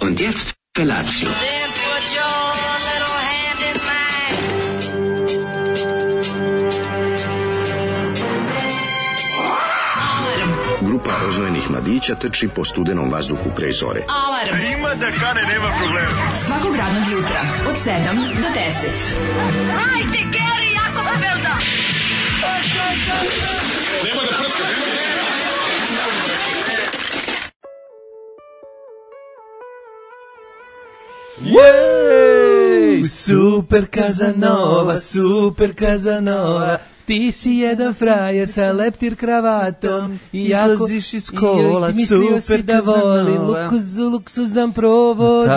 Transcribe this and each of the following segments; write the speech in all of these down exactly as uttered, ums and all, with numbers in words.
Und jetzt Felatio. Then put your little hand in mine. Grupa roznojenih mladića trči po studenom vazduhu pre zore. Alarm. Ima da kane, nema problema. Svakog radnog jutra od sedam do deset. Hajde, Geri, jako se velda. Nema da prska, nema da prska. Jej, super Kazanova, super Kazanova. Ti si jedan frajer sa leptir kravatom i jako, izlaziš iz kola, i, i mislio super si da volim luksuz, luksuzan provod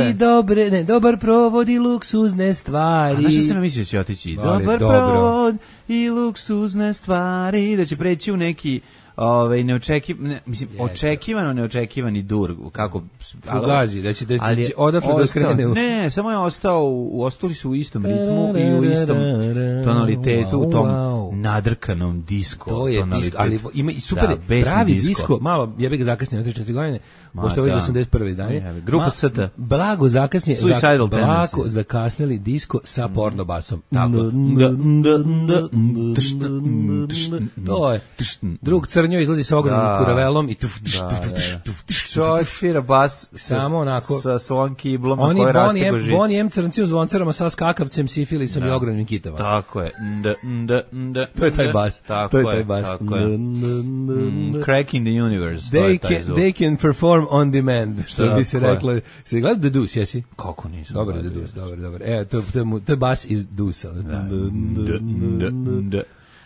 i dobre, ne, dobar provod i luksuzne stvari. A znaš što sam mislio će otići? Vale, Dobar dobro. provod i luksuzne stvari, da će preći u neki ovaj neočekiv, ne, mislim Jeste. očekivano neočekivani dur, kako Fugazi, da će, da, da ali će odatle da skrene u... Ne, samo je ostao, u, ostali su u istom ritmu i u istom tonalitetu, u tom nadrkanom disko To je disko, ali ima i super, da, besni pravi disko. disko, malo, ja bih ga zakasnio na tri četiri godine, Ma, pošto je već da. osamdeset prve izdanje. Ja, grupa S T. Blago zakasnije, Suicidal blago Tendencies. zakasnili disko sa porno basom. Tako. To je. Drug Crnjo izlazi sa ogromnim Da. kuravelom i Čovjek svira bas sa, Samo onako. sa svojom kiblom na oni kojoj raste Bonnie M, božić. Bonnie M crnci u zvoncarama sa skakavcem, sifilisom i ogromnim kitama. Tako je. Nda, nda, nda, To je taj bas. Tako To je taj bas. Tako je. Mm, Cracking the universe. to They je taj can, zvuk. they can perform on demand, što Tako bi se je. reklo. Se gleda The Deuce, jesi? Kako nisu? Dobar je The Deuce, dobar, dobar. E, to, to, je mu- to je bas iz Deuce. Nda, nda, nda.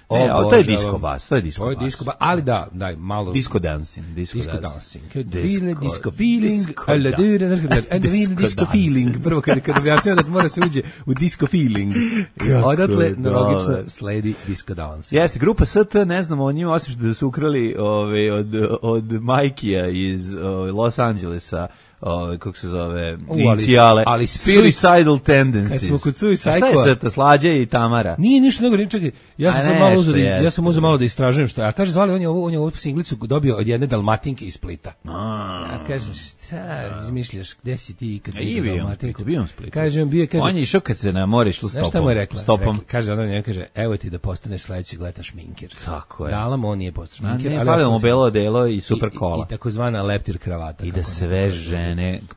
E, ali to je disco bas, to je disco To je bas. disco bas, ali da, daj, malo... Disco dancing, disco, Disco dance. dancing. Disco- Disco, disco feeling. disco Alla da- dure, znaš kada, and disco disco, disco dancing. feeling. Prvo kada, kada objašnjava da mora se uđe u disco feeling. I Kako odatle, je logično, dobro. sledi disco dancing. Jeste, grupa S T, ne znamo o njima, osim što da su ukrali ove, od, od Majkija iz ove, Los Angelesa, ove, kako se zove, U, ali- inicijale, ali Spirit- Suicidal Tendencies. Kad smo kod Suicide A šta je Squad- S T, Slađa i Tamara? Nije ništa nego, ni čekaj, ja sam A sad nešto malo uzeo da, iz- jeste. ja sam uzeo malo da istražujem što je. A kaže, zvali, on je ovu, on je ovu singlicu dobio od jedne Dalmatinke iz Splita. Ja kažem, šta izmišljaš, gde si ti kad A i bio on u Splitu, bio on u Splitu. Kažem, bio je, kaže, On je išao kad se na more išlo znaš šta stopom. mu je rekla? Stopom. Rekla, kaže, ona njega kaže, evo ti da postaneš sledećeg leta šminkir. Tako je. Dala mu, on nije postao A šminkir. ne, ali falilo mu ostao belo delo i super I- kola. I, i takozvana leptir kravata. I da kako sve ne- žene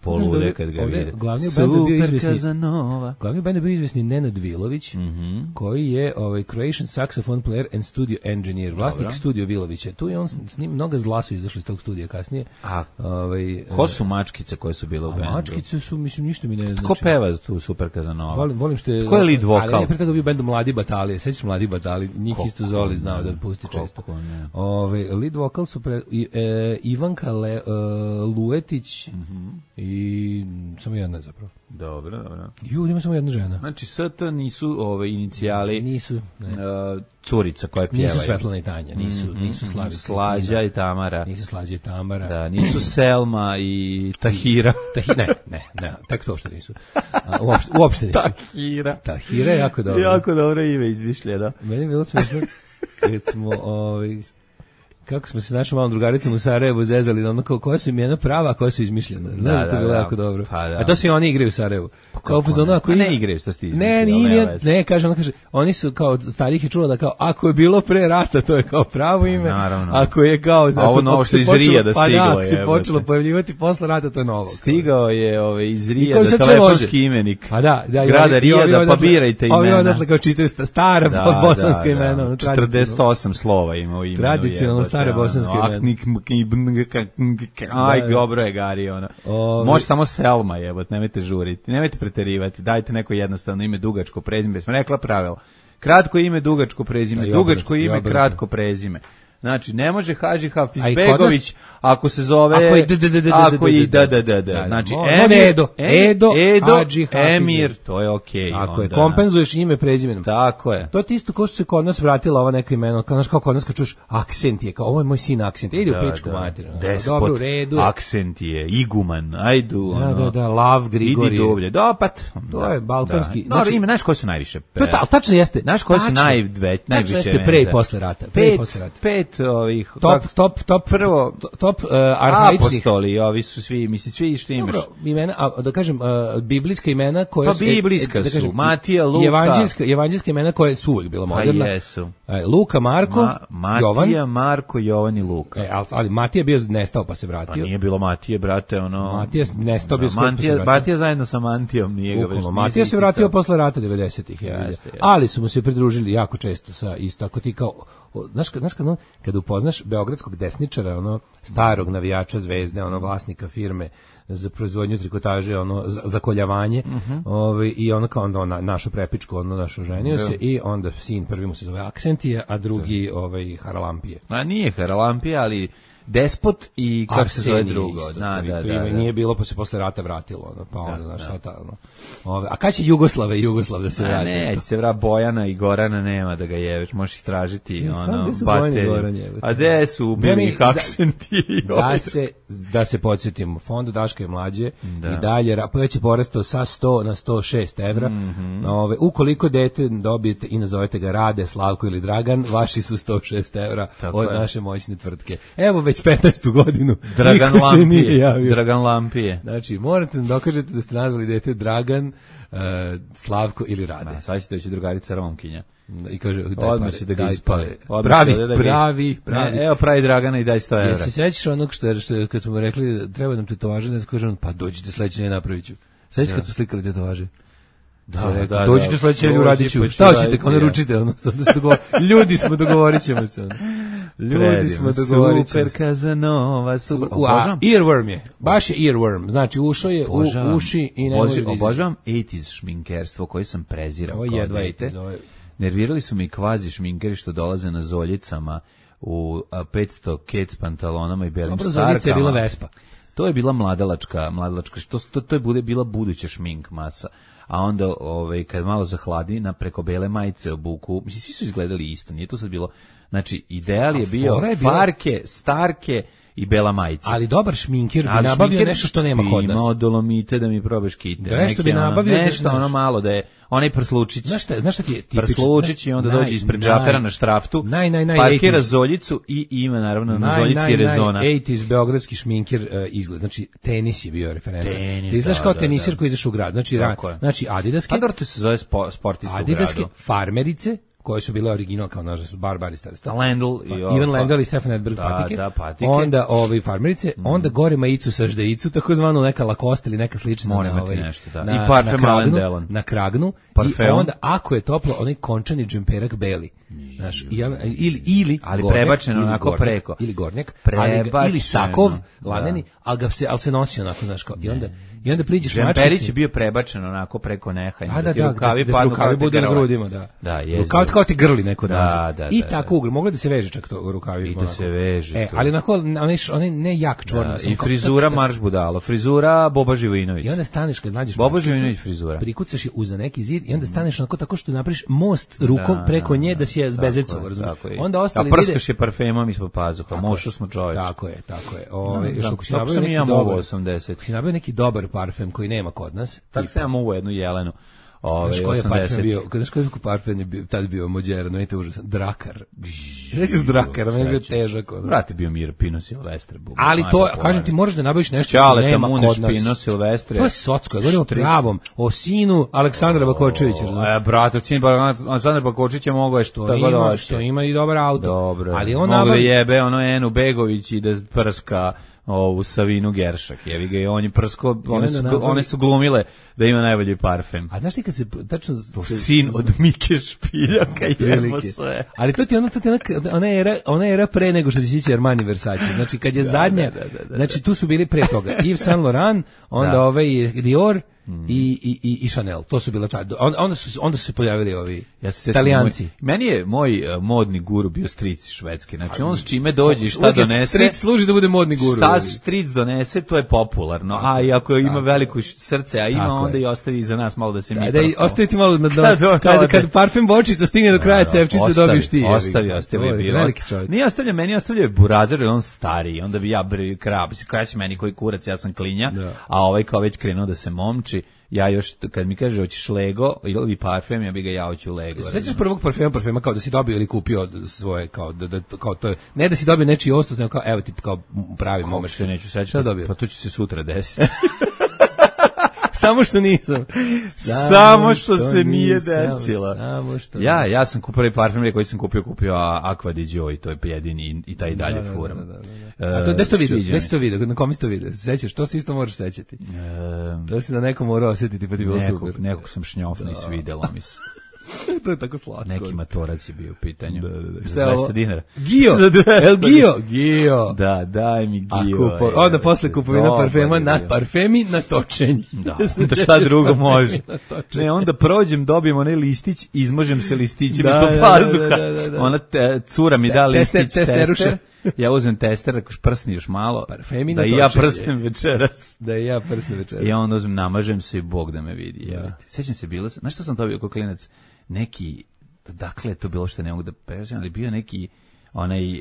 polude kad ga Ovde vide. glavni u bendu je bio Super izvesni- Kazanova. Glavni u bendu je bio izvesni Nenad Vilović, Mhm. koji je ovaj Croatian saxophone player and studio engineer, vlasnik Dobro. studio Vilovića. Tu je on s njim, mnoga zla su izašli iz tog studija kasnije. A Ovaj, ko su mačkice koje su bile u a bendu? mačkice su, mislim, ništa mi ne znači. Ko peva tu Super Kazanova? Volim, volim što je... Ko je lead vokal? Ali ne, pre toga bio bendu Mladi Batalije. Sećaš Mladi Batali? Njih Kako isto Zoli znao ne, da pusti kako često. ne. Ove, lead vokal su pre, i, e, Ivanka Le, e, Luetić i samo jedna zapravo. Dobro, dobro. Ju, ima samo jedna žena. Znači, S T nisu ove inicijali Nisu, ne. uh, curica koja pjeva. Nisu Svetlana i Tanja, nisu, nisu Slavica. Slađa i Tamara. Nisu Slađa i Tamara. Da, nisu Selma i Tahira. Tahi, ne, ne, ne, tek to što nisu. A, uopšte, uopšte nisu. Tahira. Tahira je jako dobro. Jako dobro ime izmišljeno. Meni je bilo smiješno kad smo, ovaj, kako smo se našom malom drugaricom u Sarajevu zezali, na ono kao, koja su imena prava, a koja su izmišljena. Znaš da, Da, to je bilo da, jako dobro. pa da. A to se i oni igraju u Sarajevu. Kao kako fazonu, ne? ako A ne ima- igraju, što si ti Ne, izmislio, nije, nema nije, veze. ne, kaže, ona kaže, oni su kao, od starih je čulo da kao, ako je bilo pre rata, to je kao pravo ime, naravno. ako je kao, A ovo ako novo se što iz Rija da pa stiglo da, ako je, se jebote. počelo pojavljivati posle rata, to je novo. Stigao je ove, iz I Rija kao da sad sve telefonski može. imenik. Pa da, da, i Grada ovi- i Rijada, ovi pa odatle- birajte Ovi imena. odatle kao čitaju sta- stara Da, bosanska da, imena. da. ono, četrdeset osam slova ima u imenu. Tradicionalno jebote, stare ono, bosanske ah, imena. nik, mk, i bn, k, k, Aj, Da. dobro je, Gari, ono. Ovi- Može samo Selma, jebot, nemojte žuriti, nemojte preterivati, dajte neko jednostavno ime, dugačko prezime, smo rekla pravilo. Kratko ime, dugačko prezime, Da, i dugačko obrnuto, i ime, obrnuto. kratko prezime. Znači, ne može Hadži A i kod Hafizbegović ako se zove... Ako i d- d- d- d- Ako i d- d- da, da, da, da, da. da. Znači, Mo- Emir, može Edo. Edo, Edo, Hadži Hafizbegović. Emir, to je okej. Ako je, onda. kompenzuješ ime prezimenom. Tako je. To je ti isto kao što se kod nas vratila ova neka imena, kao, znaš, kao kod nas kad čuš akcent je, kao ovo je moj sin akcent, ide u pičku materinu. Despot, Dobro, u redu. aksent je, iguman, ajdu. Da, ono, da, da, Lav Grigorije. Idi dublje, da, pa... t- To da, je balkanski, Da. Dobro, znači- ime, znaš koji su najviše? To je ta, ali tačno jeste. Znaš koji su Tačno. najve, najviše Tačno jeste pre i menza? posle rata. Pre i Pet, posle rata. pet pet ovih... Top, kako- top, top, Prvo, top uh, arhaičnih. apostoli, ovi su svi, mislim, svi što imaš. Dobro, imena, a, da kažem, uh, biblijska imena koje Pa su... biblijska e, da kažem, su, Matija, Luka. Evanđelska, evanđelska imena koje su uvijek bila Pa moderna. jesu. E, Luka, Marko, Ma, Matija, Jovan. Marko, Jovan i Luka. E, ali, ali Matija je bio nestao pa se Pa vratio. nije bilo Matije, brate, ono... Matija je nestao, bio skoro pa se Matija, vratio. Matija zajedno sa Mantijom, nije ga već... Bukvalno, nije Matija se isticao. vratio posle rata devedesetih, ja vidim. Jeste, jeste. Ali su mu se pridružili jako često sa isto, ako ti kao, o, znaš, kad- znaš kad, ono, kada upoznaš beogradskog desničara, ono, starog navijača Zvezde, ono, vlasnika firme za proizvodnju trikotaže, ono, za, za koljavanje, ovaj, i ono kao onda na, našu prepičku, ono, našu ženio se, i onda sin prvi mu se zove Aksentije, a drugi, ovaj, Haralampije. Ma nije Haralampija, ali despot i kako se zove Arsenije drugo. isto, Da, to da, ime da, da. nije bilo, pa se posle rata vratilo, ono, pa onda, znaš, šta ta, ono. Ove, a kad će Jugoslave i Jugoslav da se A vrati? ne, se vra Bojana i Gorana nema da ga jeveš, možeš ih tražiti, Ne, stvarno, ono, gde su Bojan i baterije. Goran, jebote? A gde su Ja ubili mi- ih za- aksenti? i Da ovi? se, da se podsjetimo, fond Daška je mlađe Da. i dalje, ra- već je porastao sa sto na sto šest evra. Mhm. Ove, ukoliko dete dobijete i nazovete ga Rade, Slavko ili Dragan, vaši su sto šest evra Tako od je. naše moćne tvrtke. Evo već petnaestu godinu. Dragan niko se nije Lampije. javio. Dragan Lampije. Znači, morate da dokažete da ste nazvali dete Dragan, e, Slavko ili Rade. A sad će doći drugarica Romkinja. I kaže, daj Odmah pare, će da ga daj ispale. pare. Odmah Pravi, će da ga- pravi, pravi. Ne, evo pravi Dragana i daj sto evra. Jesi se sećaš onog što je, što je, kad smo mu rekli da treba nam tetovaže, ne znam, kaže on, pa dođite sledeće, ne napravit ću. Sećaš kad smo slikali tetovaže? Da, Je rekao, da, dođite da. sledeće, Dođi, uradit ću. pa ću Šta hoćete, raditi, ono ja. ručite, ono, sad da se dogovor... Ljudi smo, dogovorit ćemo se, ono. Ljudi Predivno, smo, dogovorit ćemo. Super Kazanova, super. U, a, Obožavam. earworm je, baš je earworm, znači ušao je u Obožavam. uši i ne Obožavam- može da izađe. Obožavam osamdesetih šminkerstvo koje sam prezirao Ovo je kao jedva dete. osamdeset, ovo je- Nervirali su mi kvazi šminkeri što dolaze na zoljicama u a, petsto kec pantalonama i belim Dobro, sarkama. Zorica je bila Vespa. To je bila mladalačka, mladalačka, što to, to je bude bila buduća šmink masa. A onda ovaj kad malo zahladi na preko bele majice obuku, mislim svi su izgledali isto, nije to sad bilo. Znači ideal je A bio fora je bila- farke, starke i bela majica. Ali dobar šminker bi Ali nabavio šminker nešto što nema bi kod nas. Imao dolomite da mi probaš kite. Da, nešto Neki bi ono- nabavio da- Nešto ono znaš. malo da je, onaj prslučić. Znaš šta, znaš šta ti je tipično? Prslučić i onda Naj- dođe ispred naj- džafera na štraftu, naj, naj, naj, parkira osamdeset. zoljicu i ima naravno na Naj, zoljici naj, rezona. naj, osamdeset beogradski šminker uh, izgled. Znači, tenis je bio referenca. Tenis, Ti izgledaš da, kao da, tenisir da. koji izaš u grad. Znači, Tako ra, je. znači Adidaske, Pa dobro, to se zove spo, sportista u Adidaske gradu. farmerice, koje su bile original, kao nažal su barbari stari. Lendl i ovo, Ivan pa- Lendl i Stefan Edberg Da, patike. da, patike. Onda ovi farmerice, onda gore majicu sa ždejicu, takozvanu neka Lacoste ili neka slična. Mora na imati ovaj, nešto, da. na- I parfem na kragnu, Alain Delon. Na kragnu. I Parfeum. onda, ako je toplo, onaj končani džemperak beli. Znaš, i ja- ili, ili Ali gornjak, prebačeno ili onako gornjak, preko. Ili gornjak, ali ga, ili Prebačeno, sakov, da. laneni, ali ga se, ali se nosi onako, znaš, kao, i onda, i onda priđeš Džemperić mačkici- je bio prebačen onako preko neha. A da, da, rukavi da, padnu rukavi kao budu te na grle. grudima, da. Da, jezivo. Kao, kao ti grli neko Da, da, da, I da, tako da. ugl, moglo da se veže čak to u rukavi. I da se veže E, to. ali onako, onaj, š- onaj ne jak čvorno. Da, samo i kao- frizura tak, tak, Marš Budalo, frizura Boba Živojinović. I onda staneš kad nađeš Bobo mačkicu, Živojinović frizura. prikucaš je uza neki zid i onda staneš onako tako što napraviš most rukom Da, preko da, nje da. da si je Tako bezecov, je, razumiješ? tako je. Onda ostali A vide... prskaš je parfemom ispod pazuha, Tako mošu je, smo čoveč. Tako je, tako je. Ove, Da, još da, ako si tako nabavio sam i neki ja mogao dobar, osamdeset. ako si nabavio neki dobar parfem koji nema kod nas, Tako tipa- sam ja mogu jednu Jelenu. Ove, Znaš koji je parfem osamdeset. bio, znaš koji je parfem je bio, tad bio mođeran, ne te užasan, Drakar. Neći s Drakara, meni je bio težak. ono. Vrate bio Mir Pino Silvestre. Bub, Ali to, najpopularniji. kažem ti, moraš da nabaviš nešto što Ćale, nema Tamuneš, kod nas. Pino Silvestre. To je socko, ja govorim o pravom, o sinu Aleksandra Bakočevića. razumiješ? E, brate, cin Aleksandar Bakočić je mogao je što To tako da ima, hoće. što ima i dobar auto. Dobro. Ali on Mogu da nabavi... jebe ono Enu Begović i da prska ovu Savinu Geršak. Jevi ga i on je prsko, one onda su, nabavi- one su glumile da ima najbolji parfem. A znaš ti kad se tačno... se- Sin od Mike Špiljaka jebo Prilike. sve. Ali to ti je ono, to ti je ona, ona era, ona era pre nego što će ići Armani Versace. Znači kad je zadnja, da, da, da, znači tu su bili pre toga Yves Saint Laurent, onda Da. ovaj Dior i, i, i, i Chanel. To su bila ta, onda, onda su onda su se pojavili ovi Ja se Italijanci. Moj, meni je moj uh, modni guru bio stric švedski. Znači on s čime dođe i šta Uvijek je donese. street služi da bude modni guru. Šta stric donese, to je popularno. A i ako ima veliko srce, a ima, Tako onda je. i ostavi za nas malo da se mi Da, da i prskamo. ostaviti malo na dno. Kad on Kad, ode. kad parfem bočica stigne do kraja Da, cepčice ostavi, dobiješ ti. jebi ga. Ostavi, ostavi. To je bio. veliki čovjek. Nije ostavlja, meni ostavlja burazer, jer on stari. Onda bi ja bre krab, koja će meni koji kurac, ja sam klinja, Da. a ovaj kao već krenuo da se momči. ja još, kad mi kaže hoćeš Lego ili parfem, ja bi ga ja hoću Lego. Sećaš prvog parfema, parfema kao da si dobio ili kupio svoje, kao da, da kao to je, ne da si dobio nečiji ostos, nego kao evo ti kao pravi moment. Se neću sećati. Šta dobio? Pa to će se sutra desiti. Samo što nisam. Samo, samo što, što se nije nisam, desilo. Samo što ja, nisam. ja sam kupio prvi parfem koji sam kupio, kupio Aqua di Joy, to je jedini i, i taj dalje da, da, furam. Da, da, da, da. A to gde si to vidio? Gde si to vidio? Na kome si to vidio? Sećaš? To se isto moraš sećati. Um, da si da nekom morao osjetiti pa ti bilo nekog, super. Nekog sam šnjofno i svidelo mi se. To je tako slatko. Neki matorac je bio u pitanju. Da, da, da. Za dvesta dinara. Gio! El Gio! Gio! Da, daj mi Gio. Kupo, onda posle kupovina parfema na parfemi na točenje. Da, da šta drugo može. Ne, onda prođem, dobijem onaj listić, izmožem se listićem da, ispod pazuha. Da, da, da, da. Ona te, cura mi da listić, tester. Ja uzmem tester, ako prsni još malo, parfemi da i ja prsnem večeras. Da i ja prsnem večeras. I onda uzmem, namažem se i Bog da me vidi. Ja. Sećam se, bilo, znaš što sam dobio kao klinac? Neki, dakle, to bilo što ne mogu da prežem, ali bio neki onaj uh,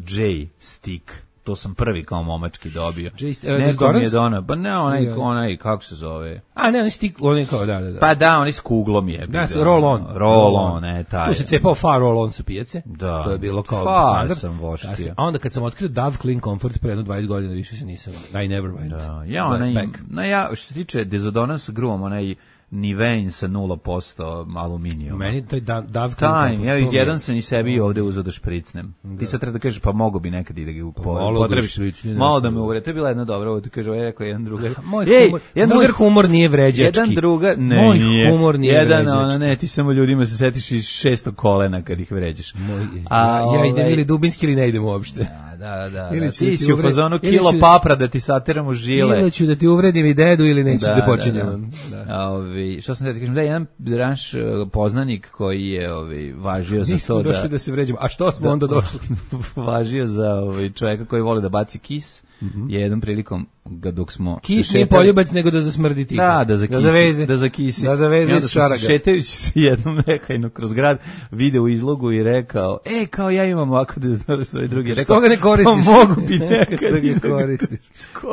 J stick, to sam prvi kao momački dobio. J, uh, Neko mi je donao, ba ne, onaj, onaj, kako se zove? A ne, onaj stick, onaj kao, da, da, da. Pa da, onaj s kuglom je. Da, roll on. Roll on, ne, taj. Tu se cepao far roll on sa pijace. Da. To je bilo kao far standard. sam voštio. A onda kad sam otkrio Dove Clean Comfort pre jedno dvadeset godina, više se nisam, I never went. Da, ja onaj, na ja, što se tiče dezodorans sa gruvom, onaj Nivein sa nula posto aluminijuma. Meni taj Dove Clean Taj, Comfort. Ja jedan sam i sebi ovde uzeo da špricnem. Da. Ti sad treba da kažeš, pa mogu bi nekad i da ga potrebiš. Malo da me uvre. To je bila jedna dobra, ovo ti kaže, ovo je rekao jedan drugar. Moj, Ej, humor, jedan moj drugar, humor nije vređački. Jedan drugar, ne, moj nije. humor nije jedan, vređački. Ona, ne, ti samo ljudima se setiš iz šesto kolena kad ih vređaš. Moj, A, ja, ja idem ili dubinski ili ne idem uopšte. Da, da, ili da. Ti si uvred... u fazonu kilo ću... papra da ti sateramo žile. Ili ću da ti uvredim i dedu ili neću da, da počinjem. Da, da. Da. Ovi, što sam da ti kažem, da je jedan naš poznanik koji je ovi, važio za Nismo to da... Nismo došli da se vređamo. A što smo da, onda došli? Važio za ovi, čovjeka koji voli da baci kis. Mm-hmm. Je jednom prilikom ga dok smo kis nije poljubac nego da zasmrdi ti. Da, da zakisi, da zaveze, da zakisi. Da zaveze iz šaraga. Šetajući se jednom nekajno kroz grad, video u izlogu i rekao: "E, kao ja imam ovako da znaš sve drugi." Rekao: "Što ga ne koristiš?" Pa mogu bi nekad da ga koristiš.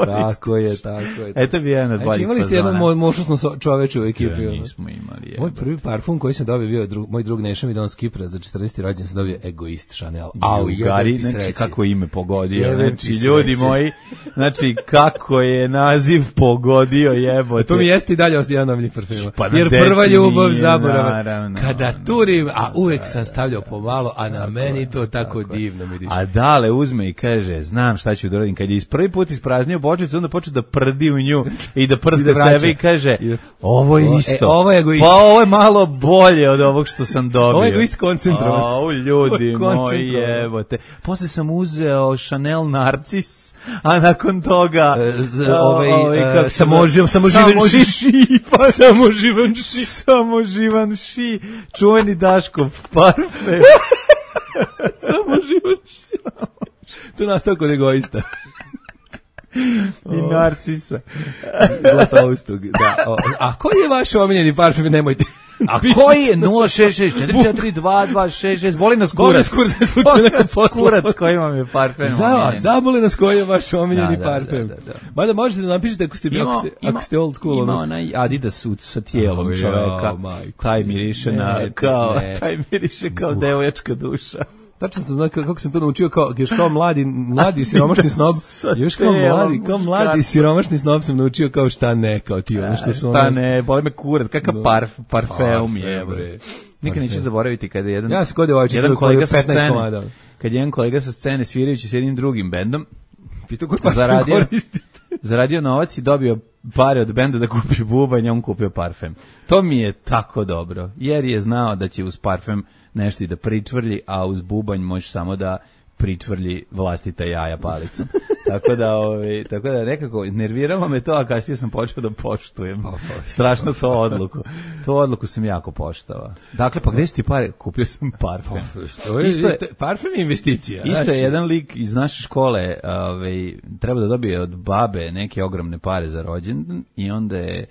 Tako je, tako je. Eto bi jedan od boljih. Znači, imali ste jednu moćnu čoveče u ekipi. Ja, nismo imali. Moj prvi parfum koji sam dobio bio drug, moj drug Neša mi donao s Kipra za četrnaesti rođendan, sam dobio Egoist Chanel. Au, Gari, znači kako ime pogodio. Znači ljudi moji, znači kako je naziv pogodio, jebote. To mi jeste i dalje jedan od njih parfema. Pa jer prva ljubav zaborava. Kada turim, a uvek sam stavljao pomalo, a na meni to tako divno miriše. A Dale uzme i kaže: "Znam šta ću da radim." Kad je iz prvi put ispraznio bočicu, onda počne da prdi u nju i da prska sebe i kaže: "Ovo je isto." E, ovo je Egoist. Pa ovo je malo bolje od ovog što sam dobio. Ovo je Egoist koncentrovan. Au, ljudi moji, jebote. Posle sam uzeo Chanel Narcis, a nakon toga ovaj samoživan samoživan ši samoživan ši samoživan ši čuveni Daškov parfem. Samoživan ši. To nastao kod Egoista. I Narcisa. Zlatoustog, da. O, a koji je vaš omiljeni parfem? Nemojte. A koji je nula šest šest četiri četiri dva dva šest šest? Boli nas kurac. Boli nas kurac. Kurac koji vam je parfem. Da, zaboli nas koji je vaš omiljeni da, parfem. Da, da, da. Mada možete da napišete ako ste, ima, ako ste, ima, ako ste old school. Ima onaj Adidas sud sa tijelom oh, čoveka. Jo, taj miriše ne, na, kao, ne. taj miriše kao uh. devoječka duša. Tačno sam znao kako sam to naučio, kao još kao mladi mladi siromašni snob, još kao mladi, kao mladi siromašni snob sam naučio kao šta ne, kao ti ono što su. Šta ne, boli me kurac, kakav parf, parfeum je bre. Nikad neću zaboraviti kada jedan ja se kod ovaj jedan kolega sa petnaest kad jedan kolega sa scene svirajući s jednim drugim bendom pitao ko zaradio zaradio novac i dobio pare od benda da kupi bubanj, on kupio parfem. To mi je tako dobro, jer je znao da će uz parfem nešto i da pričvrlji, a uz bubanj može samo da pričvrlji vlastita jaja palicom. tako da, ovaj, tako da nekako nerviralo me to, a kasnije sam počeo da poštujem. Strašno to odluku. To odluku sam jako poštovao. Dakle, pa gde su ti pare? Kupio sam parfem. Isto je, parfem je investicija. Isto je jedan lik iz naše škole, ovaj, treba da dobije od babe neke ogromne pare za rođendan i onda je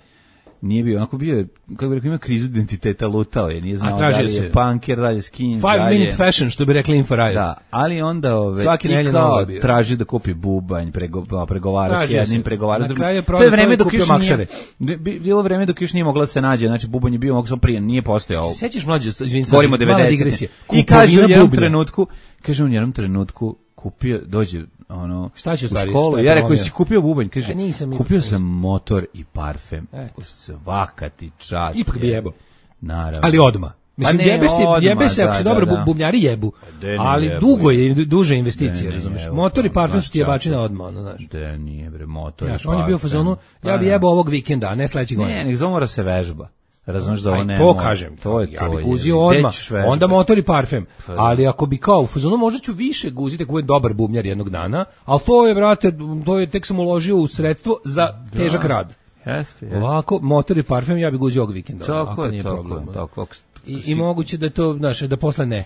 Nije bio, onako bio je, kako bih rekao, ima krizu identiteta, lutao je, nije znao da tražio li je se. punker, da li je skins, Five da li je... minute fashion, što bi rekli Info Riot. Da, ali onda ove, Svaki i nedelje kao novo je bio. traži da kupi bubanj, prego, pregovara s Tražio jednim, se. pregovara s Na drugim. kraju je To prodao je vreme to i dok kupio još nije, makšare. bi- bilo vreme dok još nije mogla da se nađe, znači bubanj je bio, mogu sam prije, nije postojao. Sećaš mlađe, izvini, sad, Govorimo o mala devedesetim. digresija. I kaže u Kupovina jednom bubnja. trenutku, kaže u jednom trenutku kupio, dođe ono Šta će u u stvari, školu, šta je ja rekao, promio? si kupio bubanj, kaže, E, nisam, ipak kupio nisam. sam motor i parfem. Eto. Svaka ti čast. Ipak bi je. jebao. Naravno. Ali odma. Mislim, Pa ne, jebe se, odmah, jebe se, ako da, se da, dobro, da. bubnjari jebu. De ne Ali jebu, dugo je, jebu. duže De investicije, ne razumeš. jebu, Motor i pa, parfem baš su ti jebačina čača. odmah, ono, znaš. De nije bre, motor Znaš, i on je bio u parfem. fazonu, Pa ja bi da. jebao ovog vikenda, a ne sledećeg godina. Ne, nek za mora se vežba. Razumeš da ovo Aj, ne to mora. kažem, To je ja to. bih je. guzio Gde odmah, ćeš vežbati? onda motor i parfem, Pa da. ali ako bi kao u fazonu, možda ću više guziti ako budem dobar bubnjar jednog dana, ali to je, brate, to je, tek sam uložio u sredstvo za težak rad. Jeste, jeste. Ovako, motor i parfem ja bih guzio ovog vikenda, Tako ako je, nije tako problem. je, tako. I, I moguće da je to, znaš, da posle ne.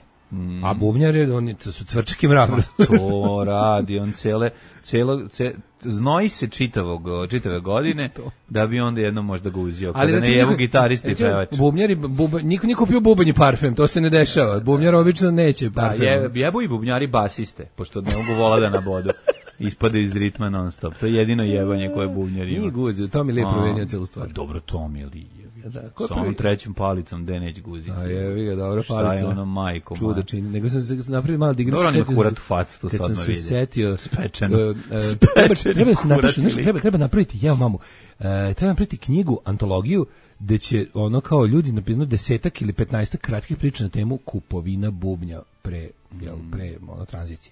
A bubnjari, oni to su cvrčak i mrav. To radi, on cele, celo, ce, znoji se čitavog, čitave godine, da bi onda jednom možda ga uzio. Kada ne recimo, jevu niko- gitaristi i recimo, pevač. Bubnjari, buba, niko nije kupio bubanj i parfem, to se ne dešava. Bubnjar obično neće Da, parfem. je, jebu i bubnjari basiste, pošto ne mogu vola da nabodu. Ispadaju iz ritma non stop. To je jedino jebanje koje bubnjar ima. Nije guzio, to mi lijepo promenio celu stvar. Pa dobro, to mi je li. Da, ko je Sa onom prvi? trećom palicom, gde neće guziti. A je, ga, dobro, Šta palica. je ono, majko moja? Čudo čini. Nego sam se napravio malo digresiju. Dobro, on ima setio kurat sam- u facu, to kad sad sam odmah se vidi. setio, Spečeno. e, e, Spečeni treba, treba da se napiše, kurat znaš, lik. treba, treba napraviti, jeo mamu, e, treba napraviti knjigu, antologiju, gde će ono kao ljudi napisano desetak ili petnaestak kratkih priča na temu kupovina bubnja pre, jel, pre ono, tranzicije.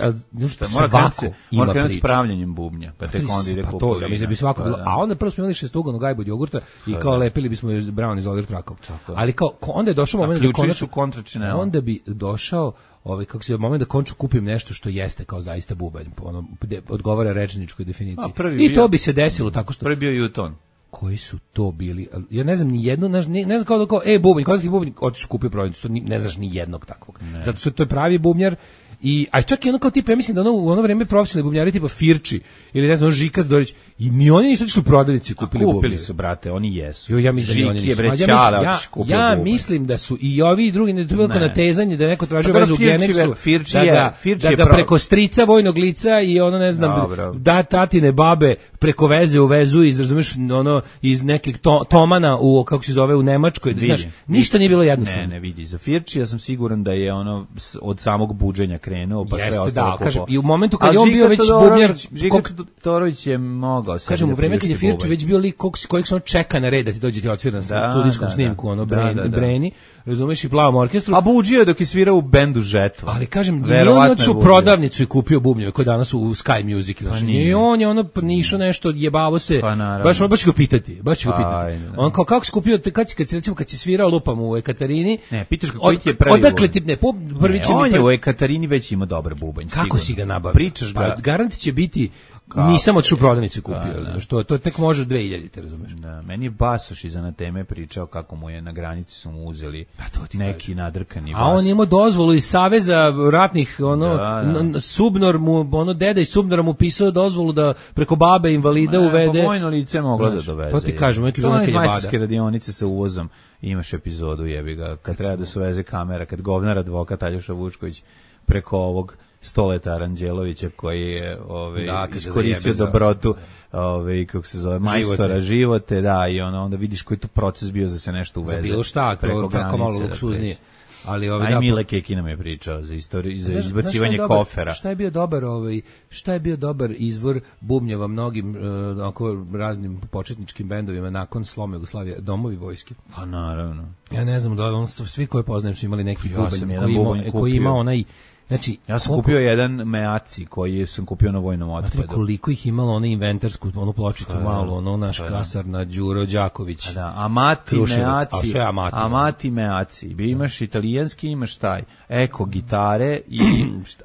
A, Šta, mora krenuti svako se- ima mora krenuti s priču. pravljenjem bubnja, pa tek onda ide Pa to, kupovina. ja mislim da bi svako Pa bilo, da. a onda prvo smo imali šestuganu gajbu od jogurta i kao lepili bismo još brown iz Oliver Trakov. Tako je. Ali kao, ko- onda je došao A moment da ključevi konačno, su kontračinela. onda bi došao ovaj kako se moment da konču kupim nešto što jeste kao zaista bubanj, po onom de- odgovara rečničkoj definiciji. A, prvi I bio- to bi se desilo tako što Prvi bio Juton. koji su to bili? Ali ja ne znam ni jedno, ne, ne, ne znam kao da kao, e, bubanj, kod ti bubanj, otiš kupio prodavnicu, to ni, ne znaš ni jednog takvog. Zato što to je pravi bubnjar. I aj čak i ono kao tipa, ja mislim da ono u ono vreme profesionalni bubnjari tipa Firči ili ne znam Žikat Dorić i ni oni nisu otišli u prodavnici kupili Kupili bubnjare. su, brate, oni jesu. Jo, ja mislim da ni oni Žiki je nisu. bre Ma, ja ćale, mislim, ja, otiš kupio ja bubanj. mislim da su i ovi i drugi, ne to je bilo kao Ne. natezanje da je neko tražio Pa dobro, vezu u Firči Genexu, je- Firči da je- ga, Firči da je ga pro- preko strica vojnog lica i ono ne znam, Dobro. da tatine babe preko veze u vezu iz, razumeš, ono, iz nekih to, tomana u, kako se zove, u Nemačkoj, Vidi, znaš, vidi. ništa nije bilo jednostavno. Ne, ne vidi. Za Firči ja sam siguran da je ono s- od samog buđenja krenuo, pa sve Jeste, ostalo da, kupovao. kažem, i u momentu kad Ali je on Žika bio već Todorović- bubnjar, Žika kog- Todorović je mogao sebi Kažem, da u vreme kad je priušti Firči bubanj. već bio lik kog, kojeg se on čeka na red da ti dođe ti odsvira na Da, studijskom da, snimku, da. ono, Da, Breni, da, da. Breni, razumeš, i plavom orkestru. A buđio je dok je svirao u bendu Žetva. Ali kažem, nije on Verovatno otišao je u buđio. prodavnicu i kupio bubnjeve koji danas u Sky Music. Znači, nije. nije on je ono nišao nešto, jebavo se. Pa naravno. baš baš ću ga pitati, baš ću ga Pa, pitati. ajde, da. On kao kako si kupio, te- kad si kad si recimo kad si svirao lupam u Ekatarini? Ne, pitaš ga koji ti je prvi Odakle bubanj? ti ne, po, prvi Ne, će mi on je prvi- u Ekatarini već ima dobar bubanj. Kako sigurno. si ga nabavio? Pričaš ga. Pa, garant će biti Kako? nisam otišao u prodavnicu i kupio, Da, da. razumeš, to, to tek može dve hiljade, razumeš. Da, meni je Basoš iza na teme pričao kako mu je na granici su mu uzeli Pa to ti neki nadrkani A bas. on je imao dozvolu iz Saveza ratnih, ono, Da, da. n- n- Subnor mu, ono, deda iz Subnora mu pisao dozvolu da preko babe invalida Ne, uvede. Pa vojno lice je moglo da Znaš, doveze. to ti kažem, uvijek je bilo To ono iz neka jebada. majstorske radionice sa uvozom, imaš epizodu, jebi ga, kad treba da se uveze kamera, kad govnar advokat Aljoša Vučković preko ovog Stoleta Aranđelovića koji je ovaj, Da, kad se iskoristio zajebe za- dobrotu ovaj, kako se zove, majstora živote, da, i ono, onda vidiš koji je to proces bio za se nešto uveze. Za bilo šta, preko kao, tako malo granice, da luksuznije. pređe. Ali ovaj, Aj da, Mile Keki nam je pričao za istoriju, za Znaš- znaš šta je izbacivanje dobar- kofera. Šta je bio dobar, ovaj, šta je bio dobar izvor bubnjeva mnogim uh, onako raznim početničkim bendovima nakon sloma Jugoslavije, Domovi vojske. Pa naravno. Ja ne znam da li on su- svi koje poznajem su imali neki Ja bubanj sam jedan koji ima bubanj koji kupio. ima onaj, znači Ja sam koliko- kupio jedan Meaci koji sam kupio na vojnom Znate otpadu. koliko ih imalo ono inventarsku, onu pločicu Pa da, malu, ono naš pa da. kasar na Đuro Đaković. Pa da, Amati Kruševac, Meaci. a sve Amati. Amati Meaci. Bi imaš italijanski, imaš taj. Eko gitare i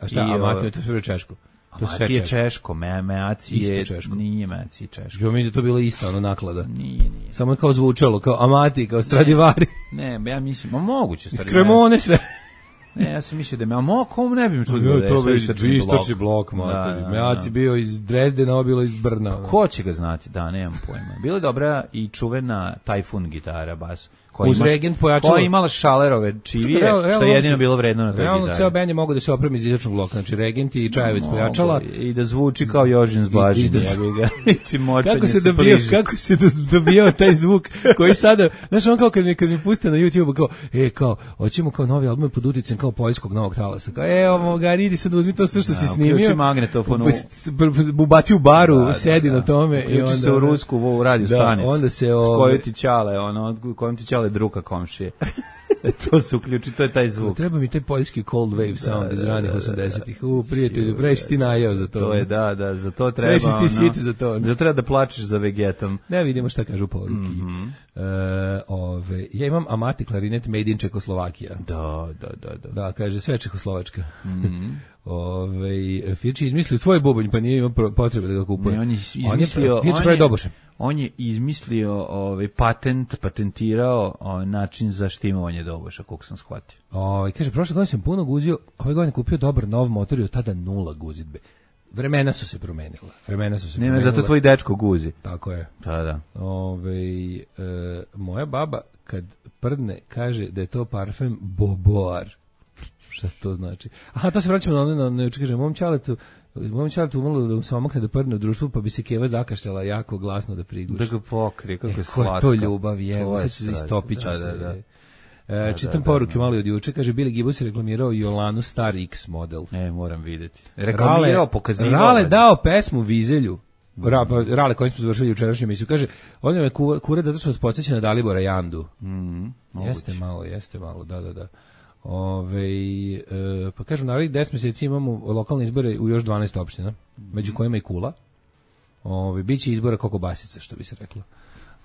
A šta, i, a o, Mati, to je sve češko. To je sve Amati je češko. češko, me, Meaci Isto je češko. nije Meaci češko. Ja mislim da to bilo isto ono naklada. Nije, nije. Samo je kao zvučalo, kao Amati, kao Stradivari. Ne, ja mislim, ma moguće Iz stvari. Cremone sve. Ne, ja sam mislio da me, a mo, kom ne bi mi čudio da je to sve bi istočni blok. istočni blok, mater. Da, da, Mejaci da. bio iz Drezdena, bilo iz Brna. Ko će ga znati? Da, nemam pojma. Bila je dobra i čuvena Tajfun gitara, bas. Koja Uz imaš- Regent pojačalo- Koja je imala šalerove čivije, Realno- što realno je jedino se- bilo vredno na toj Realno, gitari. ceo band je mogao da se opremi iz istočnog bloka. Znači, Regent i Čajevic pojačala. Mogu, I da zvuči kao Jožin s I- Bažin, i da- ja bih ga. Ići močanje Kako se se dobio, pliži. kako se do- dobijao taj zvuk koji sada, znaš, on kao kad mi, kad mi puste na YouTube, kao, e, kao, hoćemo kao novi album pod uticajem kao poljskog novog talasa. Kao, e, ovo, ga, idi sad uzmi to sve što si Da, snimio. uključi magnetofon u- s- b- b- ubaci u baru, Da, da, sedi da. na tome. i Uključi onda, se u rusku u radio Da, stanicu. onda se, S ove- kojoj ti ćale, ono, kojom ti ćale druga komšije. E, to se uključi, to je taj zvuk. Treba mi taj poljski cold wave sound iz da, ranih da, da, osamdesetih. U, prijatelju, previše ti najeo za to. To je, da, da, za to treba, Previše si ti ono, sit za to. da treba da plačeš za Vegetom. Ne vidimo šta kažu poruki. Mhm. E, ove, ja imam Amati klarinet made in Čekoslovakija. Da, da, da, da. Da, kaže, sve Čekoslovačka. Mhm. Ove, Firči izmislio svoj bubanj, pa nije imao pro- potrebe da ga kupuje. Ne, on je izmislio, Firči on pravi je- doboše. On je izmislio ovaj patent, patentirao ovaj način za štimovanje doboša, koliko sam shvatio. Ove, kaže, prošle godine sam puno guzio, ove godine kupio dobar nov motor i od tada nula guzidbe. Vremena su se promenila. Vremena su se Nema, promenila. zato tvoj dečko guzi. Tako je. Da, da. Ove, e, moja baba kad prdne kaže da je to parfem Boboar. Šta to znači? Aha, to se vraćamo na ono, na, na, kaže, mom ćaletu, mom ćaletu umalo da mu se omakne da prdne u društvu, pa bi se Keva zakašljala jako glasno da priguši. Da ga pokrije, kako E, je ko je slatka. to ljubav, je, To je sad će se strašno. istopit ću Da, se. da, da. E, čitam da, poruke da. malo od juče, kaže, Billy Gibbons je reklamirao Jolanu Star X model. E, moram vidjeti. Reklamirao, pokazivao. Rale dao pesmu Vizelju. Ra, pa, Rale kojim smo završili jučerašnju emisiju. Kaže, on je ku- kurat zato što nas podsjeća na Dalibora Jandu. Mhm. Jeste malo, jeste malo, da, da, da. Ove, e, pa kažu, naravno, deset mjeseci imamo lokalne izbore u još dvanaest opština, među kojima i Kula. Ove, biće izbora kako basica, što bi se reklo.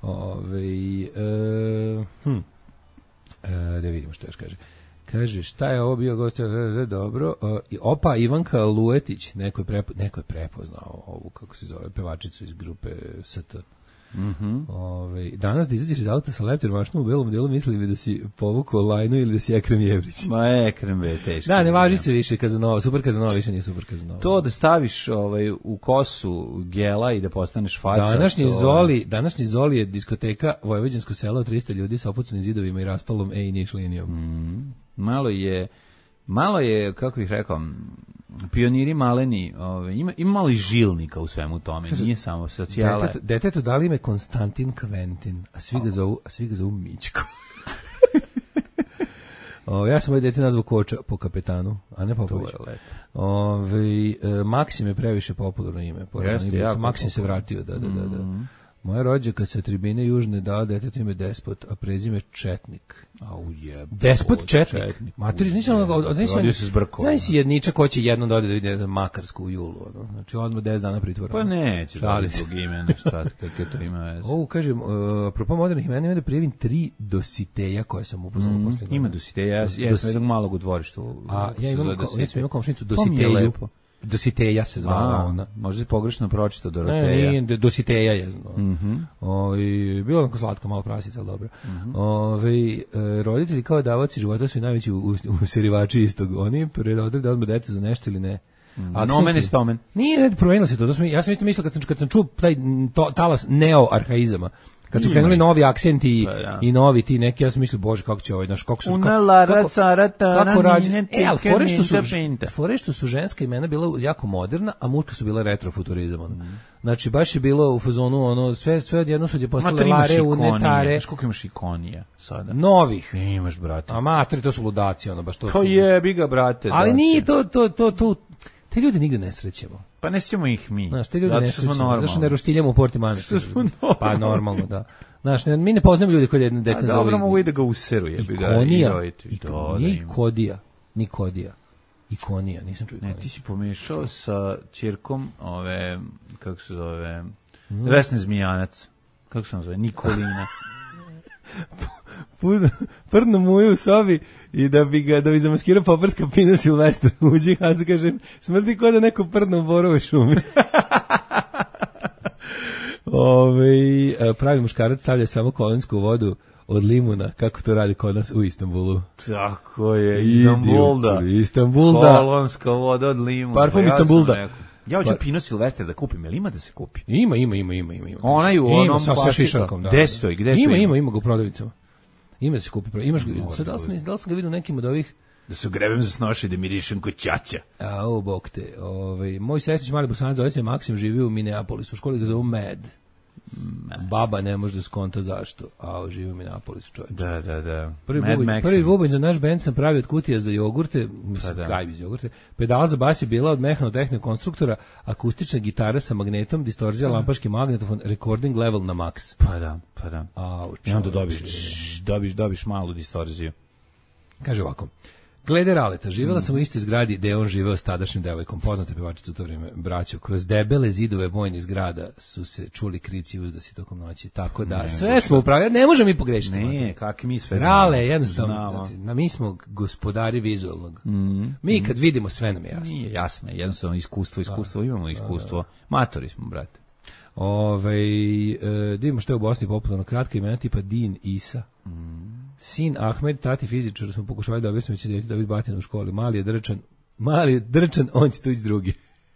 Ove, e, hm. E, da vidimo što još kaže. Kaže, šta je ovo bio gost? Dobro. E, i opa, Ivanka Luetić, neko je, prepo, neko je prepoznao ovu, kako se zove, pevačicu iz grupe S T. Mhm. Ove, danas da izađeš iz auta sa leptir mašnom u belom delu, mislili bi da si povukao Lajnu ili da si Ekrem Jevrić. Ma Ekrem je teško. Da, ne važi se više Kazanova, super Kazanova više nije super Kazanova. To da staviš ovaj u kosu gela i da postaneš faca. Današnji to- Zoli, današnji Zoli je diskoteka Vojvođansko selo od trista ljudi sa opucanim zidovima i raspalom E i niš linijom. Mm. Malo je malo je, kako bih rekao, pioniri maleni, ovaj ima ima malo i žilnika u svemu tome, nije samo socijala. Detetu, detetu dali ime Konstantin Kventin, a svi ga zovu, a svi ga zovu Mićko. O, ja sam ovaj dete nazvao Koča po kapetanu, a ne Popović. To je lepo. Ove, e, Maksim je previše popularno ime. Jeste, ime. jako Maksim se popularno. vratio, da, da, da. da. Moja rođaka sa tribine Južne dala detetu ime Despot, a prezime Četnik. Au je. Despot Četnik. Materi, nisam ono, od- od- Rodio se s brkom. znaš si jedničak ko će jednom dode da vidi, ne znam, Makarsku u julu, ono. Znači, odmah deset dana pritvora. Pa neće da Šalim li se. zbog imena, šta, kakve to ima veze. Ovo, kažem, uh, apropo modernih imena, ima da prijavim tri dositeja koje sam upoznao Mm, posle. ima dositeja, ja, ja Dos- sam jednog malog u dvorištu. A ja imam, ko, ja sam imao komšnicu To mi je Dositeju. lepo. Dositeja se zvala A, ona. možda si pogrešno pročitao Ne, Doroteja. nije, Dositeja je. Mhm. Oj, bilo onako slatka, malo prasica, ali dobro. Mhm. Ovaj, e, roditelji kao davaoci života su i najveći u, u, u serivači istog. Oni predodaju da odmah deca za nešto ili ne. Akcenti- Nomen i stomen. Nije, ne, promenilo se to. to sam, ja sam isto mislio kad sam, kad sam čuo taj m, to, talas neo-arhaizama, kad su Ima krenuli ih. novi akcenti i, Pa, da. i novi ti neki, ja sam mislio, bože, kako će ovaj, znaš, kako su... Una kako- lara kako- carata, kako rađe- ranine, E, ali tike, fore što su, minta, pinta. fore što su ženska imena bila jako moderna, a muška su bila retrofuturizam. ono. Mm. Znači, baš je bilo u fazonu, ono, sve, sve odjedno su je postale Mater, imaš lare, ikonije. unetare, Znaš koliko imaš ikonija sada? novih. Imaš, brate. A materi, to su ludaci, ono, baš to To su... jebi ga, brate. Ali da, nije će. to, to, to, to, te ljude nigde ne srećemo. Pa ne sjećamo ih mi. Znaš, te ljude Zato ne što smo srećemo, zato što ne normalni. roštiljamo u Portimanu. Što smo Pa normalni. normalno, da. Znaš, ne, mi ne poznamo ljude koji jedno A dete dobro, zove... mogu i da ga useru, jebi ga. Ikonija, i roditi. ik, Da, da nije ima. Ikodija, Nikodija. Ikonija, nisam čuo Ne, Ikonija. ti si pomešao sa ćerkom ove, kako se zove, Mhm. Vesne Zmijanac. Kako se on zove? Nikolina. Pud- Prdno mu je u sobi i da bi ga, da bi zamaskirao poparska pina Silvestra uđi, a se kaže, smrti ko da neko prdno u borovoj šumi. Ove, pravi muškarac stavlja samo kolensku vodu, od limuna, kako to radi kod nas u Istanbulu. Tako je, Istanbulda. Istanbulda. Kolonska voda od limuna. Parfum Istanbulda. Ja hoću Pino Silvestre da kupim, jel ima da se kupi? Ima, ima, ima, ima, ima. Onaj u onom ima, sa sve klasičnom. šišankom, da. Gde stoji, gde ima, to ima, ima? ima ga u prodavnicama. Ima da se kupi. Imaš ga, sad da li sam, da li sam ga vidio u nekim od ovih. Da se grebem za snoši da mirišem kod ćaća. A, o, bok te. Ovaj, moj sestrić mali Bosanac zove se Maksim, živi u Minneapolisu. U školi ga zovu Mad. Baba ne može da skonta zašto. A, živi u Minneapolisu, čovječ. Da, da, da. Prvi Mad bubanj, Maxim. prvi bubanj za naš bend sam pravio od kutija za jogurte, mislim, Pa da. gajbi za jogurte. Pedala za bas je bila od mehanotehnog konstruktora, akustična gitara sa magnetom, distorzija, lampaški magnetofon, recording level na max. Pa da, pa da. Au, I onda dobiš, čovječe. dobiš, dobiš malu distorziju. Kaže ovako. Glede Raleta, živjela sam u istoj zgradi gde je on živeo s tadašnjim devojkom, poznate pevačice u to vrijeme, braću. Kroz debele zidove vojnih zgrada su se čuli krici i uzdasi tokom noći. Tako da, sve smo upravljali, ne možemo mi pogrešiti. Ne, kakvi mi sve znamo. Rale, jednostavno, Znamo. znači, na, mi smo gospodari vizualnog. Mi kad vidimo, sve nam je jasno. Nije jasno, jednostavno iskustvo, iskustvo, imamo iskustvo. Matori smo, brate. Ove, e, da imamo što je u Bosni popularno, kratka imena tipa Din Isa. Sin Ahmed, tati fizičar, smo pokušali da objasnimo će djeti David Batin u školi. Mali je drčan, mali je drčan, on će tući drugi.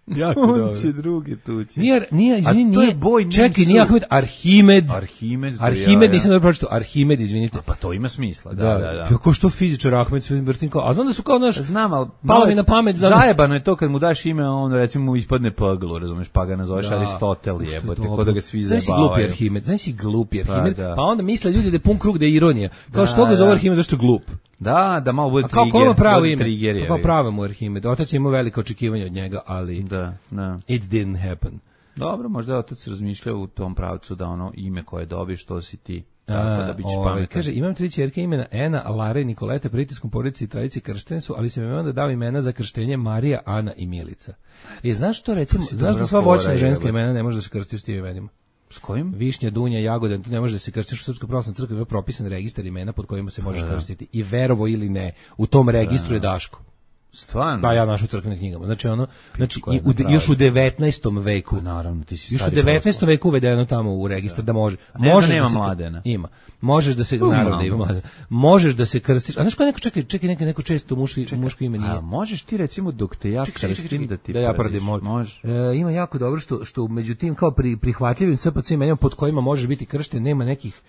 Jako dobro. On će drugi tući. Nije, nije, izvini, A to je nije, boj čekaj, nisu- nije Ahmed, Arhimed. Arhimed. to Arhimed, ja, ja. nisam dobro pročito, Arhimed, izvinite. Pa to ima smisla, da, da, da. Kako što fizičar Ahmed, sve vrtim kao, a znam da su kao naš, Znam, ali palo mi na pamet. Znam, zajebano je to kad mu daš ime, on recimo mu ispadne paglu, razumeš, pa ga nazoveš Da. Aristotel, Što je jebote, dobro. kod da ga svi Znaš si zabavaju. glupi Arhimed, znaš si glupi Pa, Arhimed, da. pa onda misle ljudi da je pun krug, da je ironija. Kao Da, što ga zove da. Arhimed, zašto je glup. Da, da malo bude A kao trigger. ko ima pravo bude ime? trigger, Pa je, kao je. pravo mu Arhimed. Otac je imao velike očekivanja od njega, ali Da, da. it didn't happen. Dobro, možda je otac razmišljao u tom pravcu da ono ime koje dobiš, to si ti. Tako da bićeš ovaj, pametan. kaže, imam tri ćerke imena Ena, Lara i Nikoleta, pritiskom porodici i tradici krštene su, ali sam im onda dao imena za krštenje Marija, Ana i Milica. I znaš što recimo, si znaš da dobra sva fora, voćna ženska jebote. imena ne može da se krstiš s tim imenima. S kojim? Višnja, dunja, jagoda, ti ne može da se krstiš u Srpskoj pravoslavnoj crkvi, ima propisan registar imena pod kojima se možeš krstiti. I verovo ili ne, u tom registru je Daško. Stvarno? Da, ja našao u crkvenim knjigama. Znači ono, znači koja i je u, napravila. još u devetnaestom veku. Pa naravno, ti si Još u stari devetnaestom veku uvedeno tamo u registar da može. ne da Možeš nema da se, Mladena. Ima. Možeš da se Pa, naravno da ima. ima Mladena. Možeš da se krstiš. A znaš ko neko čekaj, čekaj neko neko često muški muško ime nije. A možeš ti recimo dok te ja Čekaj, čekaj, krstim čekaj, da ti da ja prediš? pradim, može. Može. E, ima jako dobro što što među tim kao pri prihvatljivim S P C imenima pod kojima možeš biti kršten, nema nekih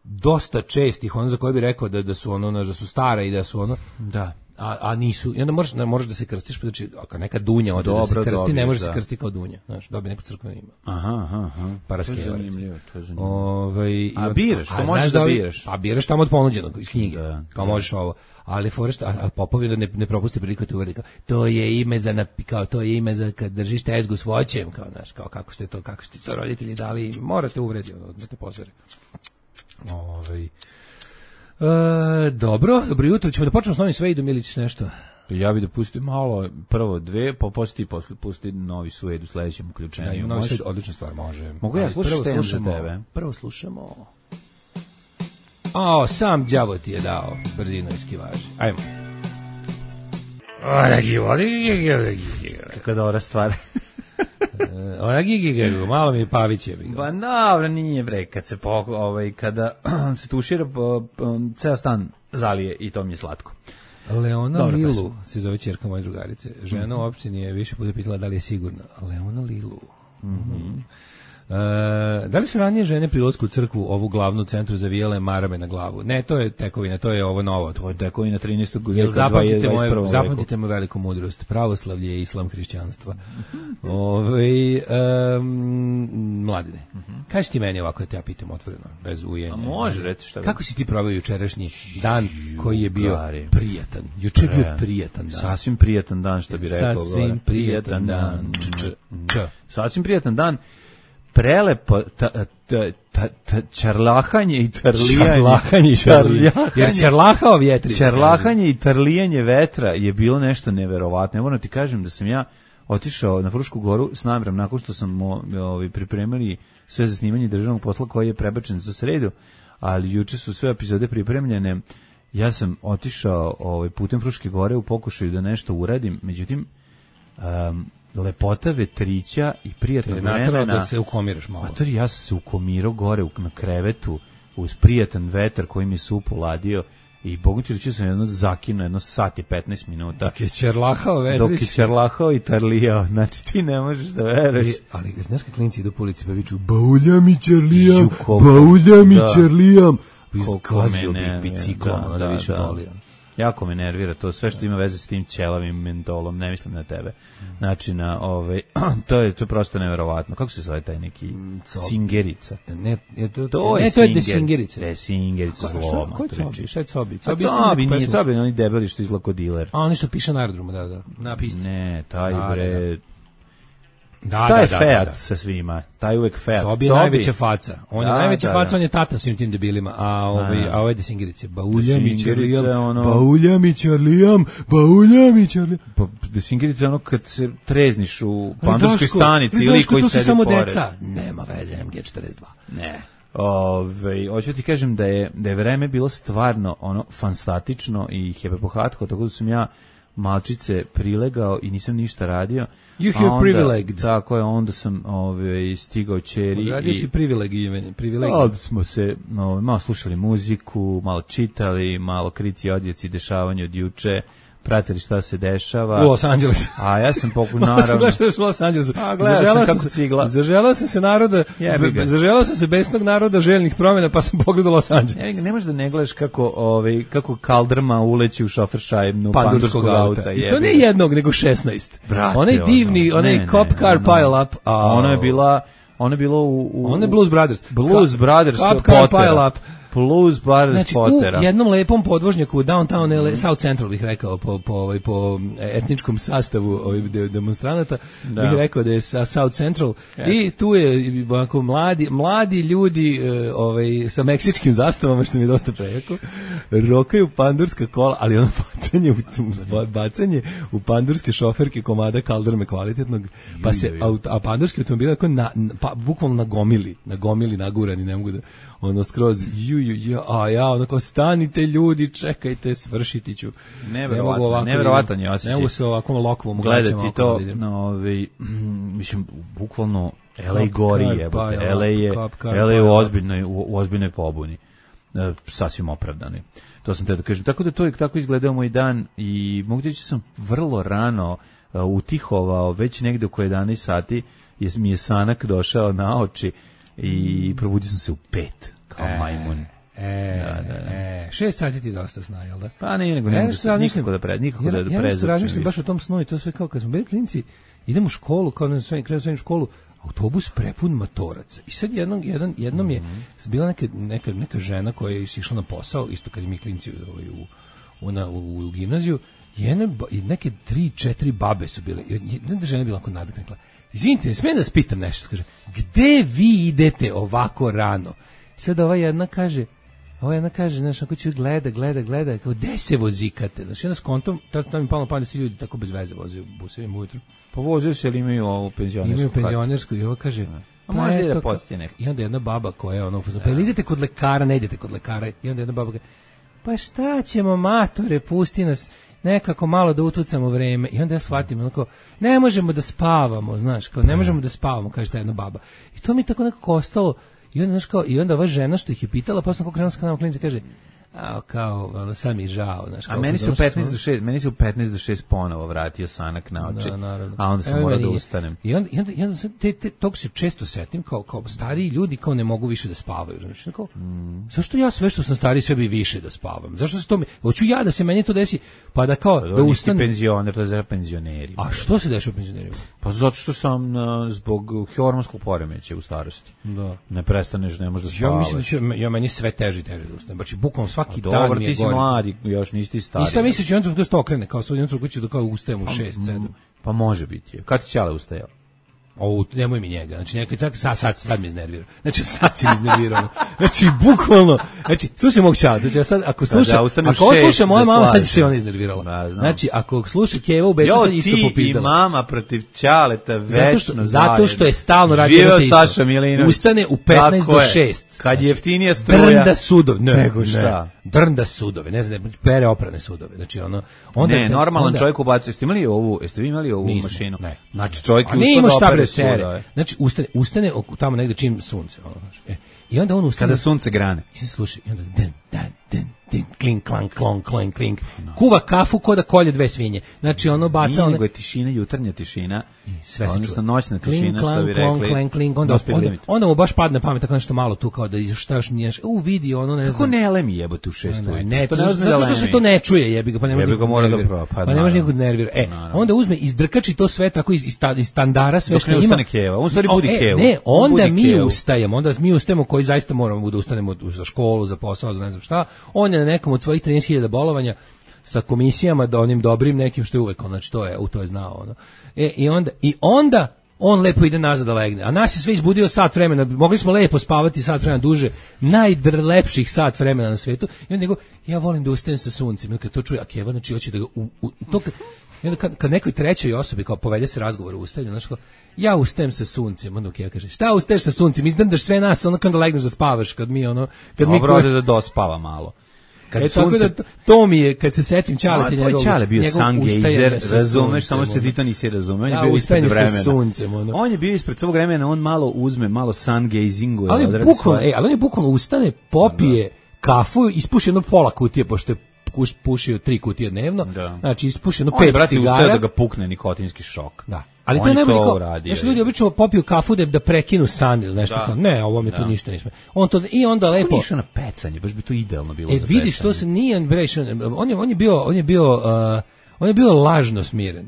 dosta čestih, ono za koje bi rekao da da su ono da su stara i da su ono Da. a, a nisu, i onda možeš, ne, možeš da se krstiš, pa znači, ako neka dunja ode da Dobro, se krsti, dobiješ, ne može da. se krsti kao dunja, znaš, dobije neko crkveno ime. Aha, aha, aha. Paraskeva, To je recimo. zanimljivo, to je zanimljivo. Ovaj, i A od- biraš, to a možeš znaš da ovi- biraš. A biraš tamo od ponuđenog, iz knjige, Da, kao da. možeš ovo. Ali Forest, a, a Popovi da ne, ne propusti priliku te uveri, kao, to je ime za, napi- kao, to je ime za kad držiš tezgu s voćem, kao, znaš, kao, kako ste to, kako ste to roditelji dali, morate uvredi, ono, da te pozore. Ovaj. E, dobro, dobro jutro, ćemo da počnemo s novim Svejdom ili ćeš nešto? Ja bih da pustim malo, prvo dve, pa posle ti posle pusti novi Sued u sledećem uključenju. Da, ima novi Možeš? Svejd, odlična stvar, može. Mogu ja Ali slušati prvo šta imam za slušamo- tebe? Prvo slušamo... O, sam đavo ti je dao brzinu eskivaži. Ajmo. Ona gigi, Kako dobra stvar. ona gigi, malo mi je Pavić je. Ba dobro, nije bre, kad se po, ovaj, kada se tušira, po, po, ceo stan zalije i to mi je slatko. Leona Dobra Lilu, pesma. se zove ćerka moje drugarice. Žena u opštini je više puta pitala da li je sigurna. Leona Lilu. Mhm. E, da li su ranije žene pri ulasku u crkvu ovu glavnu centru zavijale marame na glavu? Ne, to je tekovina, to je ovo novo. To je tako i na trinaestog Jel veka, zapamtite dvadeset prvom moje, veku. zapamtite moju veliku mudrost. Pravoslavlje je islam hrišćanstva. Ove, um, mladine, kaži ti meni ovako da te ja pitam otvoreno, bez ujenja. A može, reci šta god. Kako si ti proveo jučerašnji dan koji je bio Gari. prijatan? Juče je bio E, prijatan dan. Sasvim prijatan dan, što bi rekao. Sasvim gore. prijatan dan. Č, č. Sasvim prijatan dan. Prelepo ta, ta, ta, ta, čarlahanje i tarlijanje. Čarlahanje i tarlijanje. Jer čarlahao vjetrić. Čarlahanje i tarlijanje vetra je bilo nešto neverovatno. Ja moram ti kažem da sam ja otišao na Frušku goru s namerom nakon što sam ovaj, pripremili sve za snimanje državnog posla koji je prebačen za sredu, ali juče su sve epizode pripremljene. Ja sam otišao ovaj, putem Fruške gore u pokušaju da nešto uradim, međutim um, lepota vetrića i prijatnog Te je naterao vremena. da se ukomiraš malo. Matori, ja sam se ukomirao gore u, na krevetu uz prijatan vetar koji mi supu ladio i Bogu ti reći sam jedno zakino, jedno sat i petnaest minuta. Dok je ćerlahao Vedrić. Dok je ćerlahao i tarlijao, znači ti ne možeš da veruješ. Ali, ali znaš kad klinci idu po ulici pa viču bauljam i ćerlijam, Ju, koliko- bauljam i da. ćerlijam. Koliko me Izgazio bi nervira, biciklom, da, ono da, više da. boli. Jako me nervira to, sve što ima veze s tim ćelavim mentolom, ne mislim na tebe. Znači, na, ovaj, to, je, to je prosto neverovatno. Kako se zove taj neki Singerica? Ne, je to, To ne, je to je Singer- desingerica. Desingerica zlo. Ko je Cobi? Šta je Cobi? A Cobi je Cobi nije, pesma. Cobi je oni debeli što izlako diler. A oni što piše na aerodromu, da, da, na pisti. Ne, taj Da, bre... Da, taj je da, da, Fiat da, da. sa svima. Taj uvek Fiat. Cobi je najveća faca. On je Da, najveća da, faca, da. on je tata svim tim debilima. A ovaj, Da. a ovaj desingerice. Bauljam i Desingerica, ćerlijam, ono- bauljam i ćerlijam, bauljam i ćerlijam. Pa, Desingerica je ono kad se trezniš u Ali pandurskoj Daško, stanici ali ili Daško, koji to su sedi samo pored. deca. Nema veze, M G četrdeset dva. Ne. Ove, hoću ti kažem da je, da je vreme bilo stvarno ono fantastično i hebepohatko, tako da sam ja malčice prilegao i nisam ništa radio. You A feel onda- privileged. Tako je, onda sam ove, stigao ćeri Radio i si privilegijeveni, privilegij. onda smo se no, malo slušali muziku, malo čitali, malo krici, odjeci, dešavanja od juče, pratili šta se dešava. U Los Angelesu. A ja sam pokušao, Naravno. naravno. Gledaš u Los Angelesu. A, gledao sam Zaželao kako se- cigla. Zaželao sam se naroda, Jebi ga. zaželao sam se besnog naroda željnih promjena, pa sam pogledao Los Angeles. Ne, ne možeš da ne gledaš kako, ovaj, kako kaldrma uleći u šoferšajbnu Pandurskog pandurskog auta. auta. I to jebi ne ga. jednog, nego šesnaest. Brate, onaj divni, ono, onaj ne, cop ne, car ono- pile up. A, Ono je bila, ono je bilo u... u Ono je Blues Brothers. Blues Ka- Brothers Cop car Pottera. pile up. Blues Brothers Znači, Pottera. u jednom lepom podvožnjaku u downtown L A, South Central bih rekao, po, po, ovaj, po etničkom sastavu ovih de- demonstranata, Da. bih rekao da je sa South Central i tu je ovako mladi, mladi ljudi e, ovaj, sa meksičkim zastavama, što mi je dosta prejako, rokaju pandurska kola, ali ono bacanje u, bacanje u pandurske šoferke komada kaldrme kvalitetnog, pa se, auto, a pandurski automobil je na, na, pa, bukvalno nagomili, nagomili, nagurani, ne mogu da ono skroz, ju, ju, ju, a ja, ono kao, stanite ljudi, čekajte, svršiti ću. Neverovatno, Ne mogu ovako neverovatan da- je osjećaj. Ne mogu se ovakvom lokvom Gledati to, no. no, ovaj, mislim, bukvalno L A Cop gori car jebote. pile L A je, up, cop car L A je pile u up. ozbiljnoj, u, u ozbiljnoj pobuni. E, sasvim opravdani. To sam te da kažem. Tako da to je tako izgledao moj dan i mogu reći sam vrlo rano uh, utihovao, već negde oko jedanaest sati je, mi je sanak došao na oči i probudio sam se u pet kao majmun. E, e, šest sati ti dosta sna, jel da? Pa ne, nego Ja ne, nešto nikako razmišljam- da pre, nikako ja, da ja nešto prezapčem razmišljam više. baš o tom snu i to sve kao kad smo bili klinci, idemo u školu, kao na sve krenu srednju školu, autobus prepun matoraca. I sad jednom, jedan, jednom je bila neka, neka, neka žena koja je išla na posao, isto kad i mi klinci ovaj, u, u, na, u, u gimnaziju, jedne, ba- i neke tri, četiri babe su bile. I jedna žena je bila onako nadaknekla. Izvinite, ne smijem da vas pitam nešto, kaže, gde vi idete ovako rano? Sad ova jedna kaže, ova jedna kaže, znaš, ako ću gleda, gleda, gleda, kao, gde se vozikate? Znaš, jedna s kontom, tad tam mi palo na pamet da se ljudi tako bez veze voze u busevima ujutru. Pa vozio se, ali imaju ovu penzionersku Imaju kartu. penzionersku i ova kaže, A možda i da eto, posjeti neko. i onda jedna baba koja je ono, pa ili idete kod lekara, ne idete kod lekara, i onda jedna baba kaže, pa šta ćemo, matore, pusti nas, nekako malo da utucamo vreme. I onda ja shvatim, onako, ne možemo da spavamo, znaš, kao, ne možemo da spavamo, kaže ta jedna baba. I to mi je tako nekako ostalo, i onda, znaš, kao, i onda ova žena što ih je pitala, posle kako krenula sa kanalom klinice, kaže, a kao, ono, sad mi je žao, znaš, A kao, meni se u došli petnaest smo- do šest, meni se u petnaest do šest ponovo vratio sanak na oči. Da, naravno. A onda sam Evo morao meni da isto. ustanem. I onda, i onda, i onda sad te, te, tog se često setim, kao, kao stariji ljudi kao ne mogu više da spavaju. Znači, kao, Mm. zašto ja sve što sam stariji sve bi više da spavam? Zašto se to mi, hoću ja da se meni to desi, pa da kao, da Da nisi ustanem. penzioner, to je za penzioneri. A što se dešava penzionerima? Pa zato što sam uh, zbog hormonskog poremećaja u starosti. Da. Ne prestaneš, ne možeš da Ja spavaš. mislim da ću, ja meni sve teže i teže da ustanem. Znači, bukvalno svaki dan Dobro, mi je ti si gore. mladi, još nisi ti stari. I šta misliš, jedan trenutku da se to okrene, kao sad jedan trenutku ću da kao ustajem u šest, sedam. Pa može biti. Kad ti Ćale ustajao? O, nemoj mi njega. Znači, nekaj tak, sad, sad, sad mi iznervirao. Znači, sad si mi iznervirao. Znači, bukvalno, znači, slušaj mog čala, znači, ja sad, ako sluša, da ustanem ako ovo šest, sluša moja da mama, sad slažem. će se ona iznervirala. Da, znam. Znači, ako sluša Keva u Beču, Jo, sad isto ti i popizdala. mama protiv Ćaleta Zato večno što, zato što je zajedno. stalno radio Živeo na te isto. Saša Milinović. Ustane u petnaest Tako do je. šest. Kad je Znači, jeftinija struja. Drnda sudove. Ne, Nego šta? Ne. Drnda sudove. Ne znam, pere oprane sudove. Znači, ono, onda, ne, normalan onda, čovjek ubacuje. Jeste imali ovu, jeste vi imali ovu Nismo, mašinu? ne. Znači čovjek A je nije ustao imao da šta bre opere sere, svuda, sere. je. Znači, ustane, ustane oko- tamo negde čim sunce. Ono, znaš. E, I onda on ustane... Kada sunce grane. I se sluša, i onda den, dan, den, den, klink, klank, klonk, klonk, klink. Kuva kafu ko da kolje dve svinje. Znači, ono baca... Nije, one- nego je tišina, jutarnja tišina, sve se odnosno čuje. noćna Klink, tišina, što klank, bi klonk, rekli. klank, klink, onda, dospeli onda, limit. onda mu baš padne pamet tako nešto malo tu kao da iz- šta još nije, u vidi ono ne Kako znam. ne lemi jebote u šest Ne, ujutru? ne, Što to, ne zato uzme da što se lemi? to ne čuje, jebi ga, pa ne može Jebi ga, nikog mora da nervira. pro- pa Pa ne može naravno. nikog nervira. E, Naravno. onda uzme, izdrkači to sve tako iz, iz, sta- iz standara, sve Dok što ne ima. ustane keva. On u stvari O, budi e, kevu. Ne, On onda budi mi kevu. ustajemo, onda mi ustajemo koji zaista moramo da ustanemo za školu, za posao, za ne znam šta. On je na nekom od svojih trinaest hiljada bolovanja sa komisijama, da onim dobrim nekim što je uvek, on, znači to je, u to je znao. Ono. E, i onda, i onda on lepo ide nazad da legne. A nas je sve izbudio sat vremena, mogli smo lepo spavati sat vremena duže, najdrlepših sat vremena na svetu. I onda nego, ja volim da ustajem sa suncem. I onda kad to čuje, a Keva, znači hoće da ga... U, u, to kad, i onda kad, kad nekoj trećoj osobi kao povede se razgovor o ustajanju, znači kao, ja ustajem sa suncem, onda Keva kaže, šta ustaješ sa suncem, izdrndaš sve nas, onda kada legneš da spavaš, kad mi ono... Kad mi Dobro, ode da dospava malo. Kad E, tako da, to, to mi je, kad se setim Ćaleta Tvoj njegovog... Ćale bio njegovog sungejzer, ustajanja sa razumeš, samo suncem, što ti ono. to nisi razumeo. On je Da, bio ispred ustajanje sa vremena. suncem, ono. On je bio ispred svog vremena, on malo uzme, malo sungejzinguje. Ali odradi bukvalno, svoje. ej, ali on je bukvalno ustane, popije kafu, ispuši jedno pola kutije, pošto je kuš- pušio tri kutije dnevno, Da. znači ispuši jedno On je, pet brate, ustao cigara. da ga pukne nikotinski šok. Da. Ali On to je nema to niko. uradio, Znaš, je. ljudi obično popiju kafu da, da prekinu san ili nešto. Da. Kao, ne, ovo mi tu Da. ništa nismo. On to, i onda Kako lepo... nije išao na pecanje, baš bi to idealno bilo E, za vidiš, pecanje. to se nije on, bre, išao- on je, on je bio, on je bio, uh, on je bio lažno smiren.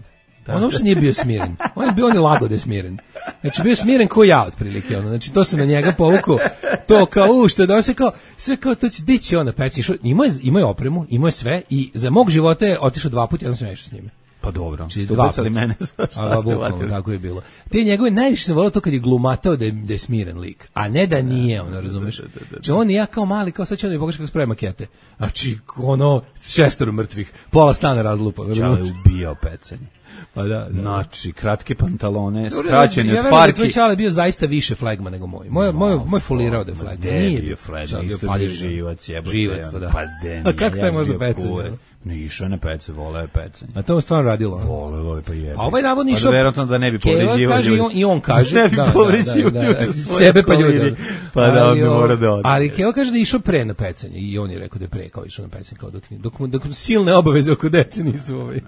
On uopšte nije bio smiren. On je bio, on je lago da je smiren. Znači, bio je smiren ko ja, otprilike. Ono. Znači, to se na njega povukao. To kao, u, što je da se kao, sve kao, to će, di će on na peci. Imao je, imao je opremu, imao je sve i za mog života je otišao dva puta, jednom sam ja išao s njime. Pa dobro, Znači, ste dva ubacali puta. mene sa A, šta ste bukvalno, vatili. tako je bilo. Te njegove najviše sam volao to kad je glumatao da je, da je smiren lik, a ne da nije, ono, razumeš? Znači, on i ja kao mali, kao sad će on mi pokaže kako spravi makete. Znači, ono, šestoro mrtvih, pola stana razlupa. Čale je ubijao pecanje. Pa da, da. Znači, kratke pantalone, Dobro, skraćeni ja od verujem da je tvoj farki. Čale bio zaista više flagma nego moj. Moj, moj, moj folirao da je Ma flagma. de Nije bio flagma, Čale isto bio paljen. živac, jebote. Živac, pa da. Pa de, A kako taj može pecanje? pecanje? Ne, išao je na pece, voleo je pecanje. A to je stvarno radilo. ono. Voleo je, pa jebe. A ovaj navodno Pa išao... da verovatno da ne bi Keva povređivao kaže, ljudi. i on, i on kaže. Ne bi da, da, povređivao da, da, ljude da, u svojoj sebe pa okolini. ljude. Pa da, Ali, on bi o, morao da ode. Ali Keva kaže da je išao pre na pecanje i on je rekao da je pre kao išao na pecanje, kao dok, dok, mu- dok mu silne obaveze oko dece nisu, ovaj,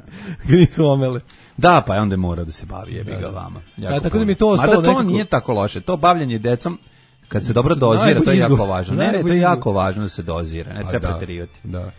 nisu omele. Da, pa je onda mora da se bavi, jebi ga vama. Jako Da, tako da puno. mi je to ostalo Mada to nekako- nije tako loše. To bavljanje decom, kad se dobro dozira, to je Najbolji jako izgovor. važno. Ne, ne, to Najbolji je jako izgovor. važno da se dozira, ne Pa treba da, preterivati. Da.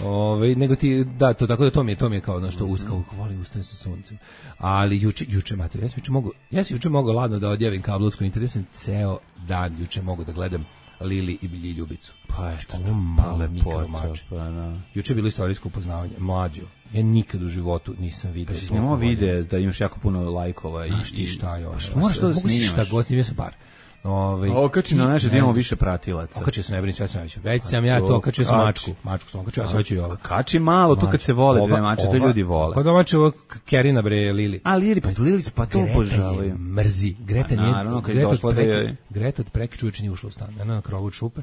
Ove, nego ti, da, to tako da to mi je, to mi je kao nešto usta, kako volim ustane sa suncem. Ali juče, juče, mater, ja sam juče mogu, ja sam juče mogao ladno da odjavim kablovsku internet, sam ceo dan juče mogu da gledam Lili i Bilji Ljubicu. Pa je što Ovo male lepota, mikromače. pa da. Juče je bilo istorijsko upoznavanje, mlađo. Ja nikad u životu nisam video. Si snimao vide da imaš jako puno lajkova i... Znaš ti šta je ono? Pa što moraš to da Mogu si šta snimaš? god, snimio sam par. Ove, Okači na i- naše da ne imamo znam. više pratilaca. Okačio sam, ne brini, sve sam već. Već sam ja to to, okačio sam kači. mačku. Mačku sam okačio, a sve ću i ovo. Kači malo, tu kad se vole dve mače, to ljudi vole. Kod domaće ovo Kerina bre Lili. A Lili, pa Lili se pa to Greta je obožavaju. mrzi. Greta Pa nije, naravno, kad je Greta od došla da preke, joj- Greta od preke čuveče nije ušla u stan. Ona na krovu od šupe.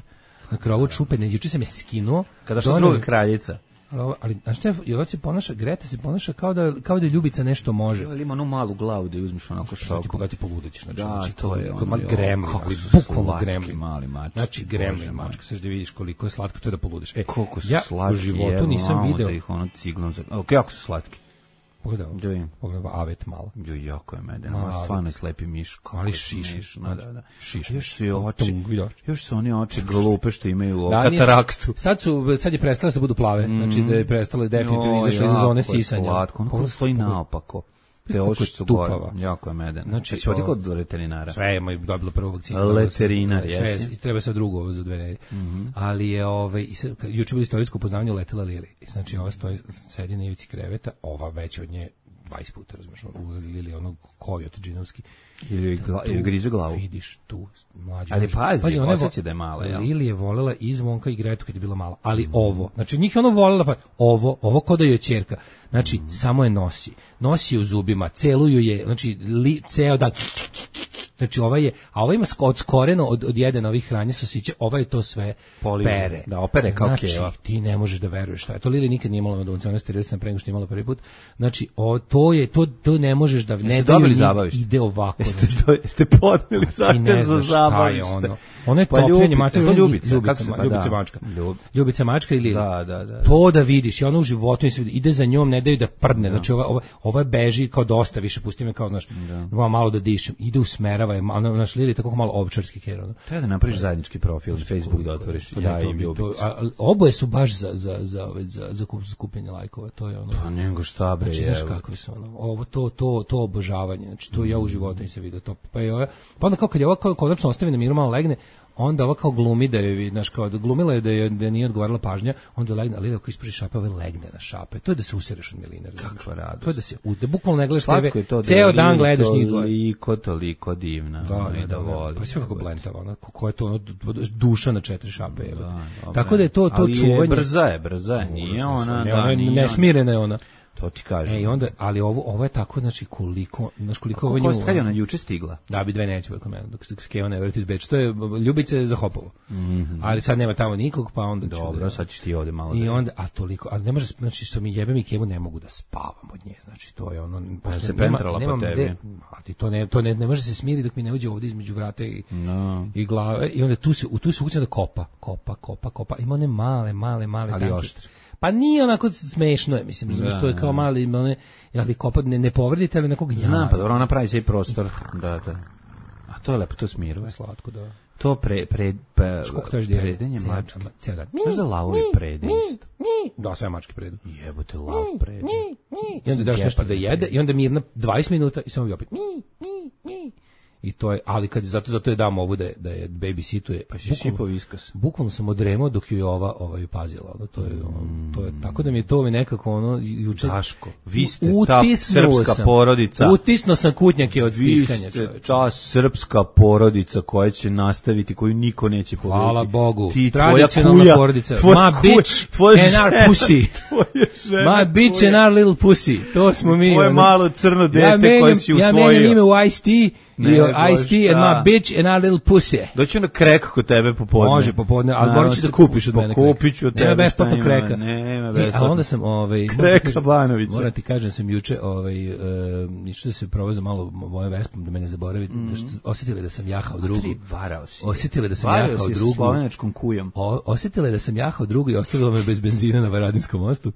Na krovu od šupe, ne, juče sam je skinuo. Kada što Doneo- druga kraljica. Ali, ovo- ali znaš šta, je, ovo se ponaša, Greta se ponaša kao da, kao da Ljubica nešto može. Ali ima onu malu glavu da je uzmeš onako Što ti šokom. pogledati poludećeš, znači, Da, znači, to je koliko- ono, ma jo, gremlin, kako ali su bukvalno slatki gremlin. mali mačci, Znači Bože gremlin moj. mačka, sad da vidiš koliko je slatko to je da poludiš. E, Koliko su ja slatki, u životu evo, nisam malo video. da ih ono ciglom za... O, kako su slatki? Pogledaj, Da vidim. pogledaj avet malo. Jo, jako je meden, Ma, ovo stvarno je slepi miš. kako Ali je šiš, smešno, znači, da, da. šiš. Još su i oči, Tung, vidiš. još su oni oči glupe što imaju ovo, Da, nije- kataraktu. Sad su sad je prestalo da budu plave, znači da je prestalo definitivno Joj, izašlo iz zone jako je sisanja. Slatko, ono kako stoji naopako. Te Kako oči je su gore, tupava. jako je meden. Znači, Znači, si otikao o- od veterinara? Sve je moj dobilo prvu vakcinu. Veterinar, Sve, jesi? i treba sad drugo ovo za dve nedelje. Ali je ovaj i sad, kad- juče bilo istorijsko upoznavanje letela Lili. I znači ova stoji sedi na ivici kreveta, ova već od nje dvadeset puta, razumeš, u Lili onog kojot džinovski. Ili, gla, ili grize glavu? Vidiš tu mlađu. Ali pazi, ona je osjeća vo- da je mala, jel? Lili je volela i Zvonka i Gretu kad je bila mala, ali ovo, znači njih je ono volela, pa ovo, ovo ko da joj je ćerka. Znači, samo je nosi. Nosi je u zubima, celuju je, znači, li, ceo dan Znači ovaj je, a ovaj ima od skoreno od od jedan ovih hranje sosiće, ovaj je to sve Poliže. pere. Da, opere kao znači, keva. ti ne možeš da veruješ šta je. To Lili nikad nije imala na doncu, ona sterilisana pre nego što je imala prvi put. Znači, o, to je to to ne možeš da ne dobili daju, zabavište? ide ovako. Jeste, Znači, to, jeste podneli ti zahtev ne za znaš šta je zabavište. ono. Ono je Pa topljenje Ljubica, mačka, to Ljubica, Ljubica, kako se- pa Ljubica da. mačka. Ljub- Ljubica mačka i Lili. Da, da, da. To da vidiš, i ona u životu se vidi, ide za njom, ne daju da prdne. Znači ova ova ova beži kao dosta više, pusti me kao, znaš, malo, malo da dišem. Ide usmerava je, ona naš Lili tako malo ovčarski ker, ono. Treba da napraviš zajednički profil, Facebook da otvoriš. Pa Ja da, to i bi- to- Ljubica. a- a oboje su baš za za za ove- za za kup- skupljanje lajkova, to je ono. Pa nego šta bre, Znači, znaš evo. kakvi su ono, ovo, to, to, to obožavanje, znači, to ja u životu nisam vidio to, pa je ova, pa onda kao kad je ova kao konačno ostavi na miru, malo legne, onda ova kao glumi da je, znaš, kao da glumila je da je, da je nije odgovarala pažnja, onda legne, ali ako isprži šape, ove legne na šape, to je da se usereš od miline, razumeš? Kakva radost. To je da se, u- da bukvalno ne gledaš Slatko je te to ve, da ceo je dan Lili gledaš njih dvoje. Toliko, toliko divna. Da, ono, i da, da, voli. pa sve kako blentava, ona, ko je to, ono, duša na četiri šape, je. Da, Tako da je to, to ali čuvanje. je brza je, brza je, nije ona, ne, da, ona je nije ona. nesmirena je ona. To ti kažem. E, i onda, ali ovo, ovo je tako, znači, koliko, znaš, koliko ovo Koliko nju... je kad je ona juče stigla? Da, bi dve neće kod mene, dok se Keva ne vrati iz Beča. To je Ljubice za Hopovo. Ali sad nema tamo nikog, pa onda ću... Dobro, da- sad ćeš ti ovde malo. I da- onda, a toliko, ali ne može, znači, što mi jebem i Kevu, ne mogu da spavam od nje, znači, to je ono... pošto se nema- pentrala po nemam tebi. gde- A ti to ne, to ne, ne može se smiri dok mi ne uđe ovde između vrata i, No. i glave, i onda tu se, u tu se ukucam da kopa, kopa, kopa, kopa, ima one male, male, male Ali tanke. oštre. Pa nije onako smešno je, mislim, razumiješ, Da, to je kao mali, one, ali kopa ne, ne povredite, ali nekog gnjava. Znam, pa dobro, ona pravi sebi prostor. Da, da. A to je lepo, to smiruje. Slatko, da. To pre, pre, pre, Koliko traži dijete? predenje Cijel- mačke. cijel dan. Znaš da lavovi prede isto? Da, sve mačke predu. Jebote, lav prede. I onda daš nešto da jede i onda mirna dvadeset minuta i samo bi opet. I to je, ali kad zato zato je dam ovu da je, da je babysituje. Pa si sipao viskas. Bukvalno sam odremao dok ju je ova ovaj pazila, ono, to je ono, to je tako da mi je to mi nekako ono juče Daško, vi ste ta utisnuo srpska sam. porodica. Utisnuo sam kutnjake od Vi stiskanja, ste čoveče. ta srpska porodica koja će nastaviti, koju niko neće pobediti. Hvala Bogu. Ti, tvoja Tradicionalna kuja, porodica. tvoja My kuja, bitch tvoja and our žena, pussy. Tvoja žena, My bitch kuja. and our little pussy. To smo mi. Tvoje ono. malo crno dete ja koje menjam, si ja usvojio. menjam ime u Ice-T i Nego Ice-T and šta? my bitch and our little pussy. Doći na krek kod tebe popodne. Može popodne, ali Naravno, morat ćeš da se- kupiš od mene kreka. Kupit ću od tebe. Nema besplatno šta ima, kreka. Nema E, besplatno. a onda sam, ovaj, moram Kreka ti kažem- Banovića. Moram ti kažem, sam juče, ovaj, uh, išao da se provozam malo mojom vespom, da me ne zaboravite, da što, osjetili da sam jahao drugu. Tri, varao si. Osjetili da sam Varao jahao si sa drugu. slovenačkom kujom. O, osjetila je da sam jahao drugu i ostavila me bez benzina na Varadinskom mostu.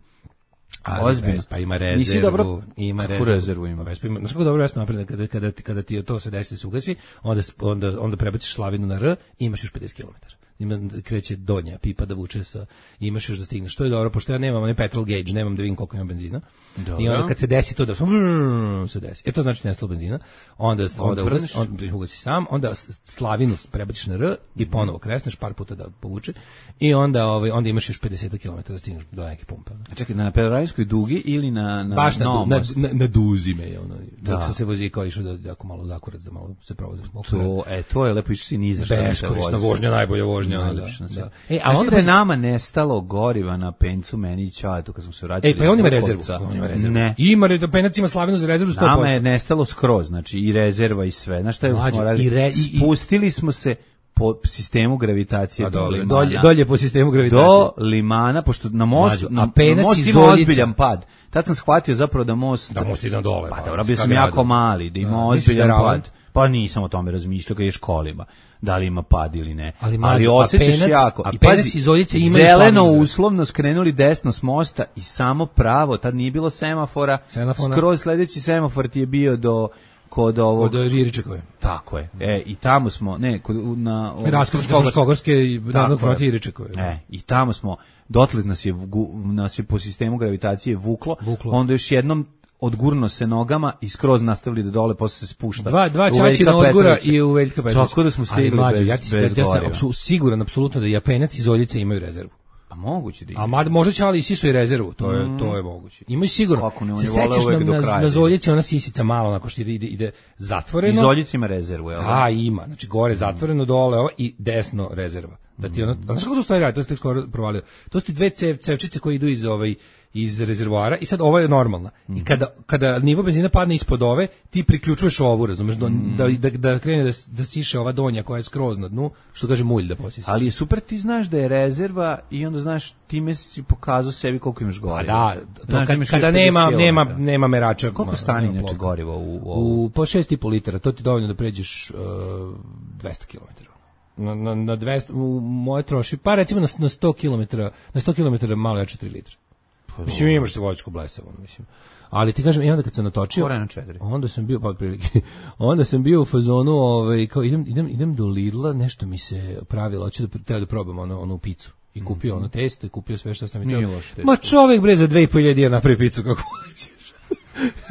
Ali Ozbiljno. Vespa ima rezervu. Nisi dobro- ima Kakvu rezervu. rezervu ima? Pa Vespa ima. Znaš kako dobro Vespa napravljena kada, kada, ti- kada ti to se desi da se ugasi, onda, s- onda, onda prebaciš slavinu na R i imaš još pedeset kilometara. Ima, kreće donja pipa da vuče sa, imaš još da stigneš. To je dobro, pošto ja nemam onaj petrol gauge, nemam da vidim koliko imam benzina. Dobro. I onda kad se desi to da sam, vrrrr, se desi. E to znači nestalo benzina. Onda, onda Odvrneš. ugasi, onda ugasi sam, onda s- slavinu prebaciš na R i ponovo kresneš par puta da povuče. I onda, ovaj, onda imaš još pedeset kilometara da stigneš do neke pumpe. A čekaj, na Pelarajskoj dugi ili na, na Baš na, Novom na, mostu? na, na duzi me je ono. Da. Dok sam se vozio kao išao da jako malo zakurac da malo se provozim. To, e, to je lepo, išli si niza šta mi se Beskorisna vozi. vožnja, najbolja vožnja. ono, Najlepša na da, svijetu. da. E, a a onda da je pa- nama nestalo goriva na pencu, meni i Ćaletu kad smo se vraćali. E, pa i on ima iz rezervu. Bukovca. On ima rezervu. Ne. Ima, re- penac ima slavinu za rezervu sto posto. Nama je nestalo skroz, znači i rezerva i sve. Znaš šta je Mlađe, smo radili? i re- i- i- Spustili smo se po sistemu gravitacije Pa do dobro, Limana. dolje, dolje po sistemu gravitacije. Do Limana, pošto na mostu, Mlađo, na, a na penac most iz ima Oljica. ozbiljan pad. Tad sam shvatio zapravo da most... Da most ide na dole, Pa pa, dobro, bio šta sam gradu. jako mali, da ima Da, misliš da je ozbiljan ravan? pad. Pa nisam o tome razmišljao kad je školima, da li ima pad ili ne. Ali, mlađo, a osjećaš penac- jako. a I penac pazi, iz Oljice imaju zeleno slavinu za- uslovno skrenuli desno s mosta i samo pravo, tad nije bilo semafora, Semafona. skroz sledeći semafor ti je bio do kod ovog... Od Iričekove. Tako je. E, i tamo smo, ne, kod, na... Raskričke Fruškogorske i Narodnog fronta Iričekove. E, i tamo smo, dotle nas je, vgu- nas je po sistemu gravitacije vuklo, Vuklo. onda još jednom odgurno se nogama i skroz nastavili da dole, posle se spušta. Dva, dva U čači Veljka na odgura Petrovića. i u Veljka Petrovića. Tako da smo Ali, stigli mlađe, bez, ja, ti, bez ja, ja sam goriva. apsu- siguran, apsolutno da Japenac iz Oljice imaju rezervu. Pa moguće da A ima. mad, možda će ali i sisu i rezervu, to je, to je moguće. Imaju sigurno. Kako ne, on se je voleo sećaš uvek na, do na, kraja na da Zoljici, ona sisica malo, onako što ide, ide zatvoreno. Iz Oljica ima rezervu, jel da? A, ima. Znači, gore zatvoreno, dole ovo i desno rezerva. Da ti ono, znaš kako to stvari radi, to ste skoro provalio. To su ti dve cev, cevčice koje idu iz ovaj iz rezervoara i sad ova je normalna. Mm. I kada kada nivo benzina padne ispod ove, ti priključuješ ovu, razumeš, mm. da, da da krene da da siše ova donja koja je skroz na dnu, što kaže mulj da posisi. Ali je super, ti znaš da je rezerva i onda znaš time si pokazao sebi koliko imaš goriva. Da, to znaš, kad, kada nema nema nema merača. Koliko stane inače goriva u u, u po šest i po litara, to ti dovoljno da pređeš uh, dvesta kilometara. Na na na dvesta u moje troši, pa recimo na, na sto kilometara, na sto kilometara malo jače tri litre. Mislim, imaš se vozačku blesavo, mislim. Ali ti kažem, i onda kad sam natočio, onda sam bio, pa otprilike, onda sam bio u fazonu, ovaj, kao idem, idem, idem do Lidla, nešto mi se pravilo, hoću da, teo da probam ono, onu picu. I kupio ono testo, i kupio sve što sam mi trebao. Ma čovek bre za dve i po hiljade dinara napravi picu kako hoćeš.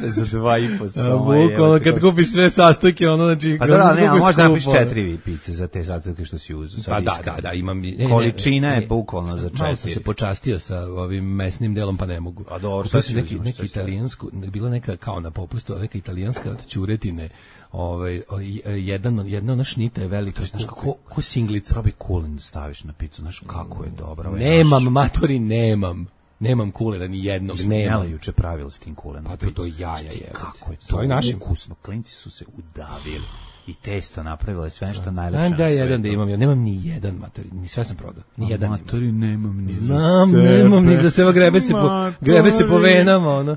Za dva i po samo. Bukvalno kad kupiš sve sastojke, ono znači pa da, ne, možda napiš četiri pice za te sastojke što si uzeo. Pa da, da, da, imam ne, količina je bukvalno za četiri. Malo sam se počastio sa ovim mesnim delom, pa ne mogu. A dobro, kupio sam neki neki italijansku, bila neka kao na popustu, neka italijanska od ćuretine. Ovaj jedan jedna ona šnita je velika, znaš kako ko singlica. Probi kulen da staviš na picu, znaš kako je dobro. Nemam matori, nemam. Nemam kulena ni jednog, nema. Juče pravila s tim kulenom. Pa to je to jaja je. Kako je to? To je naše ukusno. Klinci su se udavili i testo napravile sve što najlepše. Da, jedan da imam, ja nemam ni jedan matori, ni sve sam prodao. Ni jedan matori nemam ni za Znam, nemam ni za sebe, grebe se po grebe se po venama, ono.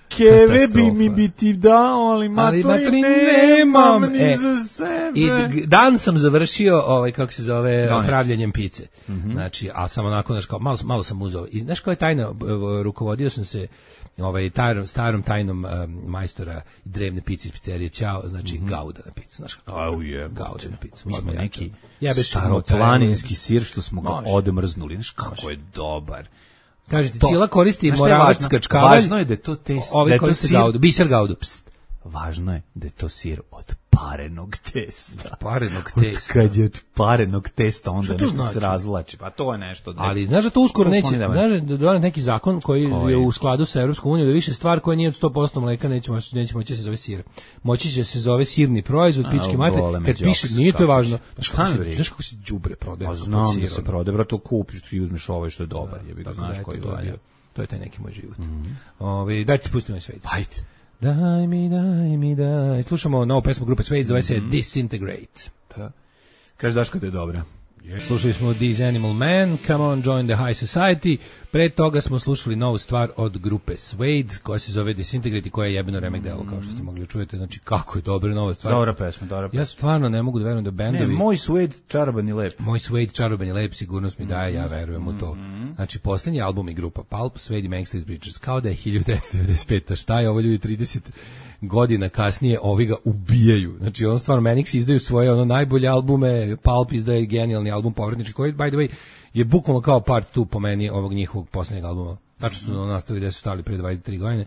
Keve bi mi biti dao, ali matori, ali matori nemam, nemam ni e, za sebe. I dan sam završio, ovaj, kako se zove, Doneć. pravljenjem pice. Mm-hmm. Znači, a sam onako, znaš, kao, malo, malo sam uzao. I znaš kao je tajna, rukovodio sam se ovaj, tarom, starom tajnom um, majstora drevne pice iz pizzerije Ćao, znači mm-hmm. Gauda na picu. Znaš kako? Au je, Gauda na picu. Mi smo neki staroplaninski sir što smo ga odmrznuli. Znaš kako je dobar. Kažete, cijela koristi Moravac kačkavalj. Važno je da je to test, da je to sir, gaudu, biser gaudu. Pst. Važno je da je to sir od parenog testa. Parenog testa. Kad je od parenog testa, onda nešto znači? se razvlači. Pa to je nešto. Da... Ali znaš da to uskoro neće, znaš da dođe neki zakon koji Koji? je u skladu sa Evropskom unijom, da više stvar koja nije od sto posto mleka neće moći, neće moći se zove sir. Moći će se zove sirni proizvod, pičke mate, kad piše, nije to važno. Znaš kako se đubre prodaje? Znam da se prodaje, bro, to kupiš, ti uzmeš ovo što je dobar, jebi ga, znaš koji je. To je taj neki moj život. Ovaj daj ti pustimo i sve. Ajde. Daj mi, daj mi, daj. Slušamo novu pesmu grupe Suede, zove se mm. Disintegrate. Da. Kaži Daško da je dobra. Yes. Slušali smo These Animal Men, Come On Join the High Society. Pre toga smo slušali novu stvar od grupe Suede, koja se zove Disintegrate i koja je jebeno remek delo, kao što ste mogli čujete. Znači, kako je dobra nova stvar. Dobra pesma, dobra pesma. Ja stvarno ne mogu da verujem da bendovi... Ne, moj Suede čaroban i lep. Moj Suede čaroban i lep, sigurnost mi daje, ja verujem u to. Znači, posljednji album i grupa Pulp, Suede i Manic Street Preachers, kao da je hiljadu devetsto devedeset peta. Šta je ovo, ljudi, trideset godina kasnije ovi ga ubijaju. Znači, on stvarno, Manics izdaju svoje ono najbolje albume, Pulp izdaje genijalni album Povratnički, koji, by the way, je bukvalno kao part two po meni ovog njihovog posljednjeg albuma. Znači su ono nastavili gde su stali pre dvadeset tri godine,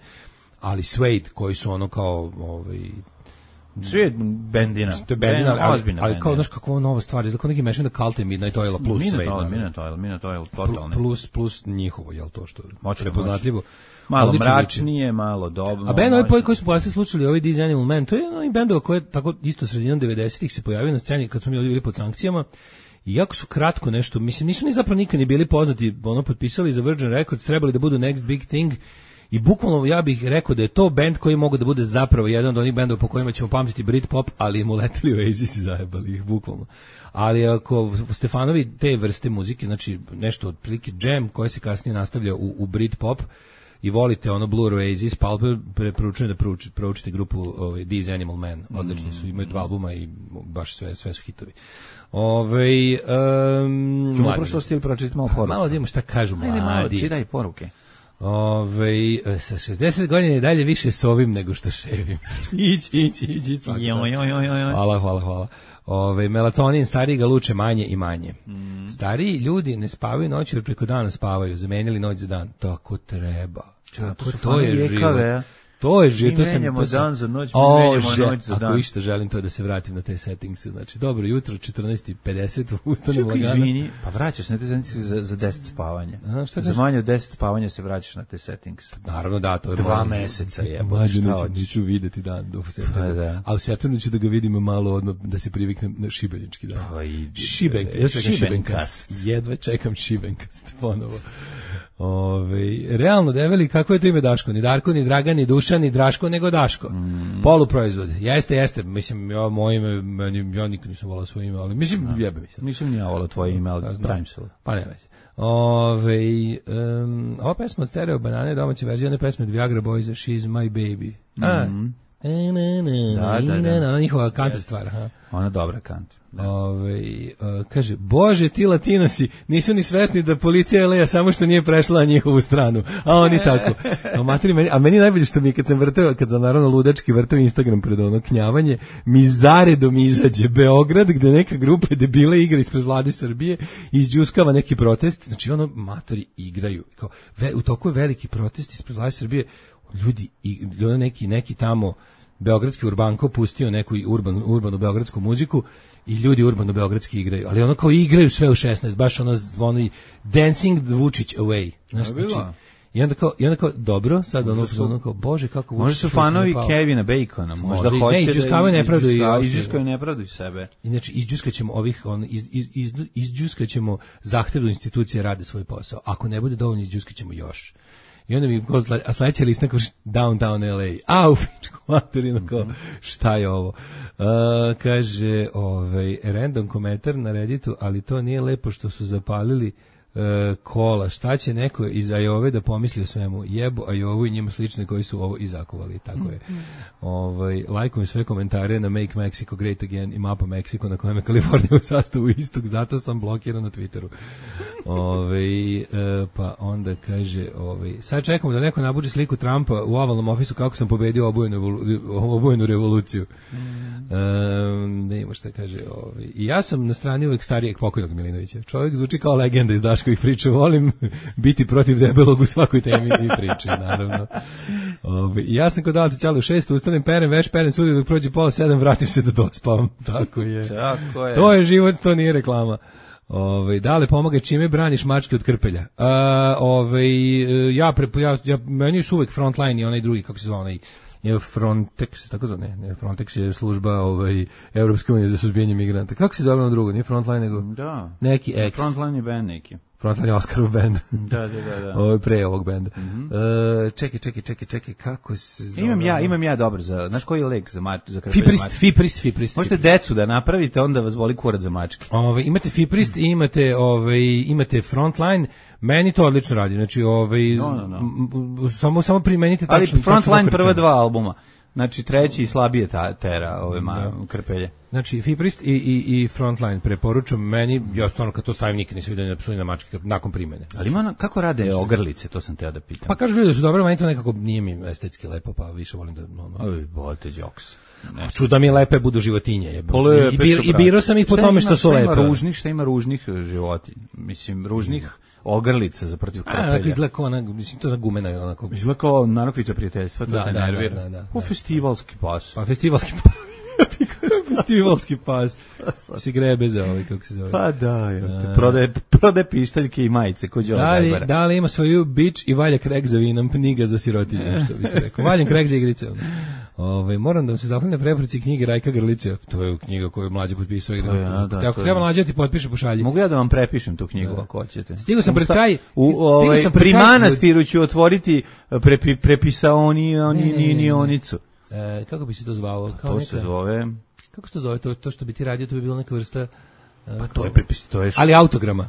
ali Suede, koji su ono kao ovaj Suede bendina. To je bendina, ali, ali kao, znaš, kakva nova stvar, je kao neki mešan da Kalte Midnight Oil plus Suede. Midnight Oil, Midnight Oil, totalno. Plus, plus njihovo, jel to što je prepoznatljivo. Malo mračnije, malo dobro. A bend ovaj koji su posle slušali, ovaj These Animal Men, to je jedan bendova koji je tako isto sredinom devedesetih se pojavio na sceni kad smo mi ovdje bili pod sankcijama. I jako su kratko nešto, mislim, nisu ni zapravo nikad ni bili poznati, ono, potpisali za Virgin Records, trebali da budu next big thing, i bukvalno ja bih rekao da je to bend koji mogu da bude zapravo jedan od onih bendova po kojima ćemo pamtiti Britpop, ali mu leteli u Oasis i zajebali ih, bukvalno. Ali ako Stefanovi te vrste muzike, znači nešto od prilike jam, koje se kasnije nastavlja u, u Britpop, i volite ono Blur, Oasis, Pulp, preporučujem da proučite, proučite grupu ovaj, These Animal Men, odlični su, imaju dva albuma i baš sve, sve su hitovi. Ove, um, Čemo prošlosti ili pročitati malo poruke? Malo da imamo šta kažu mladi. Ajde malo, čitaj poruke. Ove, sa šezdeset godina je dalje više sovim nego što ševim. Ići, ići, ići. Hvala, hvala, hvala. Ove, melatonin, stariji ga luče manje i manje. Mm. Stariji ljudi ne spavaju noći, jer preko dana spavaju, zamenili noć za dan. Tako treba. Tako, to, to je život. To je život, to sam... menjamo to sam- dan za noć, mi O, menjamo že- noć za dan. Ako išta želim to da se vratim na te settingse. Znači, dobro jutro, četrnaest i pedeset, ustanem Čekaj, lagano. izvini, pa vraćaš na te settings za, za deset spavanja. A, šta za kažeš? manje od deset spavanja se vraćaš na te settings. Naravno da, to je Dva mlađe. meseca je, Mlađe šta neću, hoćeš? neću videti dan do septembra. Pa da. A u septembru ću da ga vidim malo odmah, da se priviknem na šibenički dan. Pa idi, Šibenk, bre, ja čekam Šibenkast. Šibenkast. Jedva čekam Šibenkast ponovo. Ove, realno, develi, kako je to ime Daško? Ni Darko, ni Dragan, ni Dušan, ni Draško, nego Daško. Mm. Poluproizvod. Jeste, jeste. Mislim, ja, moje ime, meni, ja nikad nisam volao svoje ime, ali mislim, no. jebe mi se. Nisam ni ja volao tvoje ime, ali pravim se. Pa nema se. Ove, um, ova pesma od Stereo Banane, domaća verzija, one pesme od Viagra Boysa, She's My Baby. A, Mm. e, ne, ne, Da, ne, da, da. ne, ona njihova country stvar. Aha. Ona dobra kant. Da. Ove, uh, kaže, Bože, ti Latinosi nisu ni svesni da policija leja samo što nije prešla na njihovu stranu, a oni tako. A, materi, meni, a meni najbolje što mi kad sam vrteo, kad sam naravno ludački vrteo Instagram pred ono knjavanje, mi zaredom izađe Beograd gde neka grupa debile igra ispred vlade Srbije i izđuskava neki protest, znači ono matori igraju. Kao, ve, u toku je veliki protest ispred vlade Srbije, ljudi, i, ono neki, neki tamo beogradski urbanko pustio neku urban, urbanu beogradsku muziku i ljudi urbano beogradski igraju, ali ono kao igraju sve u šesnaest, baš ono, ono i Dancing Vučić Away. Znaš, znači, i onda kao, i onda kao, dobro, sad ono, su, ono kao, bože, kako Vučić... Možda su fanovi Kevina Bacona, možda Možda i- hoće ne, izđuskavaju nepravdu i izđuskavaju- ostalo. izđuskaju nepravdu i sebe. Inače, izđuskaćemo ovih, on, iz, iz, iz, izđuskaćemo zahtevu institucije rade svoj posao. Ako ne bude dovoljno, izđuskaćemo još. I onda mi, ko zla- a sledeća lista kao Downtown L A. Au, pičku materinu, kao, šta je ovo? Uh, kaže, ovaj, random komentar na Redditu, ali to nije lepo što su zapalili uh, kola. Šta će neko iz Ajove da pomisli o svemu? Jebo Ajovu i njima slične koji su ovo izakovali. Tako je. Ovaj, lajkujem sve komentare na Make Mexico Great Again i mapa Meksiko na kojem je Kalifornija u sastavu istog, zato sam blokiran na Twitteru. Ovaj, e, pa onda kaže, ovaj, sad čekamo da neko nabuđe sliku Trumpa u ovalnom ofisu kako sam pobedio obojenu, evolu- obojenu revoluciju. Mm. E, ne ima šta kaže. Ovaj. I ja sam na strani uvek starijeg pokojnog Milinovića. Čovjek zvuči kao legenda iz Daškovih priča. Volim biti protiv debelog u svakoj temi i priči, naravno. Ovaj, ja sam kod Alca Ćale u šest, ustanem, perem, već perem sudi dok prođe pola sedam, vratim se da dospavam. Tako je. Tako je. To je život, to nije reklama. Ovaj, dale pomaga čime braniš mačke od krpelja. A, ovaj, ja, pre, ja, ja, meni su uvek Frontline i onaj drugi, kako se zove onaj, je Frontex, tako zove, ne, ne, Frontex je služba ovaj, Evropske unije za suzbijanje migranta. Kako se zove ono drugo, nije Frontline, nego Da. neki ex. Frontline je band neki. Frontline je Oscarov band. Da, da, da, da. Ovo je pre ovog benda. Mhm. E, čekaj, čekaj, čekaj, čekaj, kako se zove? Imam ja, ono? imam ja dobar za, znaš koji je lek za mač, za krpelje Fiprist, mačke? fiprist, fiprist. Možete decu da napravite, onda vas boli kurac za mačke. Ove, imate Fiprist i imate ovaj imate Frontline, meni to odlično radi. Znači, ovaj No, no, no. m- m- samo samo primenite tačno. Ali tačno Frontline krčenje. prva dva albuma. Znači treći slabije ta, tera ove ma, krpelje. Znači Fiprist i i i Frontline preporučujem meni, ja stvarno kad to stavim nikad nisam vidio na psuje na mačke nakon primene. Ali ima ona- kako rade ogrlice, to sam teo da pitam. Pa kažu ljudi da su dobro, meni to nekako nije mi estetski lepo, pa više volim da no, no. Oj, bolite jokes. Ču da mi lepe budu životinje, jebe. Pa lepe I, bir, su, i brate. biro sam ih po Šta tome ima- što su šta lepe. Ima ružnih, šta ima ružnih e, životinja. Mislim, ružnih ogrlica za protiv A, onako krpelja. izgleda kao ona, mislim, to je ona gumena, onako. Izgleda kao narukvica prijateljstva, to Da, te da, nervira. da, da, da, U da. festivalski pas. Pa festivalski pas. festivalski pas. Si grebe za ovaj, kako se zove. Pa da, jel te, prodaje, prodaje pištaljke i majice, ko Đole Da li, Gajbara. da li ima svoju bič i valja krek za vinom, knjiga za sirotinje, što bi se rekao. Valjem krek za igrice. Ove, moram da vam se zahvalim na preporuci knjige Rajka Grlića. To je knjiga koju mlađe potpisao. To je, a, da, Ako to je. treba mlađe ti potpiše, pošalji. Mogu ja da vam prepišem tu knjigu ako hoćete. Stigao sam pred Šta- kraj- U, stigao ovaj, sam pred pri kraj- manastiru ću otvoriti prepi, prepisaoni oni, Ne, ne, ne, ni, ni ne. onicu. E, kako bi se to zvao? Kao To neka, se zove... Kako se to zove? To, to što bi ti radio, to bi bila neka vrsta... e, Pa to je prepis, to je... š- Ali autograma.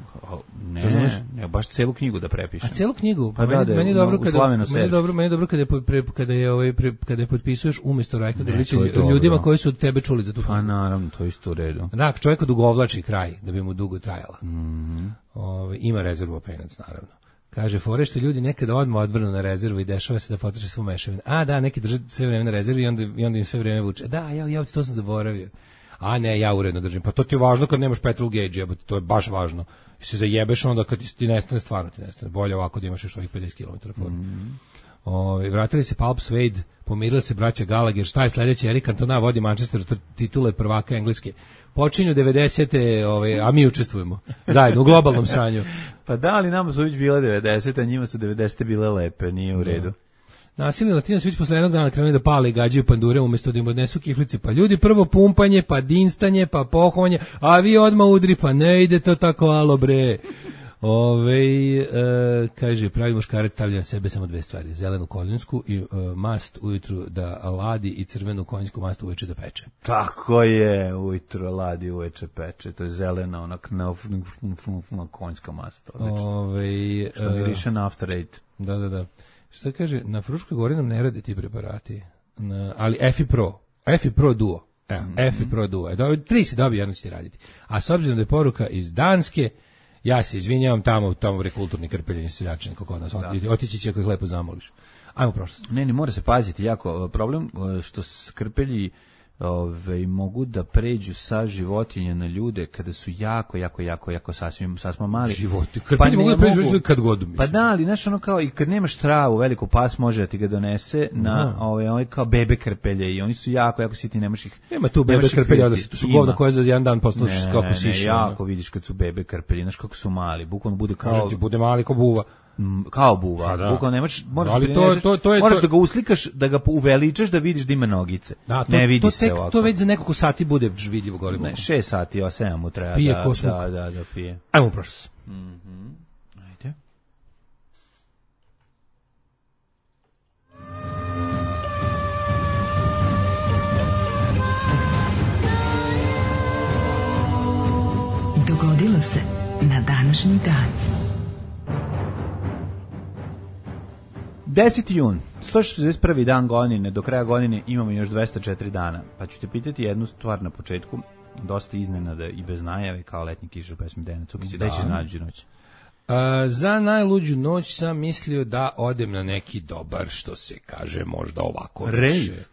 Ne, razumeš? ne, baš celu knjigu da A prepišem. celu knjigu, pa, Pa da, meni, da je meni je u- dobro u kada Slaveno meni je Serč. dobro, meni je dobro kada je pre, kada je ovaj pre, kada je potpisuješ umjesto Rajka Ne, Grlića to je dobro. ljudima koji su od tebe čuli za tu Pa knjigu. naravno, to je isto u redu. Da, čovjek odugovlači kraj da bi mu dugo trajala. Mhm. Ovaj, ima rezervu penac, naravno. Kaže, fore što ljudi nekada odmah odvrnu na rezervu i dešava se da potroše svu mešavinu. A, da, neki drže sve vreme na rezervi i onda, i onda im sve vreme vuče. Da, ja, ja, to sam zaboravio. A ne, ja uredno držim. Pa to ti je važno kad nemaš petrol gauge, jebote, to je baš važno. I se zajebeš onda kad ti, ti nestane, stvarno ti nestane. Bolje ovako da imaš još ovih pedeset kilometara formu. Ove, vratili se Palp Swade, pomirila se braća Gallagher, šta je sledeće? Eric Cantona vodi Manchester titule prvaka Engleske. Počinju devedesete, ove, a mi učestvujemo zajedno u globalnom sranju. Pa da, ali nama su već bile devedesete, a njima su devedesete bile lepe, nije u redu. Nasilni Latinac već posle jednog dana krenuli da pale i gađaju pandure umjesto da im odnesu kiflice. Pa ljudi prvo pumpanje, pa dinstanje, pa pohovanje, a vi odmah udri, pa ne ide to tako, alo bre. Ove, e, kaže, pravi muškarac stavlja na sebe samo dve stvari, zelenu konjsku i e, mast ujutru da ladi i crvenu konjsku mast uveče da peče. Tako je, ujutro ladi, uveče peče, to je zelena, onak na konjska mast, odlično. Ove, što miriše na After Eight. Da, da, da. Šta kaže, na Fruškoj gori nam ne rade ti preparati, na, ali Efi Pro, Efi Pro Duo, evo, mm -hmm. Efi Pro Duo, do, tri se dobije, jedno će ti raditi. A s obzirom da je poruka iz Danske, ja se izvinjavam, tamo, tamo bre kulturni krpeljenje seljačani kako nas otići, otići će ako ih lepo zamoliš. Ajmo prošlost. Ne, ne, mora se paziti jako. Problem što krpelji ove, mogu da pređu sa životinja na ljude kada su jako, jako, jako, jako sasvim, sasvim mali. Životi, krpelji pa mogu da pređu mogu, kad god mislim. Pa da, ali znaš ono kao, i kad nemaš travu, veliko pas može da ti ga donese na ove, ove kao bebe krpelje i oni su jako, jako sitni, nemaš ih. Nema tu bebe krpelja, da su govna koja za jedan dan posluš kako siše. Ne, jako vidiš kad su bebe krpelji, znaš kako su mali, bukvalno bude kao... Kaže ti, bude mali kao buva. Kao buva, da. Bukvalno nemaš, moraš, ali to, to, to je, moraš to... da ga uslikaš, da ga uveličaš, da vidiš da ima nogice. Da, to, ne vidi to se tek, ovako. To već za nekoliko sati bude vidljivo golim. Ne, šest sati, o sedam mu treba. Pije da, ko smuk. Da, da, da, pije. Ajmo prošlo. Mhm. Ajde. Dogodilo se na današnji dan. deseti jun, sto šezdeset prvi dan godine, do kraja godine imamo još dvesta četiri dana. Pa ću te pitati jednu stvar na početku, dosta iznenada i bez najave, kao letnji kiš u pesmi Dejana Cukića. Da ćeš nađu noć? A, za najluđu noć sam mislio da odem na neki dobar, što se kaže, možda ovako Rave.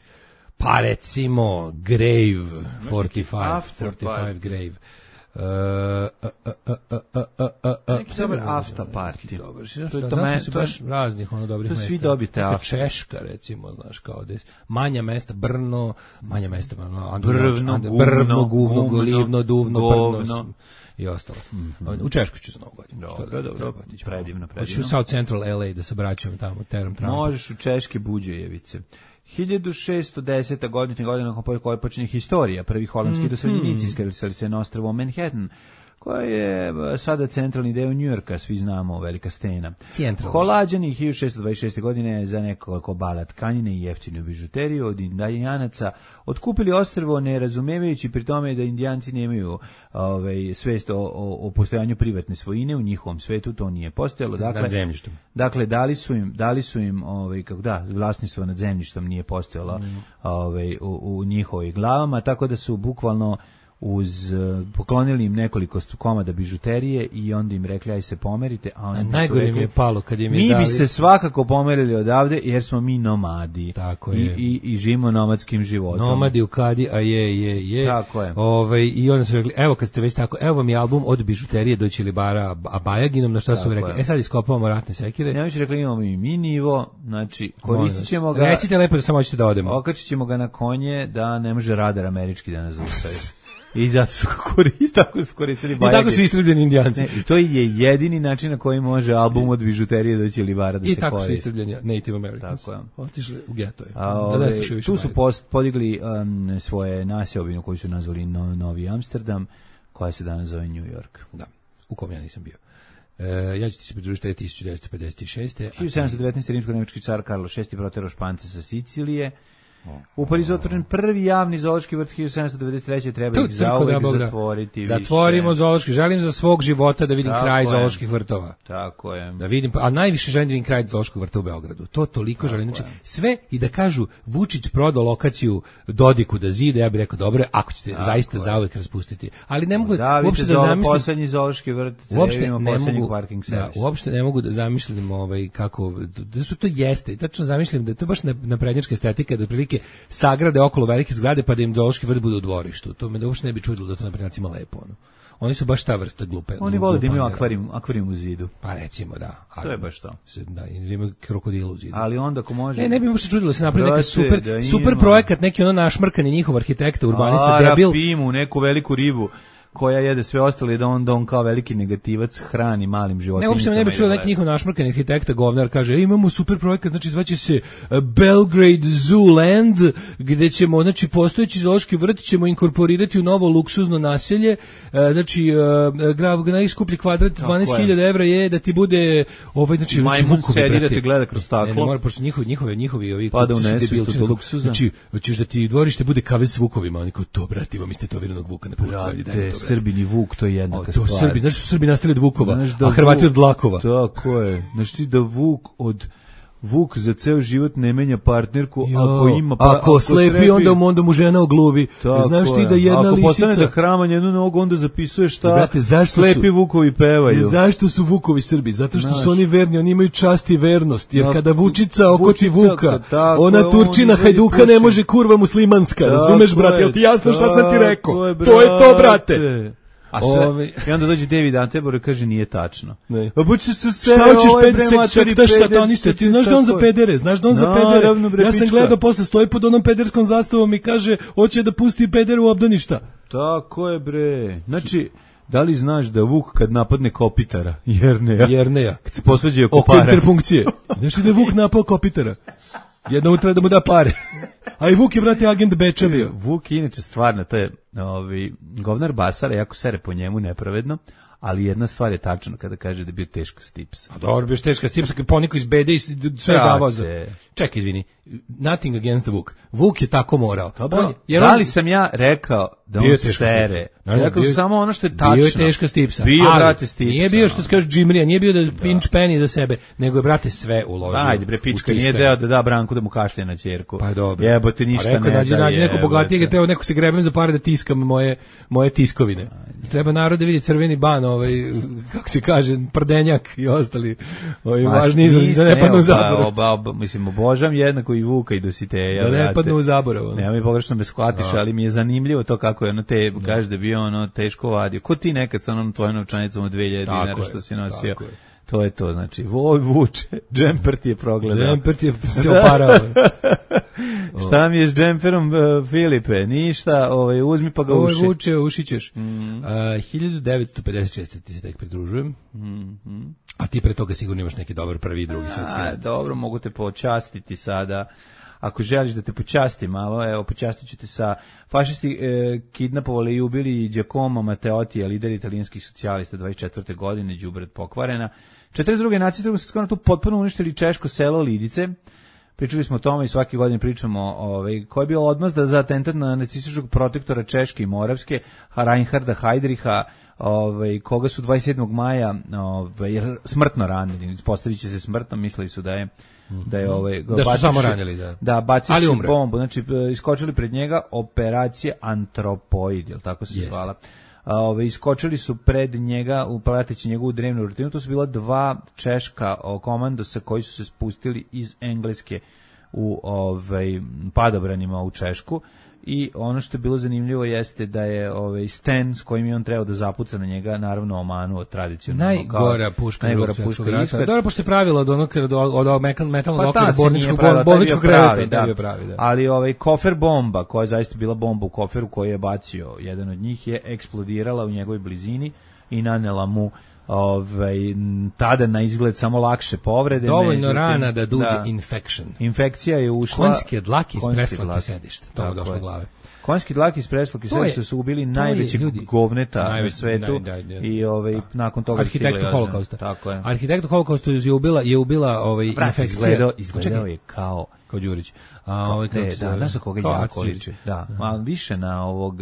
Pa recimo Grave, četrdeset pet Grave. Uh, uh, uh, uh, uh, uh, uh, neki dobar after party. Dobar, to je to mesto, baš raznih ono dobrih mesta. Svi dobite after. Češka recimo, znaš, kao des, manja mesta, Brno, manja mesta, ono, Brvno, Brvno, Guvno, Golivno, Duvno, Brno i ostalo. U Češku ću za Novu godinu. Dobro, dobro, predivno, predivno. Hoću u South Central L A da se vraćam tamo, teram tram. Možeš u Češke Buđejevice. hiljadu šessto desete. godine, godina koja počinje historija. Prvi holandski doseljenici iskrcali se na ostrvo Manhattan, koja je sada centralni deo Njujorka, svi znamo, velika stena. Centralni. Holađani hiljadu šessto dvadeset šeste. godine za nekoliko bala tkanine i jeftinu bižuteriju od Indijanaca otkupili ostrvo, ne razumevajući pri tome da Indijanci nemaju ovaj, svest o, o, o postojanju privatne svojine, u njihovom svetu to nije postojalo. Dakle, nad zemljištem. Dakle, dali su im, dali su im ovaj, kako da, vlasništvo nad zemljištem nije postojalo mm. ovaj, u, u njihovoj glavama, tako da su bukvalno uz poklonili im nekoliko komada bižuterije i onda im rekli aj se pomerite, a oni najgore rekli, mi je palo kad im je mi dali... bi se svakako pomerili odavde jer smo mi nomadi. Tako I, je. i, i živimo nomadskim životom. Nomadi u kadi, a je, je, je. Tako je. Ove, I onda su rekli, evo kad ste već tako, evo vam je album od bižuterije do Ćilibara, a Bajaginom, na šta su rekli, je. E sad iskopavamo ratne sekire. Ja mi su rekli, imamo i mi nivo, znači koristit ćemo ga. Recite lepo da samo hoćete da odemo. Okačit ćemo ga na konje da ne može radar američki da nas zaustavi. I zato su koristili, tako su koristili Bajagin. I tako su istrebljeni Indijanci. Ne, i to je jedini način na koji može album od bižuterije do Ćilibara da I se koristi. I tako su istrebljeni Native Americans. Tako je. Otišli u geto je. A, ove, da tu su post, podigli um, svoje naseobinu koju su nazvali no, Novi Amsterdam, koja se danas zove New York. Da, u kom ja nisam bio. E, ja ću ti se pridružiti tisuću devetsto pedeset šeste. hiljadu sedamsto devetnaeste. rimsko-nemački car Karlo šesti proterao Špance sa Sicilije. U Parizu otvoren prvi javni zoološki vrt hiljadu sedamsto devedeset treće. Treba ih zauvek zatvoriti. Zatvorimo više. Zoološki. Želim za svog života da vidim Tako kraj je. zooloških vrtova. Tako je. Da vidim, a najviše želim da vidim kraj zoološkog vrta u Beogradu. To toliko želim. Znači, sve i da kažu Vučić prodao lokaciju Dodiku da zide, ja bih rekao dobro, ako ćete Tako zaista je. zauvek raspustiti. Ali ne mogu da, uopšte da zamislim poslednji zoološki vrt, uopšte ne mogu parking da, uopšte ne mogu da zamišljam ovaj kako da što to jeste. Tačno zamišljam da to baš na naprednjačka estetika da prilike otprilike sagrade okolo velike zgrade pa da im zoološki vrt bude u dvorištu. To me da uopšte ne bi čudilo da to naprednjacima lepo. Ono. Oni su baš ta vrsta glupe. Oni vole da imaju akvarijum, akvarijum u zidu. Pa recimo da. Ali, to je baš to. Da, imaju krokodila u zidu. Ali onda ako može... Ne, ne bi mu se čudilo da se napravi neki super, da super projekat, neki ono našmrkani njihov arhitekta, urbanista, A, debil. Rapimu, neku veliku ribu koja jede sve ostale da on, da on kao veliki negativac hrani malim životinjicama. Ne, uopšte ne bi čuo neki njihov našmrkani arhitekta, govnar, kaže, e, imamo super projekat, znači zvaće se Belgrade Zoo Land, gde ćemo, znači, postojeći zoološki vrt ćemo inkorporirati u novo luksuzno naselje, znači, najskuplji kvadrat dvanaest hiljada evra je da ti bude, ovaj, znači, majmun sedi da te gleda kroz staklo. Ne, ne mora, pošto njihovi, njihovi, njihovi, ovi, pa da unesu isto to luksuza. Znači, hoćeš da ti dvorište bude kave s vukovima, oni kao, to, brate, imam istetoviranog vuka na pucu. Srbini vuk, to je jednaka to stvar. Srbi, znaš su Srbi nastali od vukova, a Hrvati od dlakova. Tako je. Znaš ti da vuk od Vuk za ceo život ne menja partnerku, jo, ako ima pa, ako, ako slepi, srepi, onda, onda mu žena ogluvi. Znaš ti da jedna ako lisica... Ako postane da hrama jednu nogu, onda zapisuje šta brate, slepi su, vukovi pevaju. Zašto su vukovi Srbi? Zato što znaš, su oni verni, oni imaju čast i vernost. Jer kada Vučica okoti Vučica, Vuka, tako, ona Turčina Hajduka puši. Ne može kurva muslimanska. Razumeš, brate? Jel ti jasno šta sam ti rekao? Je, to je to, brate. A sve, Ovi. I onda dođe David Attenborough i kaže nije tačno. Ne. A buče se sve, šta hoćeš ovaj peder, sataniste, ti znaš da on za pedere, znaš da on za pedere. Bre, ja sam gledao posle stoji pod onom pederskom zastavom i kaže hoće da pusti pedere u obdaništa. Tako je bre. Znači, da li znaš da Vuk kad napadne Kopitara, Jerneja, Jerneja, kad se posvađaju oko pare. Oko interpunkcije. Znaš da je Vuk napao Kopitara? Jednom treba da mu da pare. A i Vuk je, brate, agent Beča bio. Vuk je inače stvarno, to je ovi, govnar Basara, jako sere po njemu nepravedno, ali jedna stvar je tačna kada kaže da je bio teško stipsa. A dobro, bio teška stipsa, kad poniko iz bede i sve je davao za... Čekaj, izvini, nothing against the Vuk. Vuk je tako morao. Dobro, jer da li on... sam ja rekao da on sere? No, rekao bio, samo ono što je tačno. Bio je teška stipsa. Bio, ali, brate, stipsa. Nije bio što se kaže džimrija, nije bio da, da pinch penny za sebe, nego je, brate, sve uložio. Ajde, bre, pička, nije deo da da Branku da mu kašlje na ćerku. Pa dobro. Jebote, ništa rekao, ne nađi, da nađi neko bogatijeg, teo neko se grebem za pare da tiskam moje, moje tiskovine. Ajde. Treba narod da vidi crveni ban, ovaj, kako se kaže, prdenjak i ostali ovaj, važni izrazi, da ne padnu u zaborav. Oba, oba, mislim, obožam jednako i Vuka i Dositeja. Da ne padnu u zaborav. Nema mi pogrešno me shvatiš, ali mi je zanimljivo to kako je ono te, kaže da bio ono teško vadio. Ko ti nekad sa onom tvojom novčanicom od dve hiljade dinara što si nosio? To je to, znači, voj vuče, džemper ti je progledao. Džemper ti je se oparao. Šta mi je s džemperom, uh, Filipe? Ništa, ovaj, uzmi pa ga uši. Ovo vuče, ušićeš. Mm. Uh, hiljadu devetsto pedeset šeste ti se tek pridružujem. Mm -hmm. A ti pre toga sigurno imaš neki dobar prvi i drugi svetski. A, dobro, mogu te počastiti sada. Ako želiš da te počasti malo, evo, počastit ću te sa fašisti e, kidnapovali i ubili Giacomo Matteotti, lider italijanskih socijalista, dvadeset četvrte godine, đubre pokvarena. četrdeset druge nacije drugog svjetskog rata tu potpuno uništili češko selo Lidice. Pričali smo o tome i svake godine pričamo ovaj, koji je bio odmazda za atentat na nacističkog protektora Češke i Moravske, Reinharda Heydricha, ovaj, koga su dvadeset sedmog maja ovaj, smrtno ranili. Ispostavit će se smrtno, mislili su da je da je ovaj da su samo ranili, da. Da, bacili bombu, znači iskočili pred njega operacija Antropoid, je l' tako se zvala. Ove, iskočili su pred njega, prateći njegovu drevnu rutinu, to su bila dva češka o, komandosa koji su se spustili iz Engleske u ovaj, padobranima u Češku. I ono što je bilo zanimljivo jeste da je ovaj Sten s kojim je on trebao da zapuca na njega naravno omanuo tradicionalno najgora puška najgora puška rata. Dobro, pošto se pravilo od onog od od metalnog okvira bolničkog bolničkog kreveta da bio pravi, da. Ali ovaj kofer bomba koja je zaista bila bomba u koferu koji je bacio jedan od njih je eksplodirala u njegovoj blizini i nanela mu ovaj tada na izgled samo lakše povrede. Dovoljno međutim, rana da duđe da, infection. Infekcija je ušla. Konjske dlake iz preslake sedište. To je došlo glave. Konjski dlake iz preslake sedište su ubili najveći govneta najveći, na svetu naj, naj, naj, i ovaj da. Nakon toga arhitektu holokausta. Tako je. Arhitektu holokausta je ubila je ubila ovaj infekcija. Izgledao, izgledao je kao kao Đurić. A ovaj da, znaš za koga jako liči. Da, a više na ovog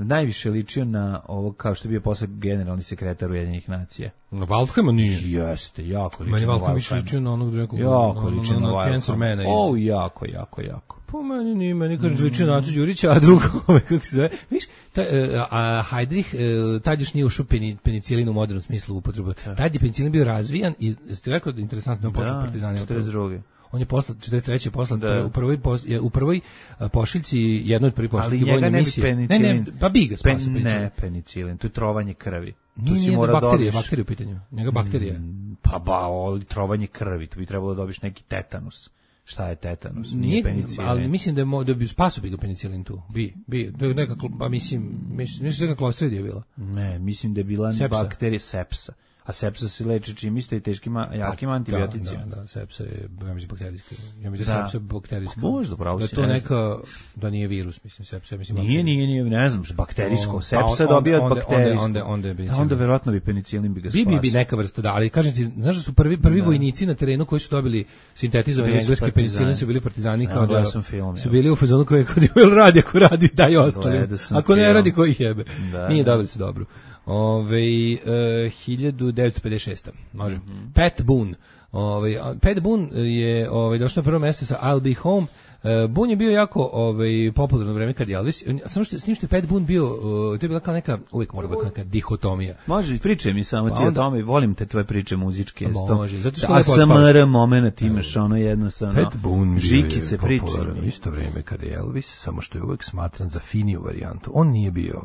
najviše ličio na ovo kao što je bio posle generalni sekretar Ujedinjenih nacija. Na Waldheima nije. Jeste, jako ličio. Meni Waldheim više ličio na onog nekog. Jako ličio na Waldheima. O, jako, jako, jako. Po meni nije, meni kažem ličio na Acu Đurića, a drugo, kako se zove. Viš, ta, a Heydrich, tad još nije ušao penicilin u modernom smislu upotrebu. Tad je penicilin bio razvijan i ste rekao da interesantno posle partizani. četrdeset druge On je poslan četrdeset treće poslan Da. u prvoj pos, je, u prvoj a, pošiljci jednoj od prvih Ali pošiljki njega vojne ne bi misije. Ne, penicilin. ne, pa bi ga spasio Pen, penicilin. ne, penicilin, to je trovanje krvi. Tu Nije, si nije mora bakterije, dobiš. bakterije u pitanju. Njega bakterija. Pa ba, oli trovanje krvi, tu bi trebalo da dobiš neki tetanus. Šta je tetanus? Nije, penicilin. ali mislim da je mo, da bi spasio bi ga penicilin tu. Bi, bi, da je neka, pa mislim, mislim, mislim da je klostridija bila. Ne, mislim da je bila Sepsa. bakterija sepsa. A sepsa se leči čim isto i teškim, jakim antibioticima. Da, da, sepsa je, ja mislim, bakterijska. Ja mislim da, Da. da sepsa je bakterijska. Možda, pravo da si, to ne neka, da nije virus, mislim, sepsa, mislim. Nije, nije, nije, ne znam, bakterijsko. O, Sepsa pa on- dobija od onda- bakterijskog. onda- onda- onda je Da, penicilin. onda verovatno bi penicilin bi ga Bi, spasio. bi, bi neka vrsta, da, ali kažem ti, znaš da su prvi, prvi vojnici na terenu koji su dobili sintetizovani Bili su engleski partizani. penicilin su bili partizani, Ja, kao da gledao sam film, su ja. bili u fazonu koji kod je radi, ako radi, daj ostali. Gledao sam Ako ne film. radi, koji jebe. Da, Nije da. dobili su dobro. Ove, uh, hiljadu devetsto pedeset šeste. Može. Mhm. Pat Boone. Ove, a, Pat Boone je ove, došao na prvo mjesto sa I'll Be Home. Uh, Boone je bio jako ovaj, popularno vreme kad je Elvis. On- Samo što s tim što je Pat Boone bio, uh, to je bila kao neka, uvijek mora biti neka dihotomija. Može, pričaj mi samo Pa ti o onda- tome, volim te tvoje priče muzičke. Može, zato što A lepo S M otpavaš. R moment imaš ono jednostavno. Pat Boone bio Žikice je priče. popularan u isto vrijeme kada je Elvis, samo što je uvek smatran za finiju varijantu. On nije bio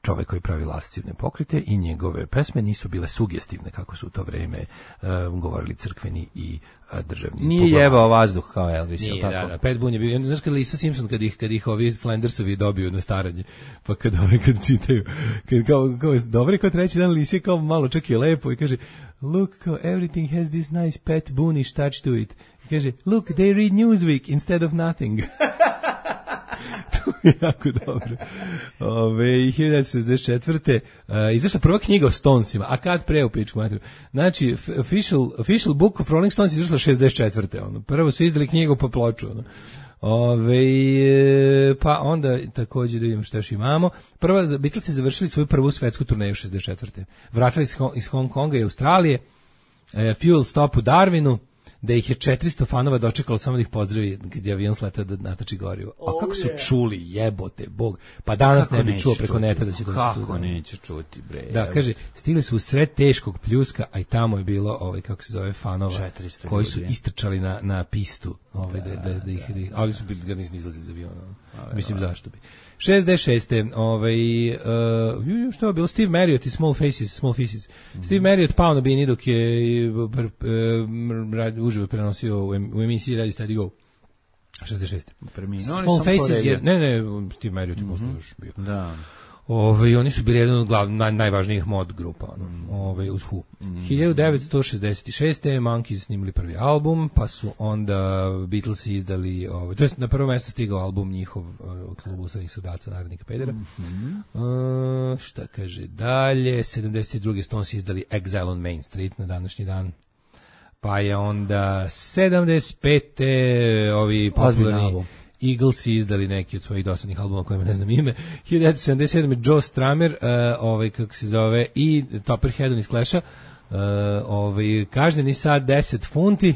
čovjek koji pravi lascivne pokrite i njegove pesme nisu bile sugestivne kako su u to vrijeme uh, govorili crkveni i uh, državni. Nije poglavari. jebao vazduh kao Elvis, Nije, jel da, tako? da, Pat Boone je bio, znaš kad Lisa Simpson, kad ih, kad ih ovi Flandersovi dobiju na staranje, pa kad ove, kad čitaju, kad kao, kao, dobro, kao treći dan Lisa je kao malo čak i lepo i kaže, look, kao, everything has this nice Pat Boone-ish touch to it. I kaže, look, they read Newsweek instead of nothing. To je jako dobro. Ove, hiljadu devetsto šezdeset četvrte. Uh, izašla prva knjiga o Stonesima, a kad pre u pičku materiju. Znači, f- official, official book of Rolling Stones izašla šezdeset četvrte. Ono. Prvo su izdali knjigu po ploču. Ono. Ove, e, pa onda također da vidimo što još imamo. Prva, Beatlesi završili svoju prvu svetsku turneju šezdeset četvrte. Vratili iz, Hong- iz Hong Konga i Australije. E, fuel stop u Darwinu, da ih je četiristo fanova dočekalo samo da ih pozdravi kad je avion sletao da natači gorivo. A kako su čuli, jebote, bog. Pa danas Kako ne bi neće čuo preko čuti? neta da će doći tu. Kako neće čuti, bre? Da, evo. kaže, stigli su u sred teškog pljuska, a i tamo je bilo, ovaj, kako se zove, fanova, četiristo koji su ljudi. istrčali na, na pistu, ovaj, da, da, da, ih, da ih, ali su bili, ga nisu izlazili za avion. Mislim, zašto bi. šezdeset šeste. Ovaj, uh, ju, što je bilo? Steve Marriott i Small Faces, Small Faces. Mm-hmm. Steve Marriott pao na bini dok je pr, pr, pr, uživo prenosio u, em, u emisiji Radio Steady Go. šezdeset šeste. Preminuo, Small ali sam Faces poredio. je, ne, ne, Steve Marriott je posle još bio. Da. Ove, oni su bili jedan od glav, naj, najvažnijih mod grupa, ono, ove, uz Who. hiljadu devetsto šezdeset šeste. Monkeys snimili prvi album, pa su onda Beatlesi izdali, ove, to jest na prvo mjesto stigao album njihov uh, klubu sadnih sudaca, narodnika pedera. Uh, šta kaže dalje? sedamdeset druge. Stones izdali Exile on Main Street na današnji dan. Pa je onda sedamdeset pete. ovi Ozbiljan popularni album. Eaglesi izdali neki od svojih dosadnih albuma kojima ne znam ime. hiljadu devetsto sedamdeset sedme. Joe Strummer, uh, ovaj, kako se zove, i Topperhead iz Clash-a, uh, ovaj, kažnjeni sad deset funti,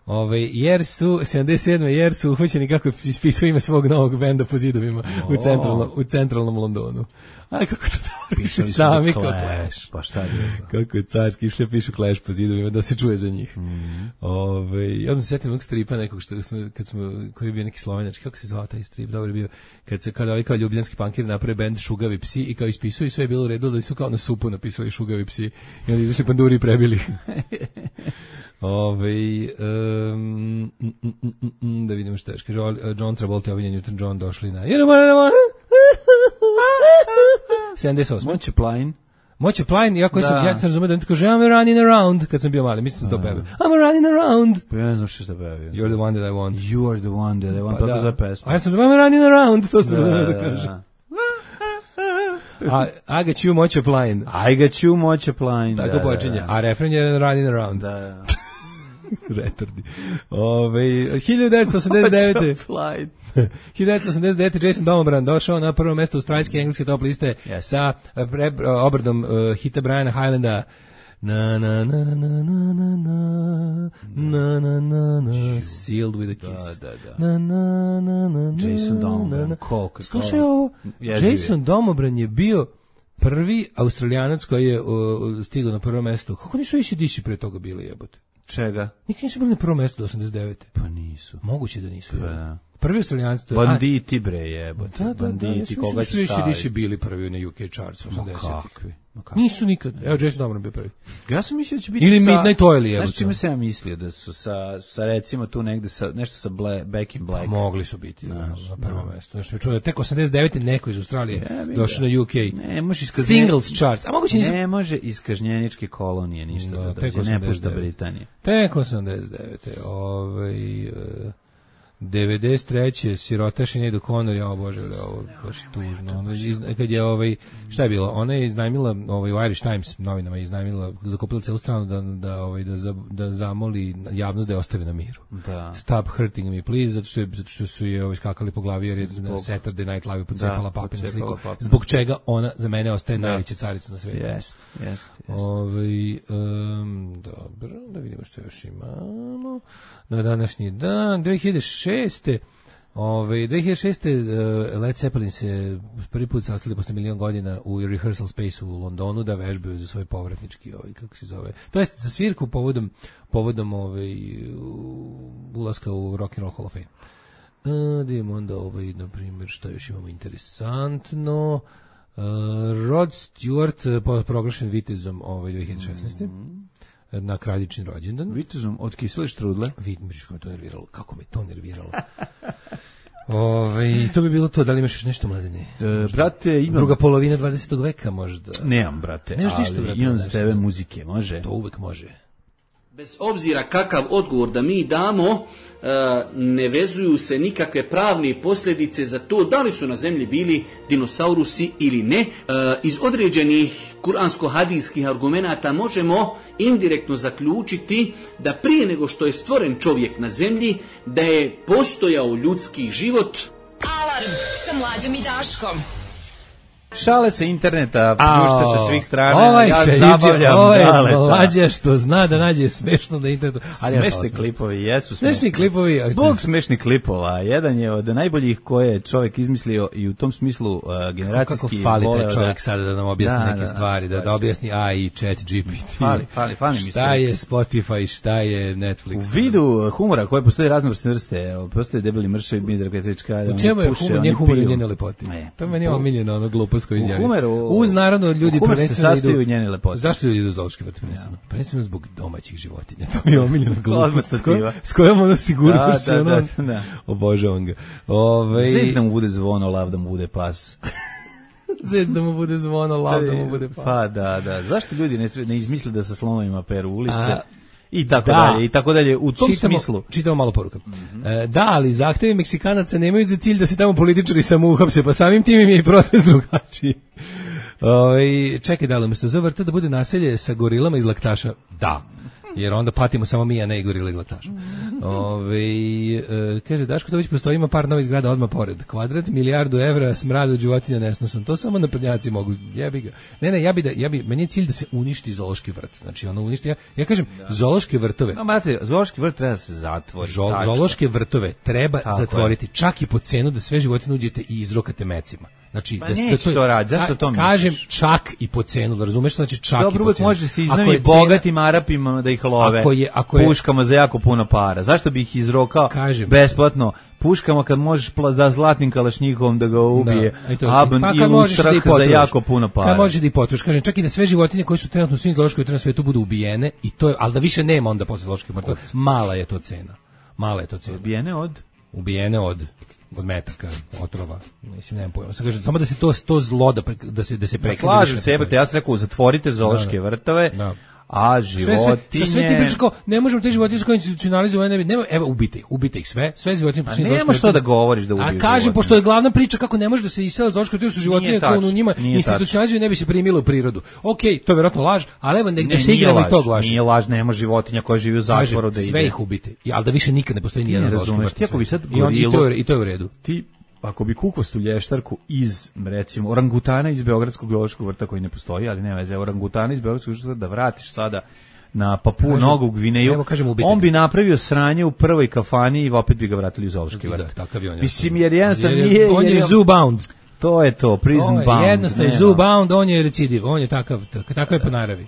ovaj, jer su, sedamdeset sedme. jer su uhvaćeni kako ispisuju ime svog novog benda po zidovima u, centralnom, u centralnom Londonu. Aj, kako to dobro pišu Pisali su sami The kao Clash, pa šta je bilo? kako je carski išli pišu Clash po zidovima da se čuje za njih. Mm. Ove, ja sam se sjetio nekog stripa nekog što smo, kad smo, koji je bio neki slovenački, kako se zvao taj strip, dobro je bio, kad se kada ovaj kao ljubljanski pankir naprave bend Šugavi psi i kao ispisuju i sve je bilo u redu da su kao na supu napisali Šugavi psi i onda izašli panduri i prebili. Ove, um, mm, mm, mm, mm, da vidimo što je. Kaže, John Travolta i Olivia Newton-John došli na You know what I want? sedamdeset osme. Moće Plain. Moće Plain, iako Da. sam, ja sam razumio da on ti kaže I'm running around, kad sam bio mali, mislim da to peve. I'm running around. Pa ja ne znam što šta pevio. You're the one that I want. You are the one that I want. Pa, Pa to da. za pesmu. A ja sam razumio I'm running around, to sam razumio da, da, kaže. da. A, I got you, Moće Plain. I got you, Moće Plain. Tako da, počinje. Da, A refren je running around. da. da. Retardi. Ove, hiljadu devetsto osamdeset devete. Moće Plain. hiljadu devetsto osamdeset devete. Jason Domobran došao na prvo mjesto australijske i engleske top liste Yes. sa uh, pre, uh, obradom uh, hita Briana Highlanda na na na na na na na na na na na sealed with a kiss. Da, da, da. Na na na na na. Jason Domobran, na. koliko je Slušaj kao- ovo, Jeziv je. Jason Domobran je bio prvi Australijanac koji je uh, stigao na prvo mjesto. Kako nisu A C D C pre toga bili, jebote? Čega? Nikad nisu bili na prvom mestu do osamdeset devete. Pa nisu. Moguće da nisu. Pa da. Prvi Australijanci to je... Banditi bre jebote. Da, da, Banditi, da, koga će staviti? staviti? Nisu bili prvi na U K charts osamdesetih. Ma kakvi? Ma kakvi? Nisu nikad. Evo, Jason Donovan bio prvi. Ja sam mislio da će biti Ili sa... Midnight Oil, evo. Znaš čime sam ja mislio da su sa, sa recimo tu negde sa, nešto sa Bla, Back in Black. Pa mogli su biti na, Znaš, na prvom da. mestu. Znaš, mi čuo da tek osamdeset devete neko iz Australije došao na U K. Ne, može iskažnje... Singles charts. A moguće nisu... Ne može iz kažnjeničke kolonije ništa Da, da, tek dođe, ne pušta osamdeset devete. Britanije. Tek osamdeset devete. Ovaj... Uh, devedeset treće sirotaši ne idu Conor, ja bože, ovo baš tužno. Ona iz, kad je ovaj šta je bilo? Ona je iznajmila ovaj u Irish Times novinama, je iznajmila, zakupila celu stranu da da ovaj da za, da zamoli javnost da je ostave na miru. Da. Stop hurting me please, zato što je, zato što su je ovaj skakali po glavi jer je na Saturday Night Live pocepala papinu sliku. Papinu. Zbog čega ona za mene ostaje da. najveća carica na svijetu. Jeste, jeste. Ovaj um, dobro, da vidimo što još imamo. Na današnji dan dve hiljade šeste. Ove, dve hiljade šeste. Uh, Led Zeppelin se prvi put sastali posle milion godina u rehearsal space u Londonu da vežbaju za svoj povratnički, ovaj, kako se zove, to jest za svirku povodom, povodom ovaj, ulaska u Rock and Roll Hall of Fame. Uh, da imamo onda ovaj, na primjer, što još imamo interesantno. Uh, Rod Stewart uh, proglašen vitezom ovaj, dve hiljade šesnaeste. Mm-hmm. Na kraljični rođendan. Vitezom od kisele štrudle. Vidiš kako me to nerviralo. Kako me to nerviralo. Ove, to bi bilo to. Da li imaš još nešto, Mladene? E, brate, imam... Druga polovina dvadesetog veka možda. Nemam, brate. Nemaš ništa, brate. Imam za tebe muzike, može? To uvek može. Bez obzira kakav odgovor da mi damo, ne vezuju se nikakve pravne posljedice za to da li su na zemlji bili dinosaurusi ili ne. Iz određenih kuransko-hadijskih argumenata možemo indirektno zaključiti da prije nego što je stvoren čovjek na zemlji, da je postojao ljudski život. Alarm sa Mlađom i Daškom. Šale sa interneta, pušta sa svih strana, ovaj ja šeđe, zabavljam ovaj Daleta. Mlađa što zna da nađe smešno na internetu. Ali smešni ja klipovi, jesu smešni. Smešni klipovi. Bog smešnih klipova, jedan je od najboljih koje je čovjek izmislio i u tom smislu uh, generacijski... Kako fali taj čovjek da, sada da nam objasni da, neke da, stvari, da, da objasni A I, Chat G P T. Fali, fali, fali mi šta je Spotify, šta je Netflix. U vidu humora koje postoje raznovrsne vrste, postoje Debeli Mršav, Midar Petrovićka. U čemu je humor, nje humor i njene lepote? To meni je omiljeno, ono glupost koju izjavi. Uz naravno ljudi prvenstveno idu. Njene lepote. Zašto ljudi idu u zoološki vrt prvenstveno? Prvenstveno zbog domaćih životinja. To mi je omiljena glupost. S kojom ono sigurno se ono... Obožavam ga. Zed da mu bude zvono, lav da mu bude pas. Zed da mu bude zvono, lav da mu bude pas. Pa da, da. Zašto ljudi ne, ne izmisle da sa slonovima peru ulice? A, I tako da, dalje, i tako dalje, u tom čitamo, smislu. Čitamo malo poruka. Mm-hmm. E, da, ali zahtevi Meksikanaca nemaju za cilj da se tamo političari samo uhapse, pa samim tim im je i protest drugačiji. Ove, čekaj, da li umjesto za vrta da bude naselje sa gorilama iz laktaša? Da. Jer onda patimo samo mi, a ne i gorila iz laktaša. Ove, e, kaže, Daško Tović postoji, ima par novih zgrada odmah pored. Kvadrat, milijardu evra, smrad od životinja nesnosan. To samo naprednjaci mogu. Jebi ga. Ne, ne, ja bi da, ja bi, meni je cilj da se uništi zoološki vrt. Znači, ono uništi, ja, ja kažem, da. Zoološke vrtove. No, brate, zoološki vrt treba da se zatvori. Žo, zoološke vrtove treba tako zatvoriti. Je. Čak i po cenu da sve životinje uđete i izrokate mecima. Znači, pa da, neće da to, to raditi, zašto to misliš? Kažem čak i po cenu, da razumeš, znači čak dobro, i po cenu. Dobro, može se iznajmiti bogatim Arapima da ih love ako je, ako je, puškama za jako puno para. Zašto bi ih izrokao kažem, besplatno puškama kad možeš da zlatnim kalašnjikom da ga ubije, da, aban pa, i usrak da za jako puno para. Kad možeš da ih potrošiš, kažem, čak i da sve životinje koje su trenutno u svim zoološkim vrtovima na svijetu budu ubijene, i to je, ali da više nema onda posle zooloških vrtova, mala je to cena. Mala je to cena. Ubijene od? Ubijene od od metaka, otrova, mislim, nemam pojma. Kažem, samo da se to, to zlo da, pre, da se, da se prekine. Slažem se, jebate, ja sam rekao, zatvorite zoološke vrtove, da. A životinje... Sve, sve, sve ti priča kao, ne možemo te životinje koje institucionalizovane, nema, evo, ubite ih, ubite ih sve, sve životinje... A nema što da govoriš da ubiju životinje. A kažem, pošto je glavna priča kako ne može da se isela zoološka vrtove, su životinje koje u njima institucionalizuju, ne bi se primilo u prirodu. Okej, okay, to je vjerojatno laž, ali evo, nek da se igramo i tog vaša. Nije laž, nema životinja koja živi u zatvoru da ide. Sve ih ubite, ali da više nikad ne postoji nijedan zoološki vrt. I to je u redu. Ti ako bi kukvastu lještarku iz, recimo, orangutana iz Beogradskog zoološkog vrta koji ne postoji, ali ne veze, orangutana iz Beogradskog zoološkog vrta da vratiš sada na Papuu Novu Gvineju, evo, kažem, on bi napravio sranje u prvoj kafani i opet bi ga vratili u zoološki vrt. Da, takav je on. Mislim, jer jednostavno nije... On je zoo bound. To je to, prison bound. Jednostavno je zoo bound, on je recidiv, on je takav, takav je po naravi.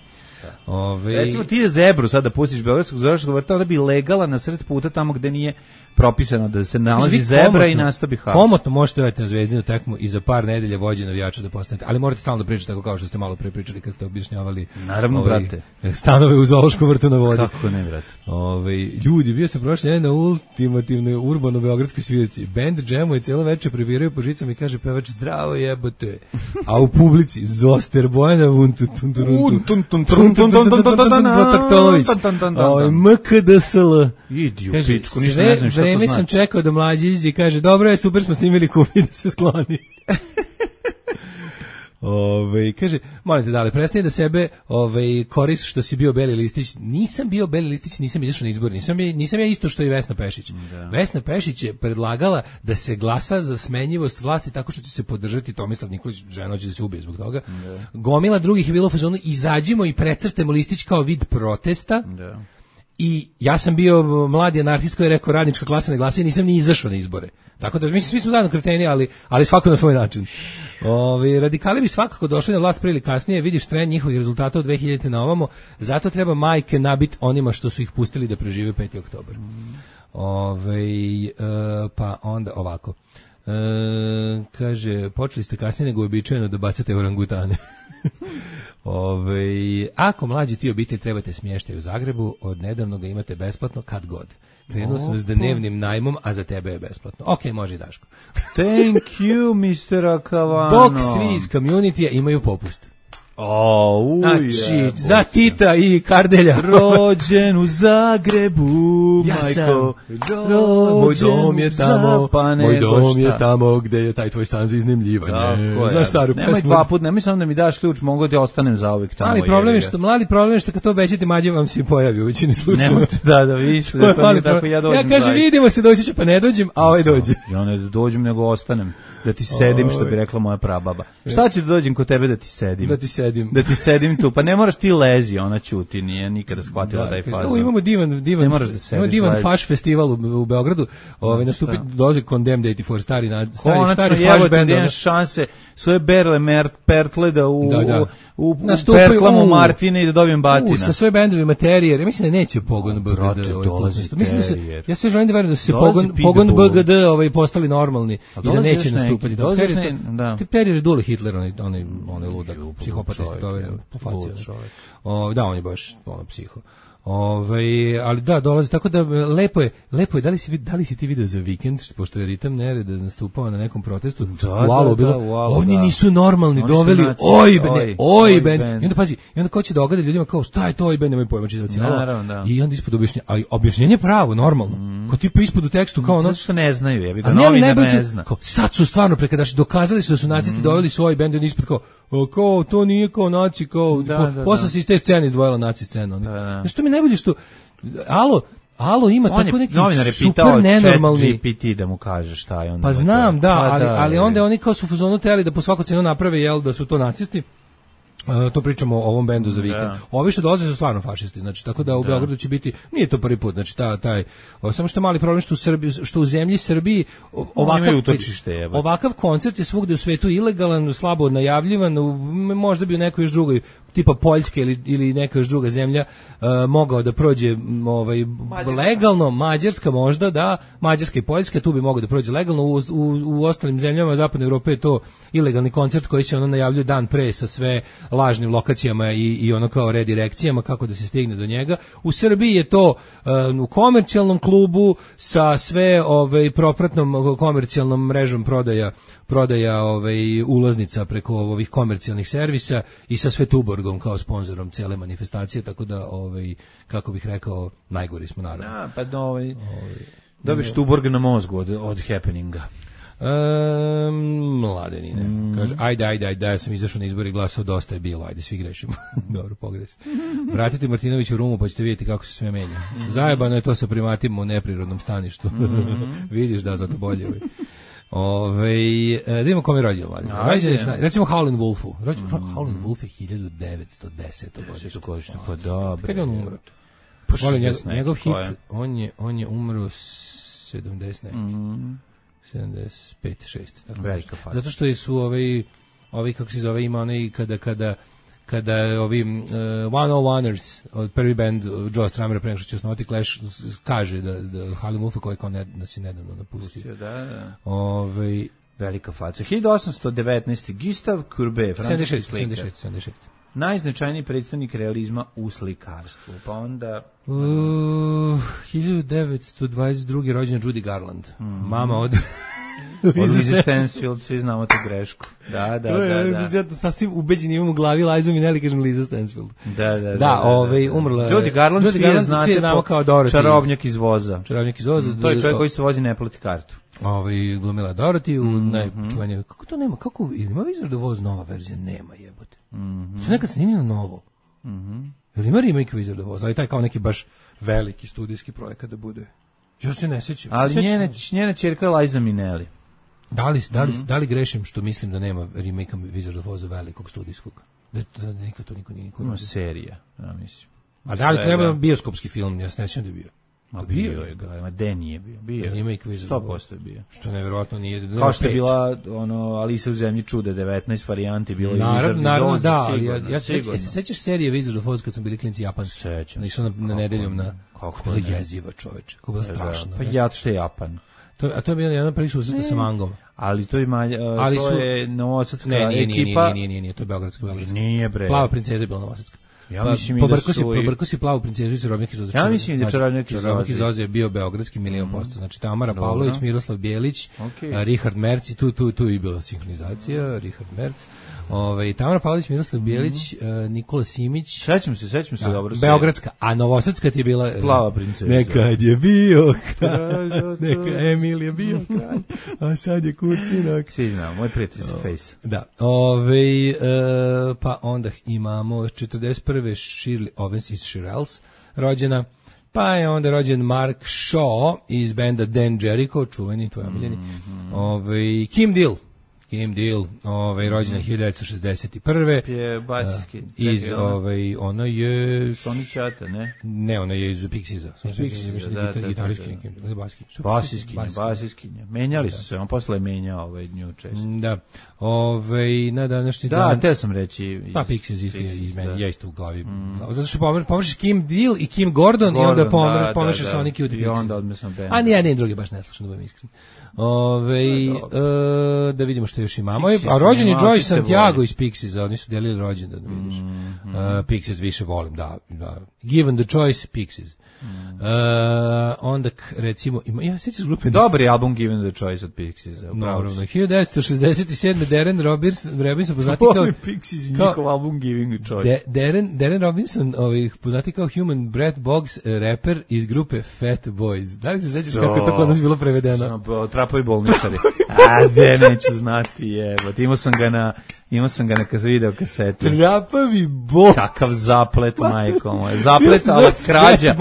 Ove, Recimo ti je zebru sada pustiš beogradskog zoročnog vrta, onda bi legala na sred puta tamo gde nije propisano da se nalazi zebra i nastavi haos. Komotno možete uvjeti na Zvezdinu tekmu i za par nedelja vođe navijača da postanete, ali morate stalno da pričate tako kao što ste malo pre pričali kad ste objašnjavali. Naravno, ovaj, brate. Stanove u zoološkom vrtu na vodi. Kako ne, brate? Ovaj, ljudi, bio sam prošle nedelje na ultimativnoj urbano-beogradskoj svirci. Band džemuje cijelo večer, previraju po žicama i kaže pevač zdravo jebote. A u publici Zoster Bojana Vuntutuntolović M K D S L. Idi u pičku, ništa ne znam šta to znači. Vreme sam čekao da mlađi iđe i kaže dobro je, super smo snimili kupi da se skloni. Ove, kaže, molim te dale, prestani da sebe ove, koris što si bio Beli listić. Nisam bio Beli listić, nisam izašao na izbor. Nisam, nisam ja isto što i Vesna Pešić. Da. Vesna Pešić je predlagala da se glasa za smenjivost vlasti tako što će se podržati Tomislav Nikolić, žena će da se ubije zbog toga. Da. Gomila drugih je bilo u fazonu, izađimo i precrtemo listić kao vid protesta. Da. I ja sam bio mladi anarhist koji je rekao radnička klasa ne glasa i nisam ni izašao na izbore. Tako da, mislim, svi smo zajedno kreteni, ali, ali svako na svoj način. Ovi, radikali bi svakako došli na vlast prije ili kasnije, vidiš trend njihovih rezultata od dve hiljadite na ovamo, zato treba majke nabit onima što su ih pustili da prežive peti oktobar. Ove, e, pa onda ovako. E, kaže, počeli ste kasnije nego običajeno da bacate orangutane. Ove, ako mlađi ti obitelj trebate smještaj u Zagrebu, od nedavno ga imate besplatno kad god. Krenuo sam s dnevnim najmom, a za tebe je besplatno. Ok, može i Daško. Thank you, mister Akavano. Dok svi iz community imaju popust. O, uj, znači, za Tita i Kardelja. Rođen u Zagrebu, ja majko. Ro, moj dom je tamo, moj dom je tamo gde je taj tvoj stan za iznajmljivanje. Znaš staru pesmu? Nemoj dva put, nemoj samo da mi daš ključ, mogu da ostanem zauvek tamo. Ali problem je što, mladi problem je što kad to obećate mađe vam se pojavi u većini slučajeva. Nemojte, da, da, vidiš, da to nije tako, ja dođem. Ja kažem, vidimo se, doći će, pa ne dođem, a ovaj dođe. Ja ne dođem, nego ostanem. Da ti sedim, što bi rekla moja prababa. Šta će da dođem kod tebe da ti sedim? Da ti sedim. Da ti sedim tu. Pa ne moraš ti lezi, ona ćuti, nije nikada shvatila da, taj fazon. Imamo divan, divan, da imamo divan faš festival u, u Beogradu. Ovaj nastupi dolazi Condemned osamdeset četiri stari na stari Konačno, stari faš bend. Konačno, šanse svoje berle mert, pertle da u, da, da. u, u, u Nastupaju, pertlamo u, Martine i da dobijem batina. U, sa svoje bendovi Materijer. Ja mislim da neće Pogon B G D. Mislim da se, ja sve želim da verujem da su se Pogon, Pogon B G D ovaj, postali normalni i da neće nastupati. Da. Perijer je Dule Hitler, onaj, onaj, onaj ludak, psihopata istotoveren, po faci. O, da, on je baš ono psiho. Ove, ali da, dolazi, tako da lepo je, lepo je, da li si, da li si ti video za vikend, pošto je Ritam Nereda nastupao na nekom protestu, da, u Alu, da, bilo, da, u Alu, ovdje da. nisu normalni, Oni doveli naci, oj, ben, oj, oj, ben, ben. i onda pazi, i onda ko će dogada ljudima kao, šta je to oj, ben, nemoj pojma čitavci, da. I onda ispod objašnjenja, a objašnjenje pravo, normalno, mm. ko tipa ispod u tekstu, kao ono, zato što ne znaju, ja bih ga a novinar ne, ne zna. Kao, sad su stvarno prekadaši, dokazali su da su nacisti, mm. doveli su oj bend, i ispod kao, o, kao, to nije kao naci, kao, da, po, da, posle da. se iz te scene izdvojila naci scena. Da, da. Znaš, to mi najbolje što, Alo, Alo ima on tako neki je super nenormalni G P T da mu kaže šta je on. Pa znam, da, pa ali, da, ali onda oni kao su u fazonu teli da po svaku cenu naprave jel da su to nacisti. Uh, to pričamo o ovom bendu za vikend. Da. Ovi što dolaze su stvarno fašisti, znači tako da u da. Beogradu će biti, nije to prvi put, znači ta, taj, o, samo što je mali problem što u Srbiji, što u zemlji Srbiji ovakav, utočište, ovakav koncert je svugde u svetu ilegalan, slabo najavljivan, u, možda bi u nekoj još drugoj, tipa Poljske ili, ili neka još druga zemlja uh, mogao da prođe ovaj, Mađarska. legalno, Mađarska možda, da, Mađarska i Poljska, tu bi mogao da prođe legalno, u, u, u ostalim zemljama Zapadne Evrope je to ilegalni koncert koji se ono najavljuje dan pre sa sve lažnim lokacijama i, i ono kao redirekcijama kako da se stigne do njega. U Srbiji je to uh, u komercijalnom klubu sa sve ovaj, propratnom komercijalnom mrežom prodaja prodaja ovaj, ulaznica preko ovih komercijalnih servisa i sa sve Tuborgom kao sponzorom cijele manifestacije, tako da, ovaj, kako bih rekao, najgori smo naravno. Ja, pa do, ovaj, ovaj, dobiš Tuborg na mozgu od, od happeninga. Um, mladenine. Mm. Kaže, ajde, ajde, ajde, da ja sam izašao na izbor i glasao, dosta je bilo, ajde, svi grešimo. Dobro, pogreš. Vratite Martinović u Rumu pa ćete vidjeti kako se sve menja. Mm. Zajebano je to sa primatima u neprirodnom staništu. Mm. Vidiš da, zato bolje. Ove, da imamo kome rođeno mladen. Recimo Howlin' Wolfu. Rođen, mm. Howlin' Wolf je hiljadu devetsto desete godište. Pa dobro. Kad je on umro? Pa njegov, njegov hit, on je, on je umro sedamdeset mm. sedamdeset pet šest tako. Velika faza. Zato što su ovaj ovaj kako se zove ima onaj kada kada kada je ovi uh, One O Oneers, od prvi band Joe Strumera pre nego što će osnovati Clash, kaže da, da Howlin' Wolf koji kao ne, da si nedavno napustio. Da, da. Ovaj velika faca. hiljadu osamsto devetnaeste. Gustave Courbet, francuski slikar. sedamdeset šest sedamdeset šest Najznačajniji predstavnik realizma u slikarstvu. Pa onda... Uh, hiljadu devetsto dvadeset druge rođena Judy Garland. Mm. Mama od... od Lizzie Stansfield, svi znamo tu grešku. Da, da, to da. Je, da. Ja sasvim ubeđen imam u glavi Liza Minnelli, kažem Lizzie Stansfield. Da, da, da. Da, da, ovaj, da, da. umrla... Judy Garland, Judy svi Garland, je znate znamo po kao Dorothy. Čarobnjak iz voza. Čarobnjak iz voza. Mm, to je čovjek koji se vozi, ne plati kartu. Ovaj glumila Dorothy u mm-hmm. najčuvenije. Kako to nema? Kako ima Wizard of Oz nova verzija? Nema, jebote. Mhm. Sve nekad snimljeno novo. Mhm. Jel ima remake Wizard of Oz? Ali taj kao neki baš veliki studijski projekat da bude. Ja se ne sećam. Ali sećam. njena njena ćerka je Liza Minnelli. Da li, da, li, mm-hmm. da li grešim što mislim da nema remake Wizard of Oz velikog studijskog? Da, da, da nikad to niko nije niko. No, serija, ja mislim. A da li treba bioskopski film? Ja se ne sjećam da je bio. Ma bio je ga, ma de nije bio. Bio remake Wizard sto posto je bio. Što nevjerojatno nije. Kao što je bila ono Alisa u zemlji čuda devetnaest varijanti bilo je Wizard. Naravno, da, ali ja, ja se sigurno. se sećaš serije Wizard of Oz kad smo bili klinci japanski? Sećam. Išao na, na nedeljom na kako je jeziva, čoveče. Kako je strašno. Pa ja što je Japan. To, a to je bilo jedan prvi susret sa mangom. Ali to ima, uh, ali to su, je novosadska ne, nije, ekipa. Nije, nije, nije, nije, to je beogradska, beogradska. Nije, bre. Plava princeza je bila novosadska. Ja pa, mislim da su... Pobrko si Plavu princezu i Čarobnjak iz Oza. Ja mislim da Čarobnjak iz Oza. Čarobnjak iz Oza je bio beogradski milion posto. Znači Tamara Dobro. Pavlović, Miroslav Bijelić, okay. Richard Merc, tu, tu, tu i bila sinhronizacija, Richard Merc. Ove, Tamara Pavlović, Miroslav Bijelić, mm-hmm. uh, Nikola Simić. Sećam se, sećam se da, dobro. Beogradska, a novosadska ti je bila... Plava princeza. Nekad je bio kralj, neka Emil je bio kralj, a sad je kurcinak. Svi znamo, moj prijatelj sa Face. Da, ove, uh, pa onda imamo četrdeset prve Shirley Owens iz Shirelles, rođena. Pa je onda rođen Mark Shaw iz benda Dan Jericho, čuveni, tvoj omiljeni. Mm-hmm. Ove, Kim Deal. Kim Deal, ovaj rođena hiljadu devetsto šezdeset prve. Je basijski. Iz ovaj ona je Sony Chata, ne? Ne, ona je iz Pixiesa. Pixiesa, da, da, gitarijski, basijski. Basijski, basijski. Menjali su se, on posle menjao ovaj nju često. Da. Ovaj na današnji da, dan. Da, te sam reći. Pa Pixies isto je iz meni, ja isto u glavi. Zato što pomreš Kim Deal i Kim Gordon i onda pomreš pomreš Sonic Youth i onda odmesno band. A nije, ne, drugi baš ne slušam, da budem iskren. Ove, e, da vidimo što još imamo. Pixies, a rođen je Joy Santiago iz Pixiesa, oni su delili rođendan, da vidiš. Mm, mm. Uh, Pixies više volim, da, da. Given the choice, Pixies. Mm. Uh, onda, recimo, ima, ja sjećaš grupe... Dobri album Given the choice od Pixiesa. Naravno, hiljadu devetsto šezdeset sedme Darren Robinson, Robinson poznati kao... Pixies i njihov album Giving the choice. De, Darren, Darren Robinson, ovih, poznati kao Human Breath Boggs, rapper iz grupe Fat Boys. Da li se sjećaš so, kako je to kod nas bilo prevedeno? So, trapovi bolničari. A, de, neću znati, jebot. Imao sam ga na... Imao sam ga na video kaseti. Trapovi bol. Kakav zaplet, majko moje. Zaplet, ala krađa.